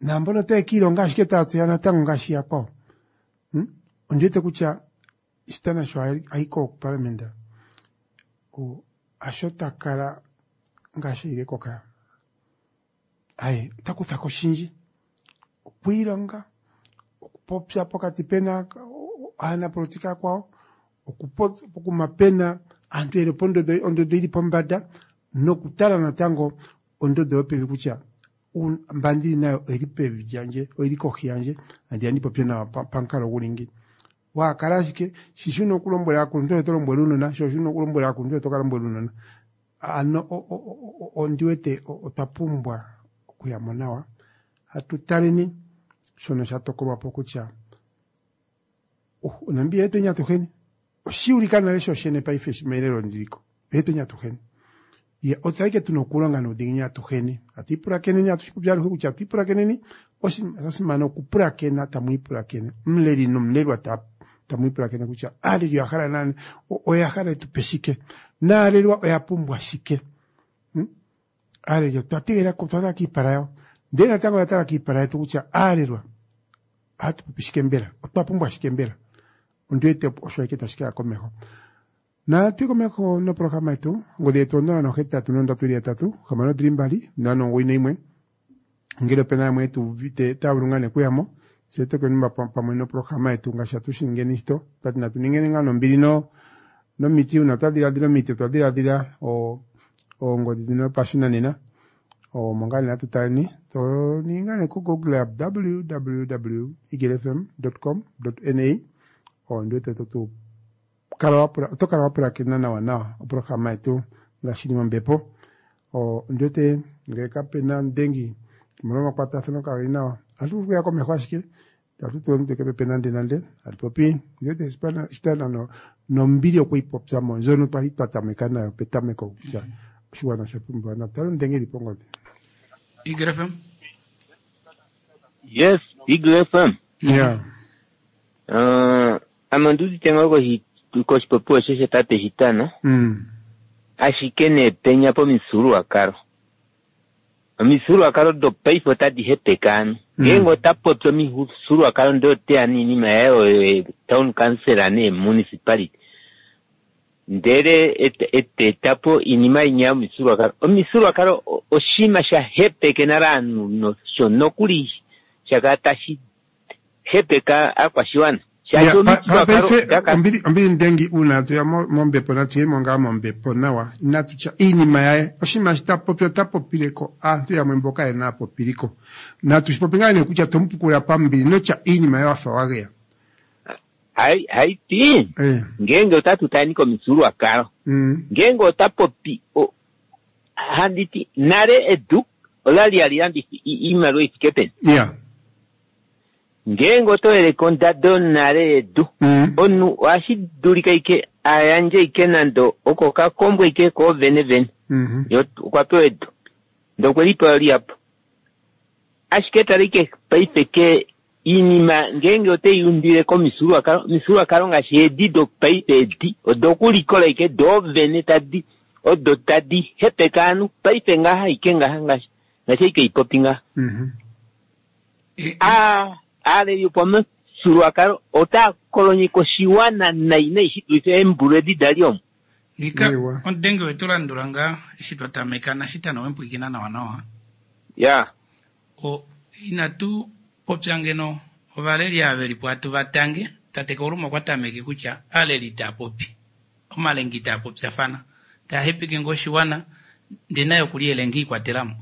naambono otaye kiilonga ashike taya tseya natango ngaashi yakwawo. Hmm? Ondi wete kutya Shitana sho ayi koparliament hasho takala ngaashi ayile koka aye ota kuthako oshindji okwiilonga okupopya pokati pena aanapolitika akwawo okupopya pokuma pena aantu yeli pondodo ondodo ili pombada nokutala natango ondodo yopevi kutya mba ndili nayo oyili pevi lyandje oyili kohi yandje andi andi popye nawa pamukalo guli ngi. Wakala ashike shi shuna okulombwela aakuluntu oto lombwele uunona sho shuna okulombwela aakuluntu oto ka lombwela uunona. Ano ondi wete otwa pumbwa okuyamo nawa hatu taleni shono sha tokolwapo kutya oNamibia yetu atuheni oshiulika nale shoshene paife melelo ndiliko yetu atuheni. Ye otse ashike tuna okulonga nuudhiginini atuheni hatu ipulakeneni hatu shipopya aluhe kutya hatu ipulakeneni osha simana okupulakena tamu ipulakene omuleli nomulelwa tamu ipulakene kutya aaleli oya hala nani oya hala etupe shike naalelwa oya pumbwa shike. Aaleli otwa tegelela twatala kiipala yawo ndele natango oya tala kiipala yetu kutya aalelwa ohatu popi shike mbela otwa pumbwa shike mbela. Ondi wete osho ashike tashi kaya komeho. Natu komeho noprograma yetu ongodhi yetu onola nohetatu nondatu ili yatatu hamano dhili mbali ntano omugoyi nayimwe ngele opena yamwe tuuvite taya vulu ngaa nee okuyamo tse tokenumba pamwe noprograma yetu ngaashi hatu shi ningeni shito twati natu ningeni ngaa nombili no nomiti uuna twa dhiladhila omiti otwa dhiladhila oongodhi dhino dhopashinanena omo ngaa nee hatu taleni to ningi ngaa nee ko google www eaglefm com na ondi wete totu kala wapula oto kala wapulakena nawa nawa oprograma yetu ngaashi ili mombepo. Ondi wete ngele kapena omudengi omolwa omakwatathano kageli nawa ohatu vulu okuya komeho ashike itatu tula omutwe kepepe nande nande hatu popi ondi wete Shitana nombili okweyi popyamo ndjono twali twa tameka nayo petameko kutya oshigwana osha pumbiwa natu tale omudengi eli pongodhi. Eagle F M. Yes, Eagle F M. Yeah. Uh, ame ondi udite ngoo koshi koshipopiwa osho shatate Shitana. Mm. Ashike nee penya pomifyuululwakalo. Omifyuululwakalo dopaife otadi hepeke aanhu. Ngeenge ota popi omifyuululwakalo ndee oteya noinima yaye oyo town council nee municipality. Ndele eteetapo iinima inya yomifyuululwakalo. Omifyuululwakalo oshinima sha hepeke nale aanhu nosho nokuli shakala tashi hepeka aakwashiwana. Shaashi omifyuululwakalo paife daka- ombili ombili ndengi uuna tuya mo- mombepo natu yemo ngaa mombepo nawa inatu tya iinima yaye oshinima shi ta popi ota popileko aantu yamwe mboka yena apopiliko natu shi popi ngaa nee kutya tomupukula pambili notya iinima yaye wafa wageya hai haiti Eh, ngeenge otatu tani komifyuululwakalo mm, ngeenge ota popi o- handi ti nale edu olali hali landifa i- iimaliwa ifike peni yeah ngeenge oto yeleke ondado nale yedu mm, omunhu ohashi dulika ike ayandje ike nande oko kakombwe ike koovene vene mhm, ye okwa pewa edu ndee okwe lipewa lihapu ashike tala ike paife ke iinima ngeenge otei undile komifyuululwakalo omifyuululwakalo ngaashi edi dopaife edi odokulikola ike doovene tadi odo tadi hepeke ovanhu paife ngaha ike ngaha ngaashi ngaashi ike ipopi ngaha mhm. E- a aaleli yopamufyuululwakalo otaa kolonyeka oshiwana nai nai shi dulife eembulu edi dali omo Ngika Ewa. omudenge wetu landula ngaa eshi twa tameka nashitano wempwiikina nawa nawa ya o inatu popya ngeno ovaleli ava velipo atu vatange tate Kauluma okwa tameke kutya aaleli taa popi omalengi taa popyafana taa hepeke ngoo oshiwana ndee naye okuli elengi ikwatelamo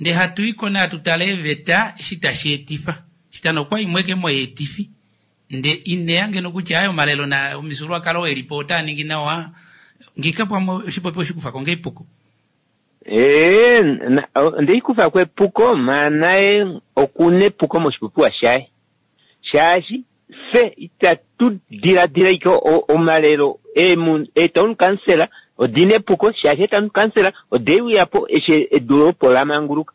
ndee hatu iko nee hatu tale eeveta eshi tashi etifa shitano okwa imwe ke moyeetifi nde ineya ngeno kutya aye omalelo na omifyuululwakalo elipo otaa ningi nawa ngika pamwe oshipopi oshikufako ngee epuko ee na- o- ndeikufako epuko maa naye okuna epuko moshipopiwa shaye shaashi fye itatu diladila ike o- omalelo eemu- eetown council odina epuko shaashi eetown council odeuyapo eshi edu opo lamanguluka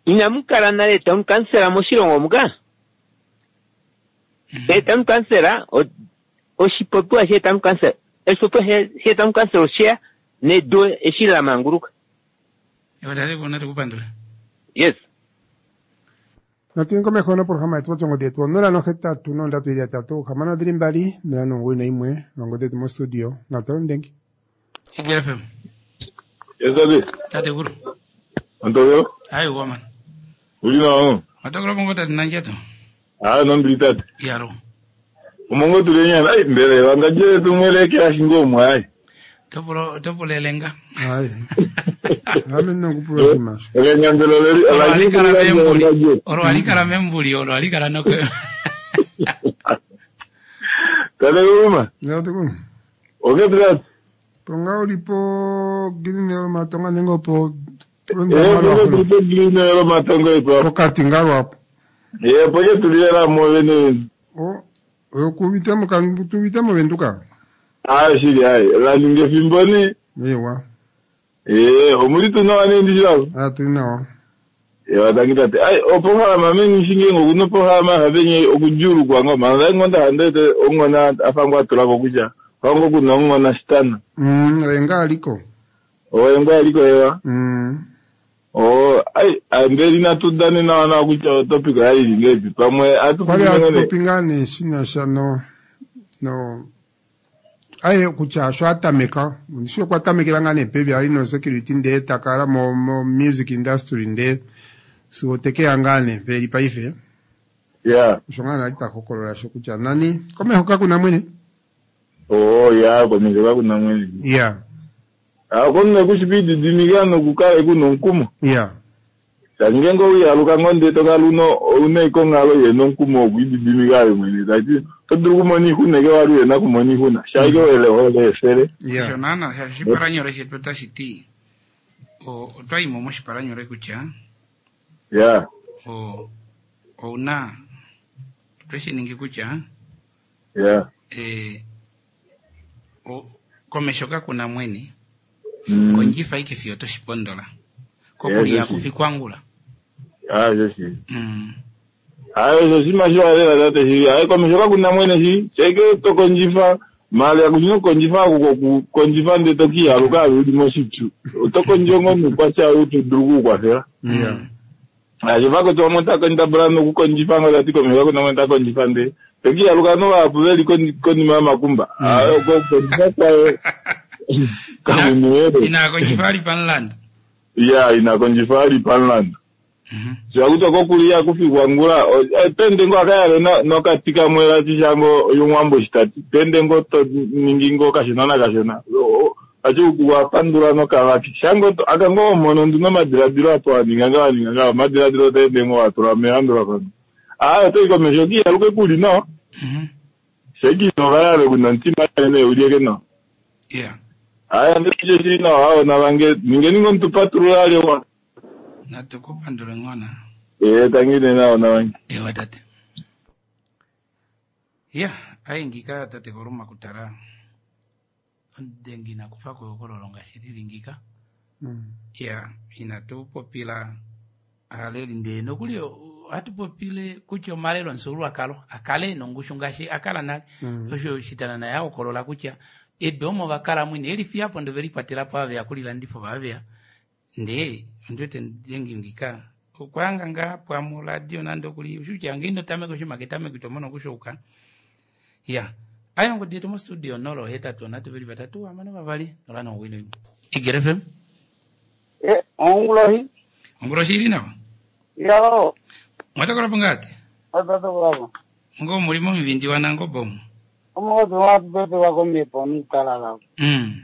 inamu kala nale etown council moshilongo muka eetown council o- oshipopiwa sheetown council oshipopiwa she- sheetown council osheya nedu eshi lamanguluka Ewa tate kuna tukupandula yes natu yeni komeho noprograma yetu potongo yetu onola nohetatu nondatu ili yatatu hamano dhili mbali nola nomugoyi naimwe nongodhi yetu mostudio natalo ndengi Eagle F M Yes, tate. tate kulu Antobelo. ayi woman Uli nawa. matokolo bongo tate nandjato Ah, nombili tate. yalo Omongo tulenyana. Ai, mbele wangajele tumweleke ashingomwa ai. topulo topulo elenga ayi ame nokupula oshinima osho Elenyambelo leli olo alikala membuli alajele. olo alikala membuli olo alikala noko Tate uma. Tate Oke tate. ponga ulipo green matonga nenge opo Eh, ponga tulipo green elo matongo ipo. pokati nga lwapo Eh, poke tuliela mo vene. o okuvita tuvita movenduka Ah, shili ai. La ninge fimboni. ewa Eh, omuli tunawa nendi shilalo. atuli nawa Ewa tangi tate. Ai, opohalama meni shingengo kuno pohalama havenye okujulukwa ngoma. Ngai ngonda handete ongona afango atulako kutya. Kwango kuna ongona shitana. Mm, oye aliko Oye ngwa aliko ewa. Mm. Oh, ai, ambeli natudane nawa nawa kutya topic yali ngepi. Pamwe kwali atupingane. atupopi ngaa nee shinasha no no aye kutya sho atameka shi okwa tamekela ngaa nee pevi ali no security ndee takala mo, mo music industry ndee sigo tekeya ngaa nee peli paife Yeah. osho ngaa nali ta hokolola sho kutya nani komeho kakuna mwene Oh, ya komeho kakuna mwene. ya Ah, kono kushipididimika nokukala kuno nkumo. ya Tangengo uyaluka ngonde tokaluno une ikongalo yena nkumo okwididimika ayo mwene. Tati todulu kumona ihuna ke wali yena kumona ihuna. Shaike wele hole esele. ya osho naana oshipalanyole shetu otashi ti o- otwayimo moshipalanyole kutya Yeah. o ouna otweshi ningi kutya Yeah. eh, o, komesho kakuna mwene Mm. kondjifa ike fiyo toshipondola kokuliya Yeah, kufikwangula Ah, shoshi. mm. Ayo shoshi masho alela tate shi. Ayo komesho kakuna mwene shi. Shaike tokondjifa mali akunyina okukondjifa ako kokukondjifa nde tokiyaluka ali uli moshipyu. Otokondja ngo nukwatya utudulu kukukwafela. ya Ashivako tomo takondabula nokukondjifa ngo tati komesho kakuna mwene takondjifa nde. Tokiyaluka novapu veli koni- konima yomakumba. Ayo kokukondjifa kwayo. Kamunuwele. ina kondjifa ali panlanda Ya, inakondjifa ali panlanda. Sha kutya kokulia kufikwa ngula pende ngo akayale nokati kamwe katishango yomwambo shitati pende ngo to ningi ngo kashona nakashona achi wapandula nokavaki shango akango omono nduno omadiladilo apo waninga nga waninga nga omadiladilo otaende ngo watula melandulafano aa otoyi komesho kiyaluke kuli nawa shekinokalale kuna omutima ne ulieke nawa aya ndetije shili nawa awo navange ningeni ngo mutupatulula alio natukupandule ng'ona ee tangine nawo navange ewa tate ya aingika tate koluma kutala ondengi nakufa kuyokololonga shili Mm. ya inatupopila aleli ndee nokuli atupopile kutya omalelo nsuulwakalo akale nongushu ngaashi akala nale Mm. osho shitana naye ahokolola kutya ebe omo vakala mwine elifiyapo ndo velikwatelapo aveya kulilandifo vaveya ndee ondiwete ndengi ngika okwanga nga pwamu radio nande okuli ushutya ngindo tameke oshimake tameke tomono okushouka ya ayo ngodi yetu mo studio nolo hetatu onatu veli vatatu amano vavali nola nowino imwe Igere F M Eh, ongulohi. Ongulohi ili nawa Yo. Mwatokolapo ngati Mwatokolapo. Ngo mulimo mivindi wanango bomu Omukozi wapepe wakomepo nutalala. Mm.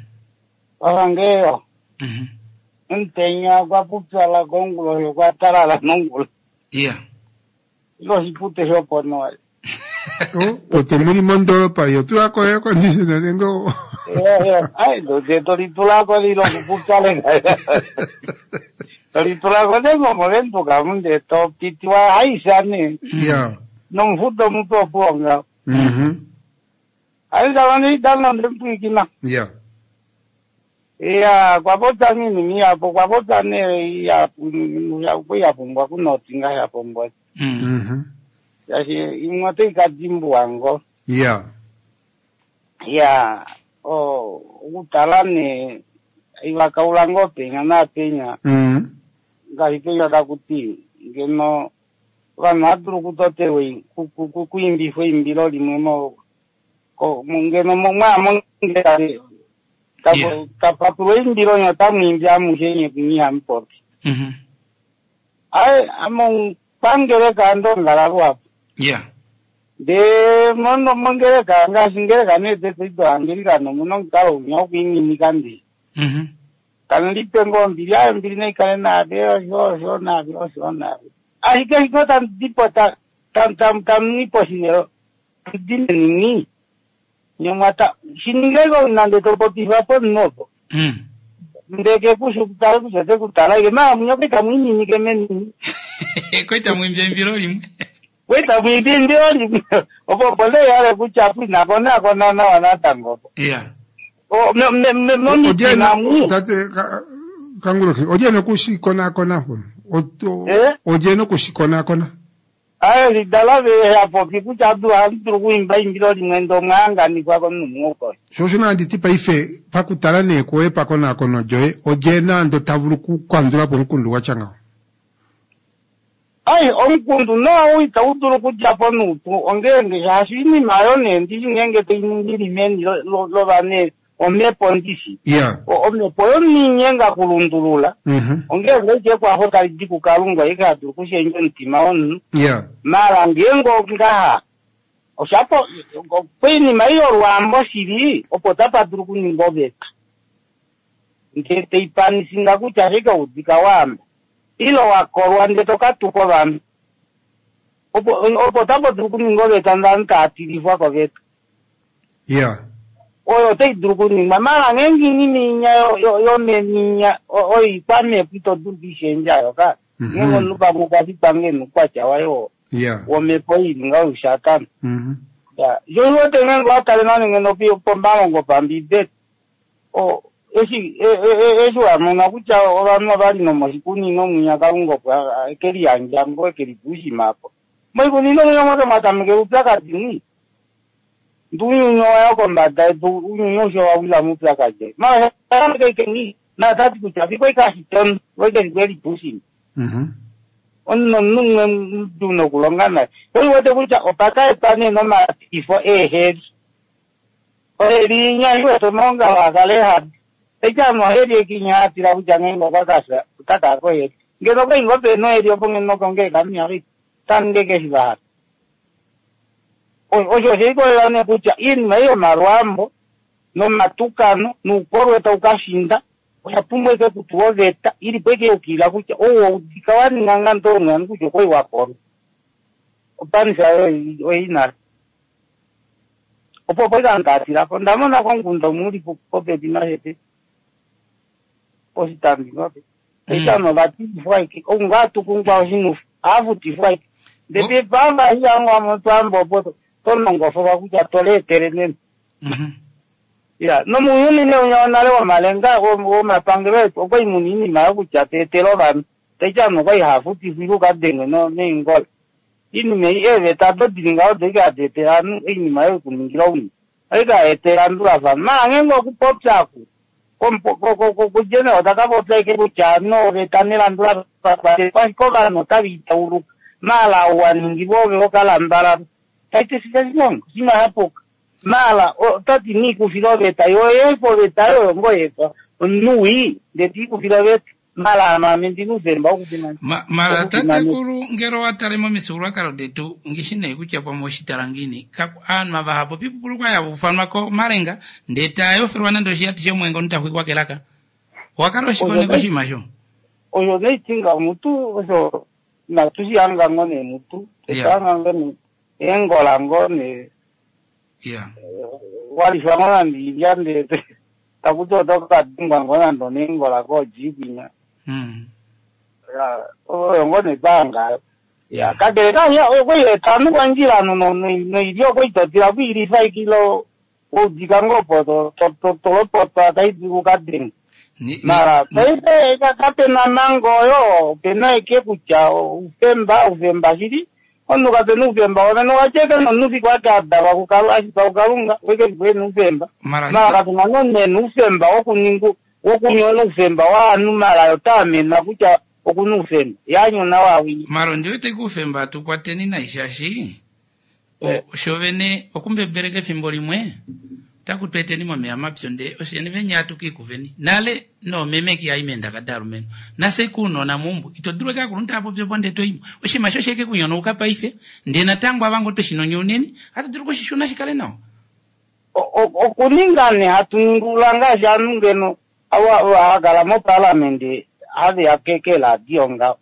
Wavangeyo. Mhm. Ntenya kwapupyala kongulohi kwatalala nongulo. Yeah. Ilo shipute shopono. Oto muli mondoropa yo tulako air conditioner nengo Ai, doje tolitulako lilo kupupyale. Tolitulako nengo moventuka munde to pitiwa haisane. Yeah. Nomfuto mutoponga. Mhm. Ai ndavani dana ndempwikina. Yeah. Iya, kwapota nini miyapo kwapota ne iya kuyapumbwa kunotinga yapumbwa. Mhm. Yashi imwe toikadimbuwa ngo. Yeah. Ya, o okutala ne ivakaula ngo penya napenya. Mhm. Ngaashi penya takuti ngeno vanhu vadulu kutotewe kuimbifwa eimbilo limwe mo ko ngeno mwamongera tapapulwa eimbilo nyo tamwimbi amushe nye kunyiha mupopi. Mhm. Ai amo pangereka ndongala lwapo. Yeah. Nde mono mongereka ngaashi ngereka netete angelikano muno nkalo unya okuing'inika ndi. Mhm. Kana lipe ngo mbili ayo mbili naikale nave osho osho nave osho nave. Ashike shiko tandipo ta tam tam tamnipo shinelo tudine nini. Nyomwata shiningeko nande topopifa nopo. Mm. Ndeke kushu kutala kushate kutala ike maa munyoke kamwininike menini. Koita mwimbya imbilo limwe. Koita mwimbya imbilo limwe. Opo pole yale kuchapu nakona kona na wanatango. Yeah. O me me me momitima mu. Tate kanguloki oje nokushikona kona hono. Oje nokushikona kona. Ayo lidala ve yapopi kutya adu andulu kuimba imbilo limwe ndo mwanganikwa komunhu. Shosho nanditi paife pakutala nee kwoye pakonakono lyoye oje nando tavulu kukandula po omukundu gwatya ngawo. Ai omukundu no ita udulu kudya po nuupu ongenge shaashi iinima ayo nee ndishi ngenge toiningili meni lovane omhepo ndishi. Yeah. Omhepo yoninyenga kulundulula. Mhm. Ongenge ike kwafo talidi kukalunga ikadulu kushenja omutima womunhu. Yeah. Mara ngengo ngaha oshapo poinima iyo lwambo shili opo tapadulu kuninga oveta. Nde teipanisinga kutya shikaudika wamba. Ilo wakolwa nde tokatuka ovanhu. Opo opo tapadulu kuninga oveta ndani taatilifwa koveta. Yeah. Oyo otaidulu kuningwa mara ngenge inima inya yomeninya oikwamhepo itodulu kuishendja yoka. Ngenge omunhu pamwe okwashitwa ngeno oukwatya wayo Yeah. womhepo ili nga oushatana. Mhm. Ya, yoiwete ngenge watale nane ngeno pomalongo pambibeli. O eshi eshi wamona kutya ovanhu ovali nomoshikunino mwinya Kalunga opo ekeliyandja ngo ekelipuushimapo. Moikunino mwinya mwote mwatameke upyakadi ni. Ndunyunyo wayo kombada yedu unyunyo osho wawila mupyakadi. Mara ni na tati kutya fiko ikashitono voikelipuushima. Mhm. Omunhu omunhu muduu nokulonga naye. Oiwete kutya opakaetwa nee nomatifo eeheli. Oheli inya iwete omaongalo akale hadi. Eci ano oheli ekinya atila kutya ngenge okwakasha otakaa koheli. Ngeno kwai ngoo pena oeli opo ngeno kongeleka miya taninge keshi vahala. Osho oshe likolelela nee kutya iinima ei yomalwaambo nomatukano nuukolwe tau kashinda oya pumbwa ike kutulwa oveta ili po ike yukilila kutya ou waudika waninga ngando omwani kutya okwai wakolwa opanisa oyi nale opo opo ikandaatilapo ndamona komukunda umwe uli popepi nashepe poshitambi ngape eitano vatifwa ike ounga tukungwa oshinufu aafutifwa ike ndele pamba hiyangu twambo opo tonongofolwa kutya toleetele nena ya nomuuyuni nee unya wonale womalenga womapangelo etu okwai muna iinima yokutya teetele ovanhu taiti ovanhu okwai haafutifwa ile ukadengwe neengola iinima ei eeveta ado dili ngaho odo ike hadi etele ovanhu oinima yokuningila owina oike haetele elandulafano maala ngeenge okupopya aku kujenero takapopya ike kutya no oveta nelandulafano ashike ovanhu otava itauluka maala ou waningilwa ove wokalambalala taiti shilongo oshinima shapuka maala otati niikufila oveta yoyefa oveta yoyo ngoyefa omunhu wii ndee tiikufila oveta maala ame ndina oufemba wokufimana mala tatekulu ngele owatale momifyuululwakalo detu ngishi nee kutya pamwe oshitala ngiini aanhu ava hapopi pupulukwa yava ufanwa komalenga ndee tayofelwa nande oshiyati shomwengo ntaxwikwa kelaka owakala oshikoneko oshinima sho osho neitinga mutu osho inatu shihanga ngo nee mutu tutahanga ngo nee eengola ngo nee ya walifwa ngo nande ilya ndee takuti otokadengwa ngo nande oneengola kojipinya oyo ngo netwangayo ya kakele kaya okwietanu kwandjila ano noilya okwiitotila kwiilifa ikilo oudika ngo opo tolopotwa taidi kukadenga mara paife kapena mango oyo opena eke kutya oufemba oufemba shili omunhu kapena oufemba womene owacheke nomunhu fiku ake adalwa ashitwa kukalunga weke fiku ena oufemba mara kapena nonena oufemba wokuninga wokunyona oufemba waanhu mara otaamena kutya okuna oufemba yanyona wawii mara ondiwete kuufemba tukwateni nai shaashi shovene okumbebeleka efimbo limwe otaku tweeteni momeya mapyu ndee osheni venya atukiikuveni nale noomeme kiai meendaka dalumenhu nase kuunona muumbo ito dulu eke akulunhu taapopya ndee toimo oshinima sho sheke kunyonauka paife ndee natango avango toshinonyouneni hatu dulu kushishuna shikale nawa okuninga ne hatu ningulula ngaashi ovanhu ngeno hakala mopalamende haveya keladio ngaho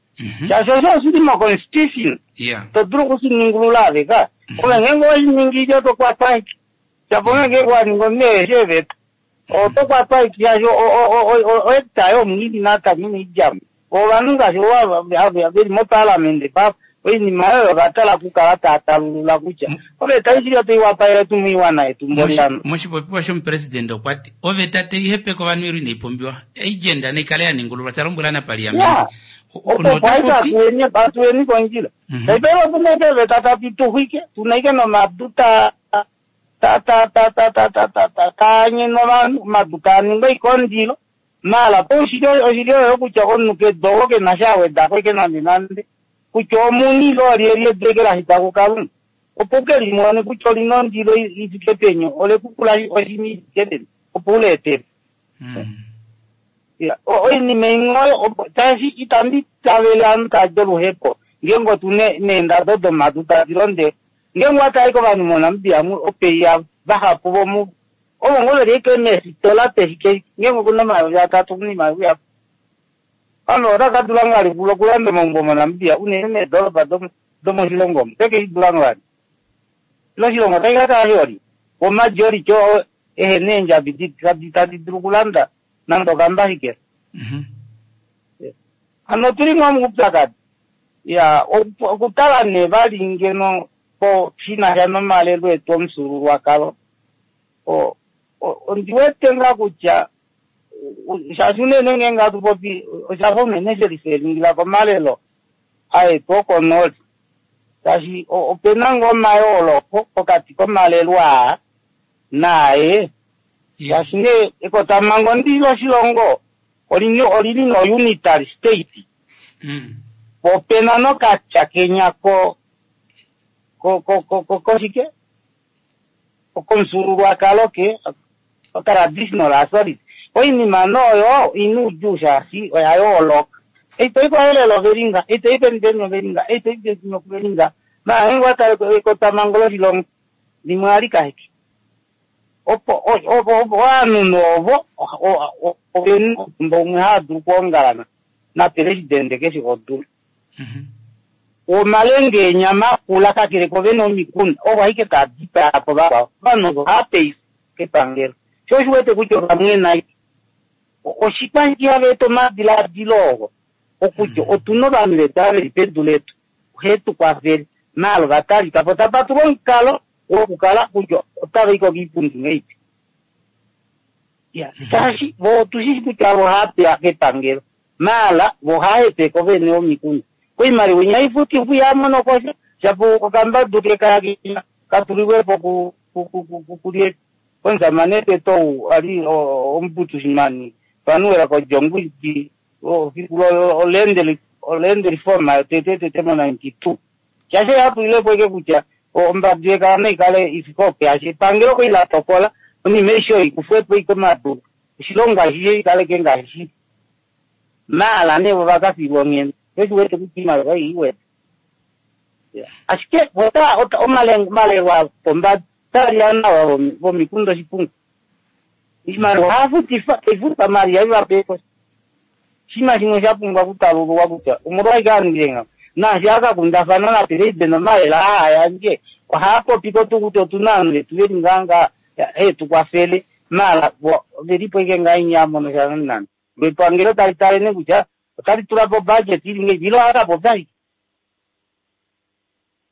shaashi osho oshili moconstitution to dulu okushiningulula aveka ove ngeenge oweshiningi otokwatwa ike shapo ngeenge waninga omunhu eshi eveta otokwatwa ike shaashi oekta yomunini natamini idjamo ovanhu ngaashi veli mopalamende papo oinima oyo ovatala kukala taatalulula kutya oveta ishili otaiwapaele tu moiwana yetu mboliano moshipopiwa shomupresidente okwa ti oveta teihepeka ovanhu ilo inaipumbiwa agenda naikale yaningululwa talombwela napaliamende opo atuweni atuweni kondjila taipele opuna ike eveta tati tuxwike tuna ike nomadu ta ta ta ta ta ta ta ta ta taanyena ovanhu omadu taaninga oikondilo maala po oshili oshili oyo kutya omunhu kedogo kena shawedako ike nande nande kutya omuni ile olyelye edeke lashitwa kukalunga opo ukelimone kutya olina ondilo ifike peni olekukula oshimi ifike peni opo uleetele oinima imwe oyo tashi itandi tavele ovanhu tadi oluhepo ngeenge otu neendado domadu tadi londe ngeenge watali kovanhu moNamibia opeiya vahapu vomu ovo ngo veli ike meefitola peshike ngeenge okuna omayovi atatu okuna iimaliwa ihapu ovanhu otaka dula ngali okulanda omaumbo moNamibia unene meedoropa domoshilongo omu teke shidula ngali ilo oshilongo otashi kakala shioli omajority oo ehena eendjabi tadi dulu okulanda nande okambashikela hano otuli ngoo moupyakadi ya okutala nee vali ngeno po shinasha nomalelo etu omufyuululwakalo ondiwete ngaa kutya shaashi unene ngeenge hatu popi oshafa unene shelifelingila komalelo aetu okonooli shaashi opena ngoo omayooloko pokati komalelo aa naaye shaashi nee ekotamhango ndi loshilongo olili no unitary state po opena nokatya kenya ko ko ko ko koshike komufyuululwakalo ke traditional authority oinima nooyo ina oudjuu shaashi oya yooloka Eitoi kwaelelo ovelinga, eitoi penipeni ovelinga, eitoi peni ovelinga. Mahengo atale ekotamango loshilongo limwe alikaheke. Opo opo opo ovanhu ovo ovena omutumba umwe haa dulu okuongalana napelesidente keshe kodula. Omalenge eenyama akula kakele kovene omikunda ovo ashike taa dipaa po vakwao. Ovanhu ovo ohava peifa kepangelo. Sho osho wete kutya ovamwena ashike. Oshikwa hava eta omadiladilo oo okutya otuna ovanhu vetu ava veli pedu letu ohe tu kwafele maala ovatalika po tapa tulwa omukalo wokukala kutya otava i ko kiipundi ngeipi. Ya, shaashi vo otushishi kutya vo ohava pewa kepangelo maala vo ohava hepeke ovene vomikunda. Koimaliwa inya ifutifwa ihamono kosha shapo okambadu kekaya katulilwepo ku ku komusamane teto ou ali omuputushimani panuwela kodjongwidi fiku olende reform tete tete mo ninety two. Shaashi yatulilepo ike kutya ombadu yekala naikale ifike opo yashe epangelo koi la tokola onima eishe oyo ikufwepo ike omadu oshilongo ashishe ikaleke ngaashi shili. Maala nee vo vakafilwa onghenda eshi wete kutya iimaliwa ei iwete. Ashike ota omalelo apombada otali nawa vomikunda oshipungo. Iimaliwa ohafutifa taifuta mali haivapepo. Oshinima shimwe sha pumbwa okutalululwa kutya omolwashike aningile ngaho. Naashi akakundafana napelesidente omalelo aa yandje ohaapopiko tuu kutya otuna ovanhu vetu veli ngaa he tukwafele maala velipo ike ngaa inyamono sha nande. Epangelo tali tale nee kutya otali tula po budget ili ngeipi ile ohakapopya ashike.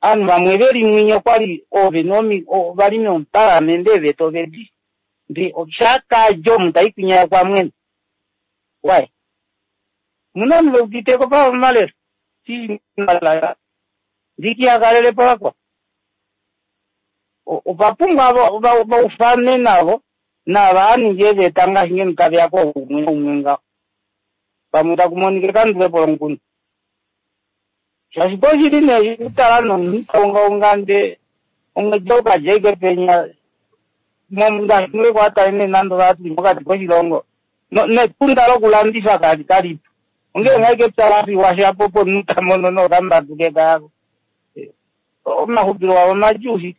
Ovanhu vamwe veli mwinyo okwali ovene vali mopalamende eeveta ovedi ndee shakadja omu taikwinya kwamwene. Wai muna ovanhu veuditeko pa omalelo ndikiyakalelepo vakwao. Opa pumbwa vaufane navo nava aningi eeveta ngaashi ngeno taveya koumwe umwe ngaho. Pamwe taku monika ekandulepo lomukunda. Shaashi poshili nee kutala nomunhu taungaunga ndee omwedi okadja ashike penya ngaashi ngee kwatale nee nande ovatuli mokati koshilongo netunda lokulandifa kali kalipo. Ongee ngaa ike epya lafiwa shapo opo omunhu tamono nokambadu kekayako. Omaxupilo avo omadjuu shili.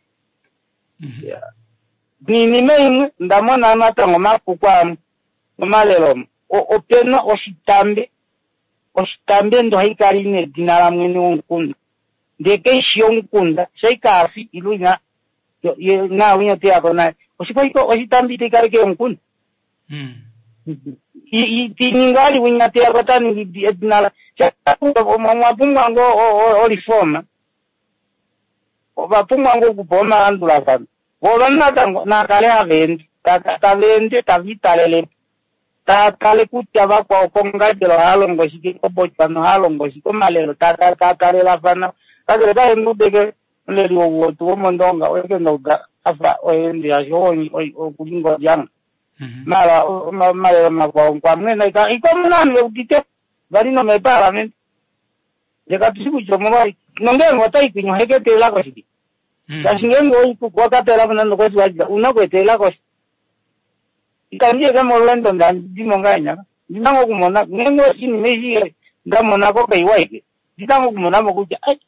Niinima imwe ndamona natango omapuko amwe momalelo omo. Opena oshitambe oshitambe ndo haikala ina edina lamwene womukunda. Ndee keishi omukunda shaikaafi ile ina nawinya teyako naye. Oshikwa oshitambe itaikale keyomukunda. Tiningi ali winya teyako taningi edina la omwa pumbwa ngoo oliforma. Ovapumbwa ngoo okupa omalandulafano. Vo ovanhu natango nakale hava ende tava ende tava italelepo. Tava kutya vakwao kongadjelo ohava longo shike koBotswana ohava longo shike omalelo tatalelafana. Kakele kaenudeke omuleli wetu womondonga oye ndauda afa oyeende shaashi okuli ngolyanga. Maala omalelo makwao kwamwena ikomuna ovanhu veudite vali nomeepalamende. Ndee katushi kutya omolwashike. Nongeenge otaikwinya oheke eteelako shike. Shaashi ngeenge wakatelako nande okwesiwalida una okueteelako sha. Itandi eke molweendo ndandimo ngahenya. Ndina ngoo okumona ngeenge oshinima eshi ndamonako kaiwa ike ndina ngoo okumonamo kutya ai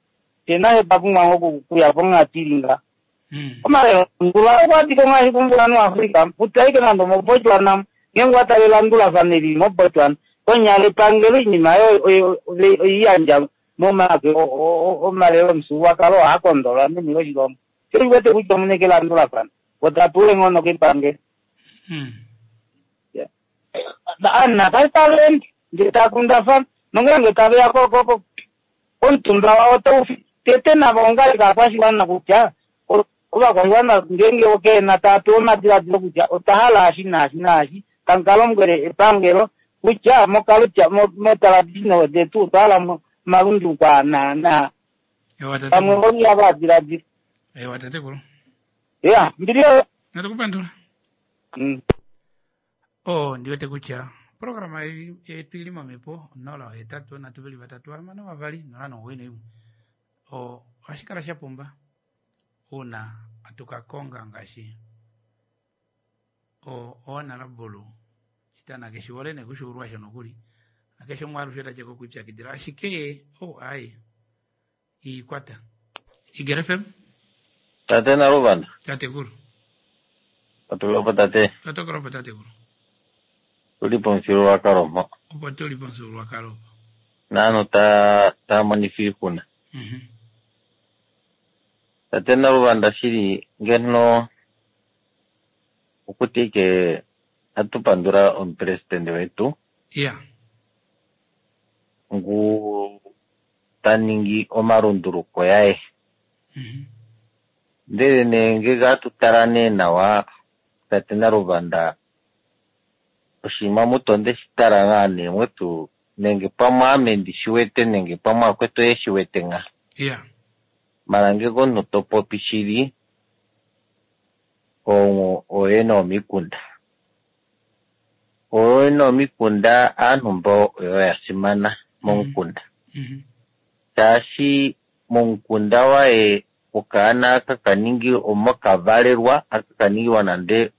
pena epapumbwa ngoo okuya ponghatu ili ngaha. Omalelo ndula okwadika ngaashi kumbulanhu waAfrica kutya ashike nande omoBotswana ngeenge watale elandulafano eli moBotswana konyala epangelo oinima oiyandja momake omalelo omufyuululwakalo ohaakondolwa meni loshilongo. Sho oshiwete kutya omuna eke elandulafano otapewa eenghono kepangelo. Ovanhu nakale tava ende ndee takundafana nongeenge taveya omutumba wao taufi tete nava ongale kaakwashiwana kutya ovakwashiwana ngeenge okena tava pewa omadiladilo kutya otwa hala eshi naashi naashi tamu kalombwele epangelo kutya mokalutya motraditional detu otwa hala omalunduluko aa naa pamwe oiya vadiladila. Ewa tatekulu. Ya mbili oyo. Natukupandula. Oh, ndiwete kutya programa yetu ili momepo nola ohetatu nhatu veli vatatu hamano vavali nola nomugoyi noimwe. Ohashi kala sha pumba uuna atukakonga ngaashi oonalabulu shitana keshiwole nekushuulwa sho nokuli Akeshe umwe alushe ta cheko kuipyakidila ashike oh ai ikwata. Eagle F M Tate Naluvanda. Tatekulu. Tatulopo tate. Tatokolopo tatekulu. Tuli pomufyuululwakalo mpo. Opo tuli pomufyuululwakalo. Naanhu ta taa monifa oixuna. Mhm. Tate Naluvanda shili ngeno okuti ike atu pandula omupresidente wetu. Yeah. Ngu ta ningi omalunduluko yaye. Mhm. Ndele nee ngenge atu tala nee nawa tate Naluvanda oshinima mutu onde shi tala ngaa nee mwetu nenge pamwe ame ndi shi wete nenge pamwe akwetu ye shi wete nga. Yeah. Mala ngenge omunhu to popi shili ooyene yomikunda. Ooyene yomikunda aanhu mbo oyo ya simana momukunda. Mhm. Shaashi momukunda waye okaana aka kaningi omo kavalelwa aka kaningilwa nande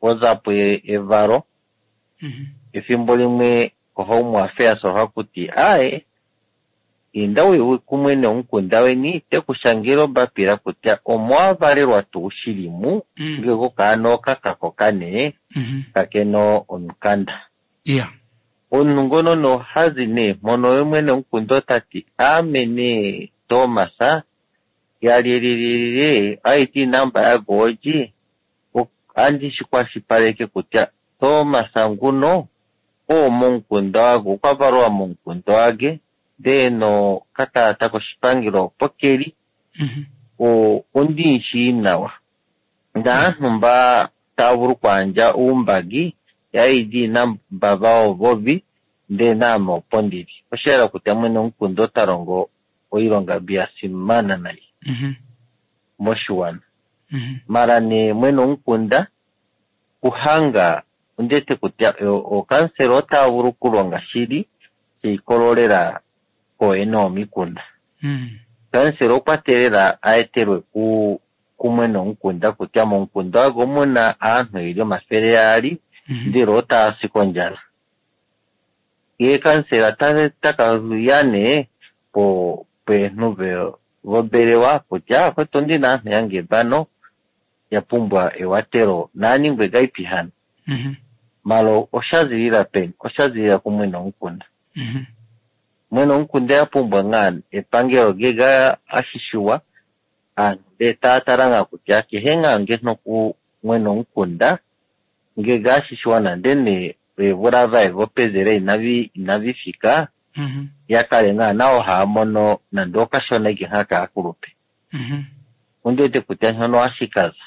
ozapo evalo. Mhm. Efimbo limwe koHome Affairs ohakuti aaye inda uye kumwe nomukunda weni tekushangela ombapila kutya omo wavalelwa tuu shili mu Mm. ngenge okaana oka kakoka nee Mhm. kakena omukanda. Yeah. Omunhu ngono nohazi nee mpono ye mwene womukunda otati aame nee Thomas yalililile I D number yaGoji andi shi kwashilipaleke kutya Thomas nguno oo momukunda wage okwa valwa momukunda wage ndee no kakalata koshipangelo opo keli Mhm. o ondi shii nawa. Naanhu mba tava vulu okuyandja oumbagi ya I D number vawo vovi ndee naame opo ndili. Osha yela kutya mwene womukunda ota longo oilonga mbi ya simana nai Mhm. moshiwana. Mhm. Mala nee mwene womukunda kuhanga ondete kutya ookansela otava vulu okulonga shili shiikololela kooyene yomikunda. Mhm. Kansela okwa teelela aetelwe ku kumwene womukunda kutya momukunda wage omuna aanhu yeli omafele yaali Mhm. ndele otava si kondjala. Ye kansela ta takaya nee po peenhu vombelewa kutya akwetu ondina aanhu yange vano ya pumbwa ewatelo naaningwe gaipi hano. Mhm. Malo osha zilila peni? Osha zilila kumwene womukunda. Mhm. Mwene womukunda ya pumbwa ngaa epangelo ngenge ashishiwa aanhu ndee taya tala ngaa kutya kehe ngaa ngeno ku mwene womukunda ngenge ashishiwa nande nee eevula vaye vopezela inavi inavi fika Mhm. ya kale ngaa nawo haya mono nande okashona ike ngaa kaakulupe. Mhm. Ondi wete kutya shono ohashi kaza.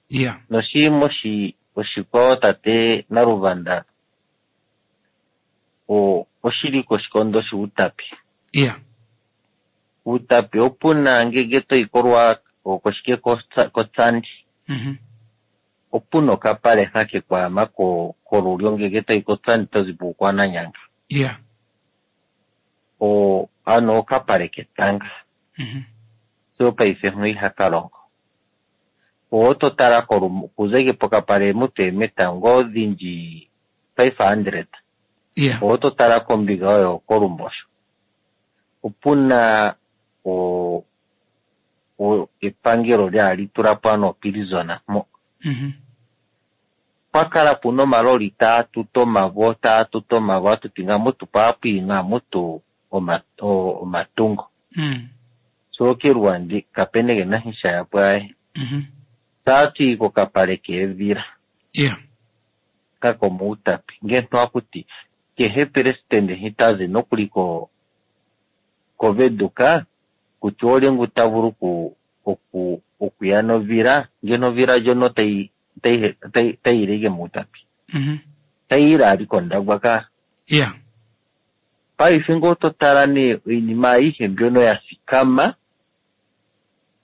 Yeah. Noshiima oshi oshikwawo tate Naluvanda o oshili koshikondo shuutapi. Yeah. Uutapi opuna ngenge toyi kolwa koshike kotsandi Mhm. opuna okapale hake kwaama ko kolulyo ngenge toyi kotsandi tozi puukwananyanga. Yeah. O ano okapale ketanga. Mhm. So paife mho ihaka longo. Oto tala kuza ike pokapale mutu eemeta ngoo odhindji five hundred. Yeah. Oto tala kombiga oyo kolumbosho. Opuna o o epangelo lyali tula po ano opilizona mo. Mhm. Pakala puna omaloli taa tuta omavo taa tuta omavo atuti nga mutu paapwi nga mutu oma, o, omatungo. Mm. So keluwandi kapene kena sha yapwaye. Mhm. Taati kokapale keevila. Yeah. Kako muutapi. Ngeno akuti kehe presidente hitazi nokuli ko koveduka kutya olye ngu ta vulu ku oku okuya novila ngeno ovila ndjono tayi tayi tayi tayi ike muutapi. Mhm. Tayi ile ali kondagwa ka. Yeah. Paife ngee oto tala nee oinima ayihe mbyono ya thikama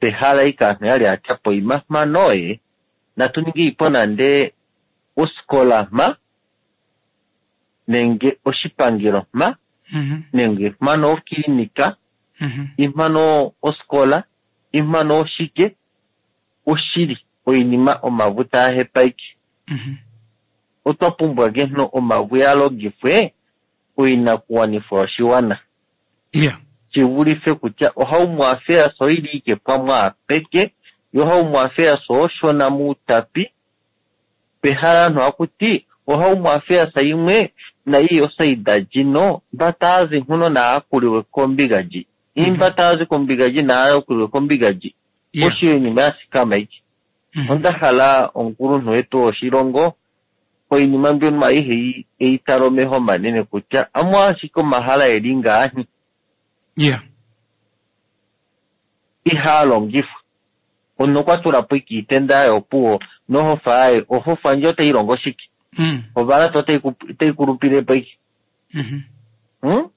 pehala ike aantu yali atya po ima mpano ye natu ninge po nande osikola mpa nenge oshipangelo mpa Mhm. nenge mpano okilinika Mhm. impano osikola impano oshike oshili oinima omavu taahepa ike. Mhm. Otwa pumbwa ngeno omavu ya longifwe Oinakuwanifwa yoshiwana. Yeah. Shivulife kutya oHome Affairs oili ike pamwe apeke, yo Home Affairs oshona muutapi, pehala aantu hakuti oHome Affairs imwe na iyo saida jino mba taazi nkuno naakuliwe kombiga ji. Imba taazi kombiga ji naakuliwe kombiga ji. Yeah. Oshinima ya sikama iki. Mhm. Onda hala omukulunhu wetu woshilongo oinima mbyono ayihe eitala omeho omanene kutya amu ashike omahala eli ngaahi Yeah. ihaa longifwa. Omunhu okwa tula po ike iitenda yaye opuwo nohofa yaye, ohofa ndjo otayi longo shike? Mm. Ovalata otai ku- otai kulupile po ike. Mhm. Hmm?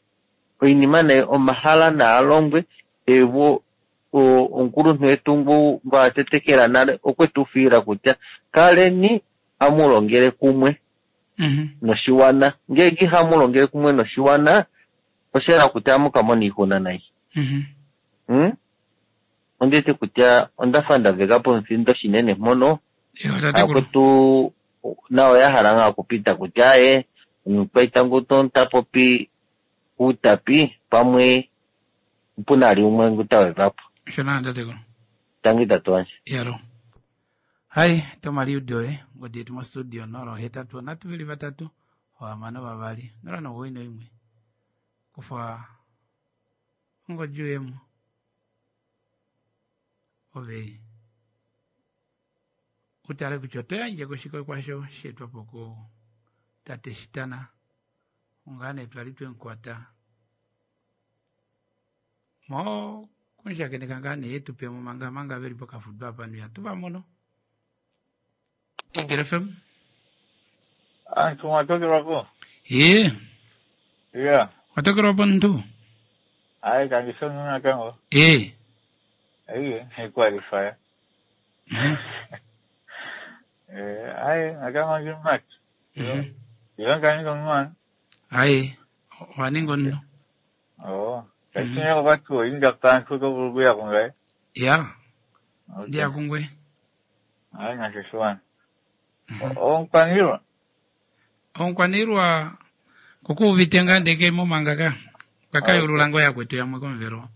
Oinima nee omahala naa longwe evo o- omukulunhu wetu ngu ngu a tetekela nale okwe tu fiila kutya kaleni amu longele kumwe Mhm. noshiwana. Ngeenge ihamu longele kumwe noshiwana osha yela kutya amu ka mona oixuna nai. Mhm. Hmm? Onditi kutya onda fa nda veka pomufindo shinene mpono Ewa tatekulu. akutu nayo ya hala ngaa okupita kutya aye omukwaita ngu ta popi uutapi pamwe opuna ali umwe ngu ta weva po. Shona tatekulu. Tangi tate wandje. Yaro. Hai, tomaliudo e ngodi yetu mo studio nolo hetatu nhatu veli vatatu vahamano vavali nola nomuwoi noimwe kufa ongodi uyemo ove utale kutya oto yandje koshike kwasho sheetwapo ku tate Shitana ongaa nee twali twemukwata mo kunshakeneka ngaa nee yetupemo manga manga veli pokafudo apa nuya tuvamono. Eagle F M. Antu mwatokelwapo? Ye, Yeah. watokelwapo ntu? Ayi kangisonga nakango. E. Ayi, he qualify. Eh, ayi, nakango ngimat. Mhm. Iyo kaninga mwana. Ayi, waninga nno. Oh. Kachinya kwatu inga pantu ko burguya kungai. Ya, Okay. ndiya kungwe. Ayi ngashishwana. Omkwaniilwa. Omukwaniilwa kukuuvite ngaa ndeke momanga ka. Kakayulula ngo yakwetu yamwe komuvelo.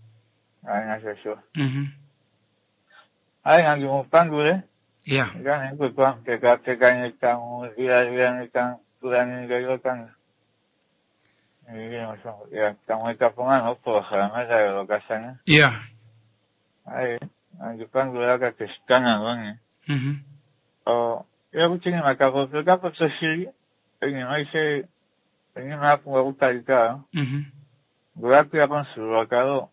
Ayi ngashishwa. Mhm. Ayi ngangimupangule. Ya. Ngane kwekwa peka peka nyeka muzira zira nyeka tula nyeka yokanga. Ya, tamweka pongano poha maza lokasana. Ya. Ayi, angipangula kakeshitana ngone. Mhm. Oh, eu tinha uma capa, capa soshiri, inima ise, inima yapumbwa okutalika, Mhm. ngolakuya komuthigululwakalo,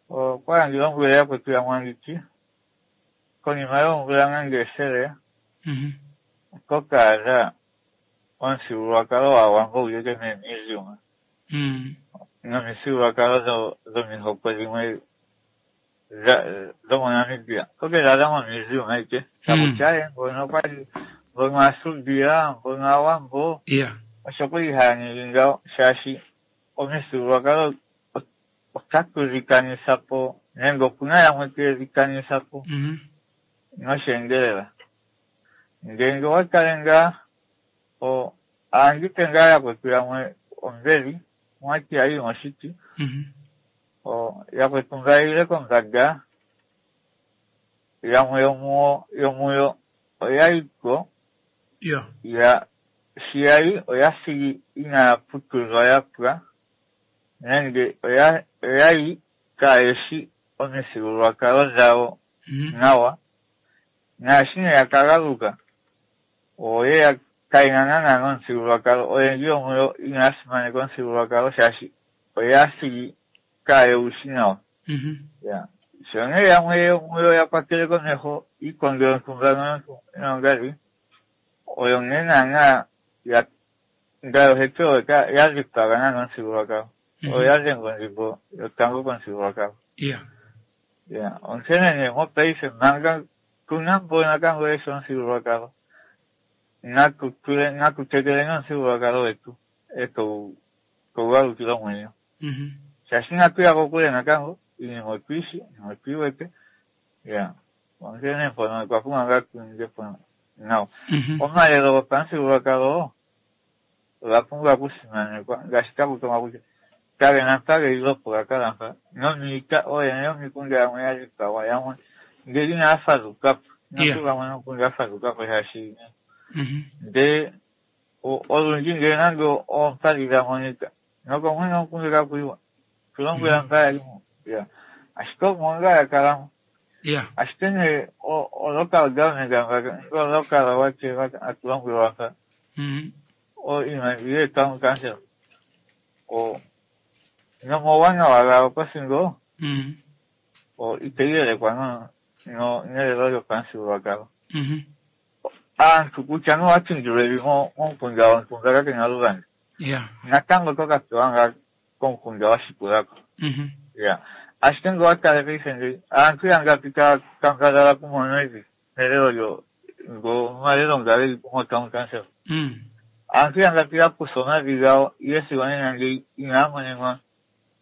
okwa landula omvula yakwetu yamwanditi, konima yoomvula nande ethele, Mhm. kokaadha omuthigululwakalo gwaawambo guli memuseum, Mm. nomithigululwakalo dho- dhomihoko dhimwe dha- dhomoNamibia, kokedhaadha momuseum aike, takutya aye mbono okwali, mbono aasubia, mbono aawambo, Ya. osho kwali haya ningi ngawo shaashi omithigululwakalo ot- otatu dhi kanitha po nenge opuna yamwe teye dhi kanitha po Mhm. nosheendelela. Ngele owa kale ngaa o aangipe ngaa yakwetu yamwe ombeli mwati ayi moshiti Mhm. o yakwetu mba yile kombanda yamwe yomuwo yomuyo oya yiko Ya. ya shi yayi oya thigi inaya putudhwa ya pwa nenge oya oyayi kaayeshi omithigululwakalo dhawo Mhm. nawa naashi nee yakagaluka oye kayina naanaa nomuthigululwakalo oyendji yomuyo inaya simaneka omuthigululwakalo shaashi oya thigi kaayewushi nawa. Mhm. Ya sho nee yamwe yomuyo ya kwatele komeho iikondo yontumba noyongali oyo nee naanaa ya ngayo hetu oyo ya dhipaga naana omuthigululwakalo oyo ya dhenga ondjimbo yotango komuthigululwakalo. Ya. Ya onkene nee mopaife manga tuna mbono natango yeshi omuthigululwakalo natu tule natu tekeleni omuthigululwakalo wetu eto togu galukile omwenyo. Mhm. Shaashi inatu ya kokule natango iinima otuyishi iinima otuyi wete ya onkene mpono otwa pumbwa ngaa tuninge po nawa. Mhm. Omalelo gopamuthigululwakalo Oga pumbwa okusimanekwa ngaashi taku tongwa kutya kage na mpa ge li opo ga kala mpa nomiita ooyene yomikunda yamwe ya dhipagwa yamwe ngele inaya fadhukapo Yeah. natu gamwe nomukunda ya fadhukapo shaashi Mhm. ndele o- olundji ngele nande oompadhi dha monika nokomwene omukunda kakuyiwa tulombwela mpa yali mo ya ashike omo ngaa ya kalamo Yeah. ashike nee o- o local government ngo local whatever atulombwelwa mpa Mhm. o iimaliwa town council o nomauwanawa gawo kosingo Mhm. o itayi yelekwa no no nelelo lyopamuthigululwakalo Mhm. aantu kutya nowatindilwa evi mo- momukunda wontumba kakena oluvanda Yeah. natango oto ka pewa ngaa komukunda wa shikulako Mhm. ya ashike ngele owa tala paife ngeyi aantu yangapi taya kambadhala okumona evi melelo lyo ngo omalelo nga geli mo town council Mm. aantu yangapi ya kutha omavi gawo ihe sigo nena ngeyi inaya monenwa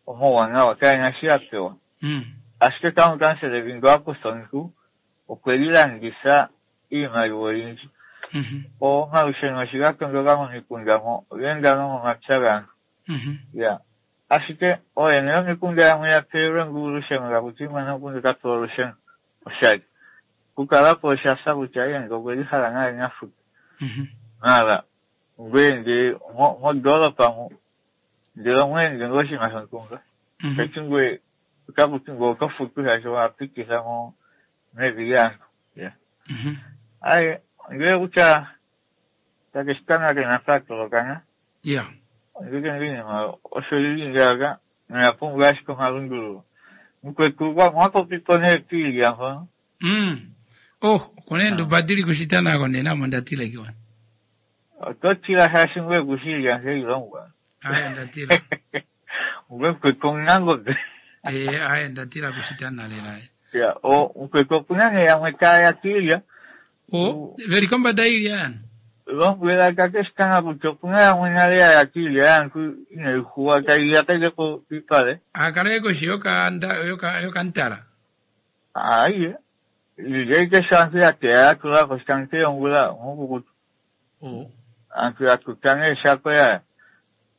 omauwanawa kayena shi ya pewa Mm. ashike town council evi ngele wa kutha omuntu okwe li landitha iimaliwa oyindji Mhm. omalusheno shi ga tondoka momikunda mo genda nomomapya gaantu Mhm. ya ashike ooyene yomikunda yamwe ya pewelwe ngu olusheno takuti mwene gomukunda ota pewa olusheno oshali kukalapo oshafa kutya iye nge okweli hala naye nafuta Mhm. mara ngweye nge mo- mondoolopa mu ndele omweende ngoo oshinima shontumba Mhm. kati ngwe otakuti ngwe oto futu shaashi owapititha mo mevi lyaantu ya Mhm. aye ngele kutya takeshitanga kena patolokana Yeah. ngeke ngiinima osho lili ngaaka noya pumbwa ashike omalundululo mukwetu mwapopipo nee piilya mpono Mm. Oh, kune ndubadili kushita nako nena ndatile kiwa. oto tila shaashi ngwe kushilya ngeilongwa Aya ndatila. ngwe mukwetu omunangombe Eh, aya ndatila kushita nalela. ya o mukwetu opuna nee yamwe taya kiilya Oh, veli kombanda ilya yani. lombwela kakeshitanga kutya opuna yamwe nale yaya kiilya yaantu inayi huwa tayi yakailepo piipale Akala yeko shi yoka nda yoka yoka ntala. ayiye iilya ike sho aantu ya teya ya tulako shitange yongula mukukutu Oh. aantu ya tuta neeshako yaya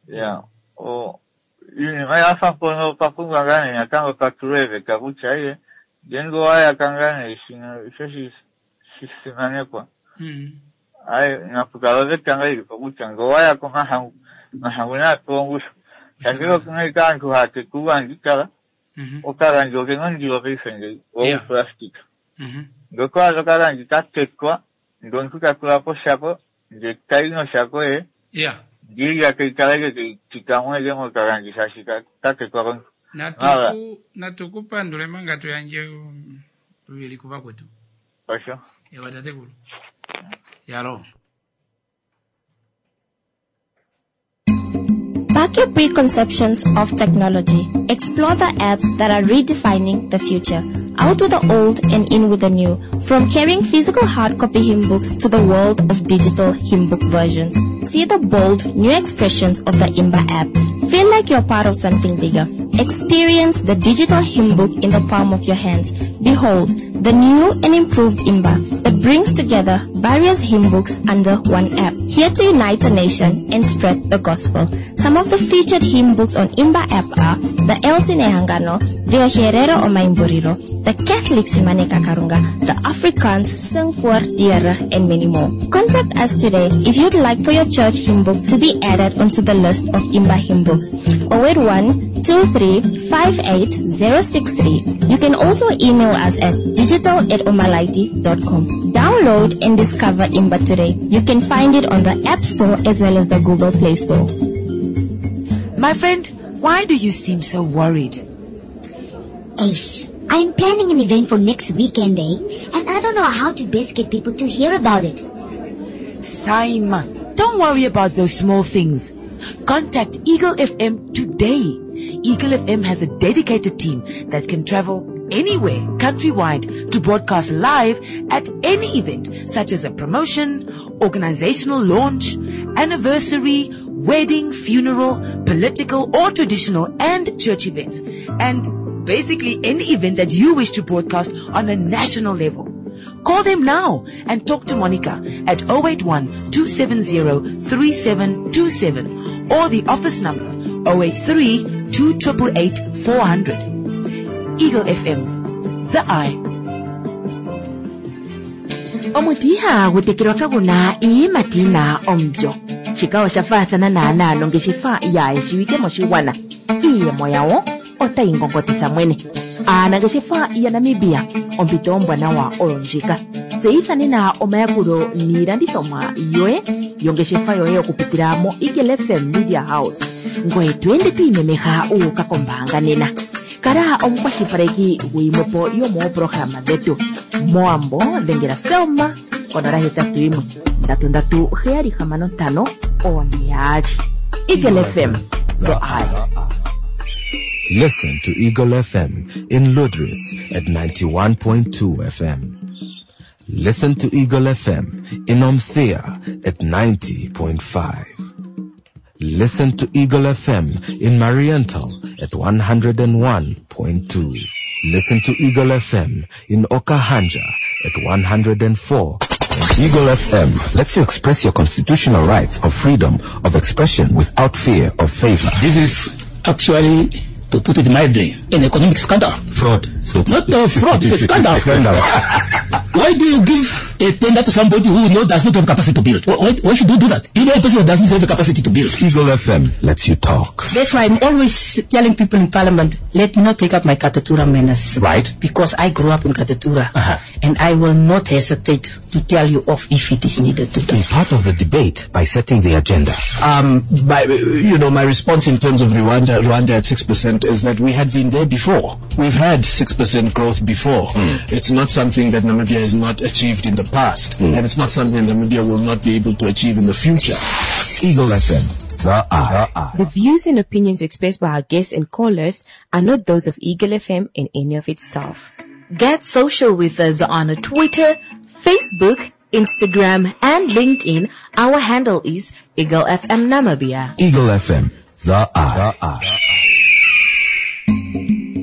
ya o iinima yafa mpono papumbwa ngaa nee natango patulwe eveta kutya iye ngenge owayaka ngaa nee shino isho shi- shisimanekwa Mm. aye napukala oveta ngaa ilipo kutya nge owayaka omahangu omahangu naapewa ongushu shangele okuna ike aantu haya teka uuwangikala Mhm. okalangi okena ondilo paife ngeyi Yeah. wouplastika Mhm. ngele owaadha okalangi ka tetwa ndele omuntu ta tulapo oshako ndele tayi noshako ye Yeah. ndiilya tayi kala ike tayi tika eke mokalangi shaashi ka- ka tetwa komuntu Mara. Natuku natukupandule manga tuyanje um, tuvili kuva kwetu. osho Ewa tatekulu. Yalo. Back your preconceptions of technology. Explore the apps that are redefining the future. Out with the old and in with the new. From carrying physical hard copy hymn books to the world of digital hymn book versions. See the bold new expressions of the Imba app. Feel like you're part of something bigger. Experience the digital hymn book in the palm of your hands. Behold, the new and improved Imba that brings together various hymn books under one app. Here to unite a nation and spread the gospel. Some of the featured hymn books on Imba app are the Elsin Ehangano, the Osherero Omaimburiro, the Catholic Simane Kakarunga, the Afrikaans Sing voor Diere, and many more. Contact us today if you'd like for your church hymn book to be added onto the list of Imba hymn books. oh eight one two three five eight zero six three. You can also email us at digital at omalaiti dot com. Download and discover Imba today. You can find it on the App Store as well as the Google Play Store. My friend, why do you seem so worried? Ace, I'm planning an event for next weekend, eh? And I don't know how to best get people to hear about it. Saima, don't worry about those small things. Contact Eagle F M today. Eagle F M has a dedicated team that can travel anywhere countrywide to broadcast live at any event such as a promotion, organizational launch, anniversary, wedding, funeral, political or traditional and church events, and basically any event that you wish to broadcast on a national level. Call them now and talk to Monica at oh eight one, two seven zero, three seven two seven or the office number oh eight three, two triple eight, four hundred. Eagle F M, the eye. Omuti ihagu tekelwa kaguna iiyimati yina omulyo. Shika osha faathana naanaa nongeshefa yaayeshiwike moshigwana. Iiyemo yawo otayi ngongotitha mwene. Aanangeshefa yaNamibia, ompito ombwanawa oyo ndjika. Tseyitha nena omayakulo niilandithomwa yoye yongeshefa yoye okupitila mo Eagle F M Media House. Ngoye to ende to imemeha uuka kombaanga nena. Kala omukwashilipaleki guyimwepo yomooprograma dhetu. Moambo dhengela Selma konola hetatu yimwe ndatu ndatu heyali hamano ntano one yaali. Eagle F M, the eye. Listen to Eagle F M in Lüderitz at ninety-one point two F M. Listen to Eagle F M in Omuthiya at ninety point five. Listen to Eagle F M in Mariental at one hundred and one point two. Listen to Eagle F M in Okahandja at one hundred and four. Eagle F M lets you express your constitutional rights of freedom of expression without fear of favor. This is actually, to put it mildly, an economic scandal. Fraud. So Not a fraud, it's a scandal. Scandal. Why do you give a tender to somebody who knows does not have capacity to build? Why, why should you do that? You know a person who doesn't have the capacity to build. Eagle F M lets you talk. That's why I'm always telling people in Parliament, let me not take up my Katutura manners. Right. Because I grew up in Katutura. Uh-huh. And I will not hesitate to tell you off if it is needed to. Be part of the debate by setting the agenda. Um, my, you know, my response in terms of Rwanda, Rwanda at six percent is that we had been there before. We've had six percent growth before. Mm. It's not something that Namibia has not achieved in the past, Mm. and it's not something Namibia will not be able to achieve in the future. Eagle F M, the eye. The views and opinions expressed by our guests and callers are not those of Eagle F M and any of its staff. Get social with us on Twitter, Facebook, Instagram, and LinkedIn. Our handle is Eagle F M Namibia. Eagle F M, the eye. The eye.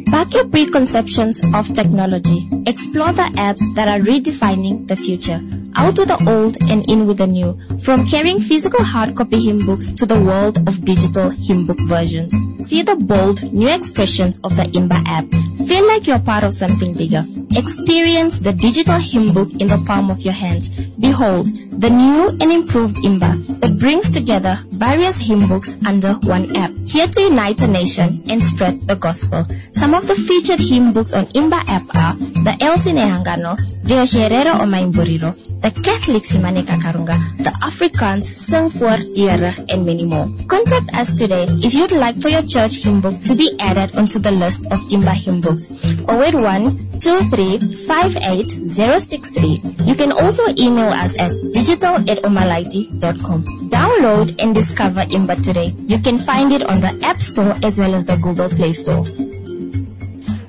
Back your preconceptions of technology. Explore the apps that are redefining the future. Out with the old and in with the new. From carrying physical hard copy hymn books to the world of digital hymn book versions. See the bold new expressions of the Imba app. Feel like you're part of something bigger. Experience the digital hymn book in the palm of your hands. Behold, the new and improved Imba that brings together various hymn books under one app. Here to unite a nation and spread the gospel. Some of the featured hymn books on Imba app are the Elsie Nehangano, the Osherero Omaimburiro, the Catholic Simane Kakarunga, the Afrikaans Sing voor Diere, and many more. Contact us today if you'd like for your church hymn book to be added onto the list of Imba hymn books. oh eight one, two three five eight zero six three. You can also email us at digital at omalaiti dot com. Download and discover Imba today. You can find it on the App Store as well as the Google Play Store.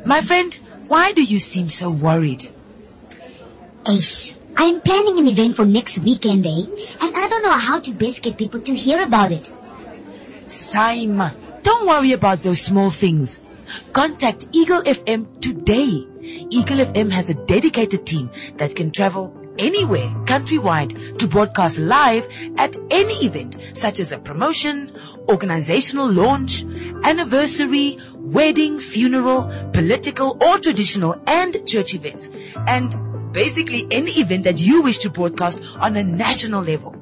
My friend, why do you seem so worried? Ace, I'm planning an event for next weekend, eh? And I don't know how to best get people to hear about it. Saima, don't worry about those small things. Contact Eagle F M today. Eagle F M has a dedicated team that can travel anywhere countrywide to broadcast live at any event such as a promotion, organizational launch, anniversary, wedding, funeral, political or traditional and church events, and basically any event that you wish to broadcast on a national level.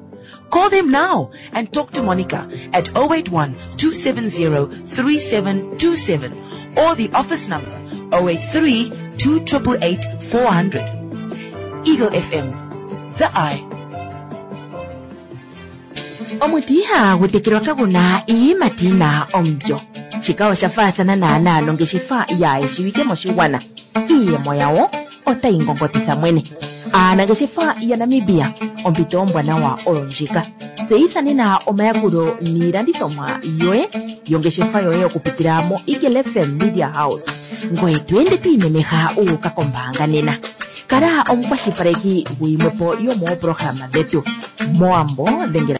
Call them now and talk to Monica at oh eight one, two seven zero, three seven two seven or the office number oh eight three, two triple eight, four hundred. Eagle F M, the eye. Omuti ihagu tekelwa kaguna iiyimati yina omulyo. Shika osha faathana naanaa nongeshefa yaayeshiwike moshigwana. Iiyemo yawo otayi ngongotitha mwene. Aanangeshefa yaNamibia, ompito ombwanawa oyo ndjika. Tseyitha nena omayakulo niilandithomwa yoye yongeshefa yoye okupitila mo Eagle F M Media House. Ngoye to ende to imemeha uuka kombaanga nena. Kala omukwashilipaleki guyimwepo yomooprograma dhetu. Moambo dhengela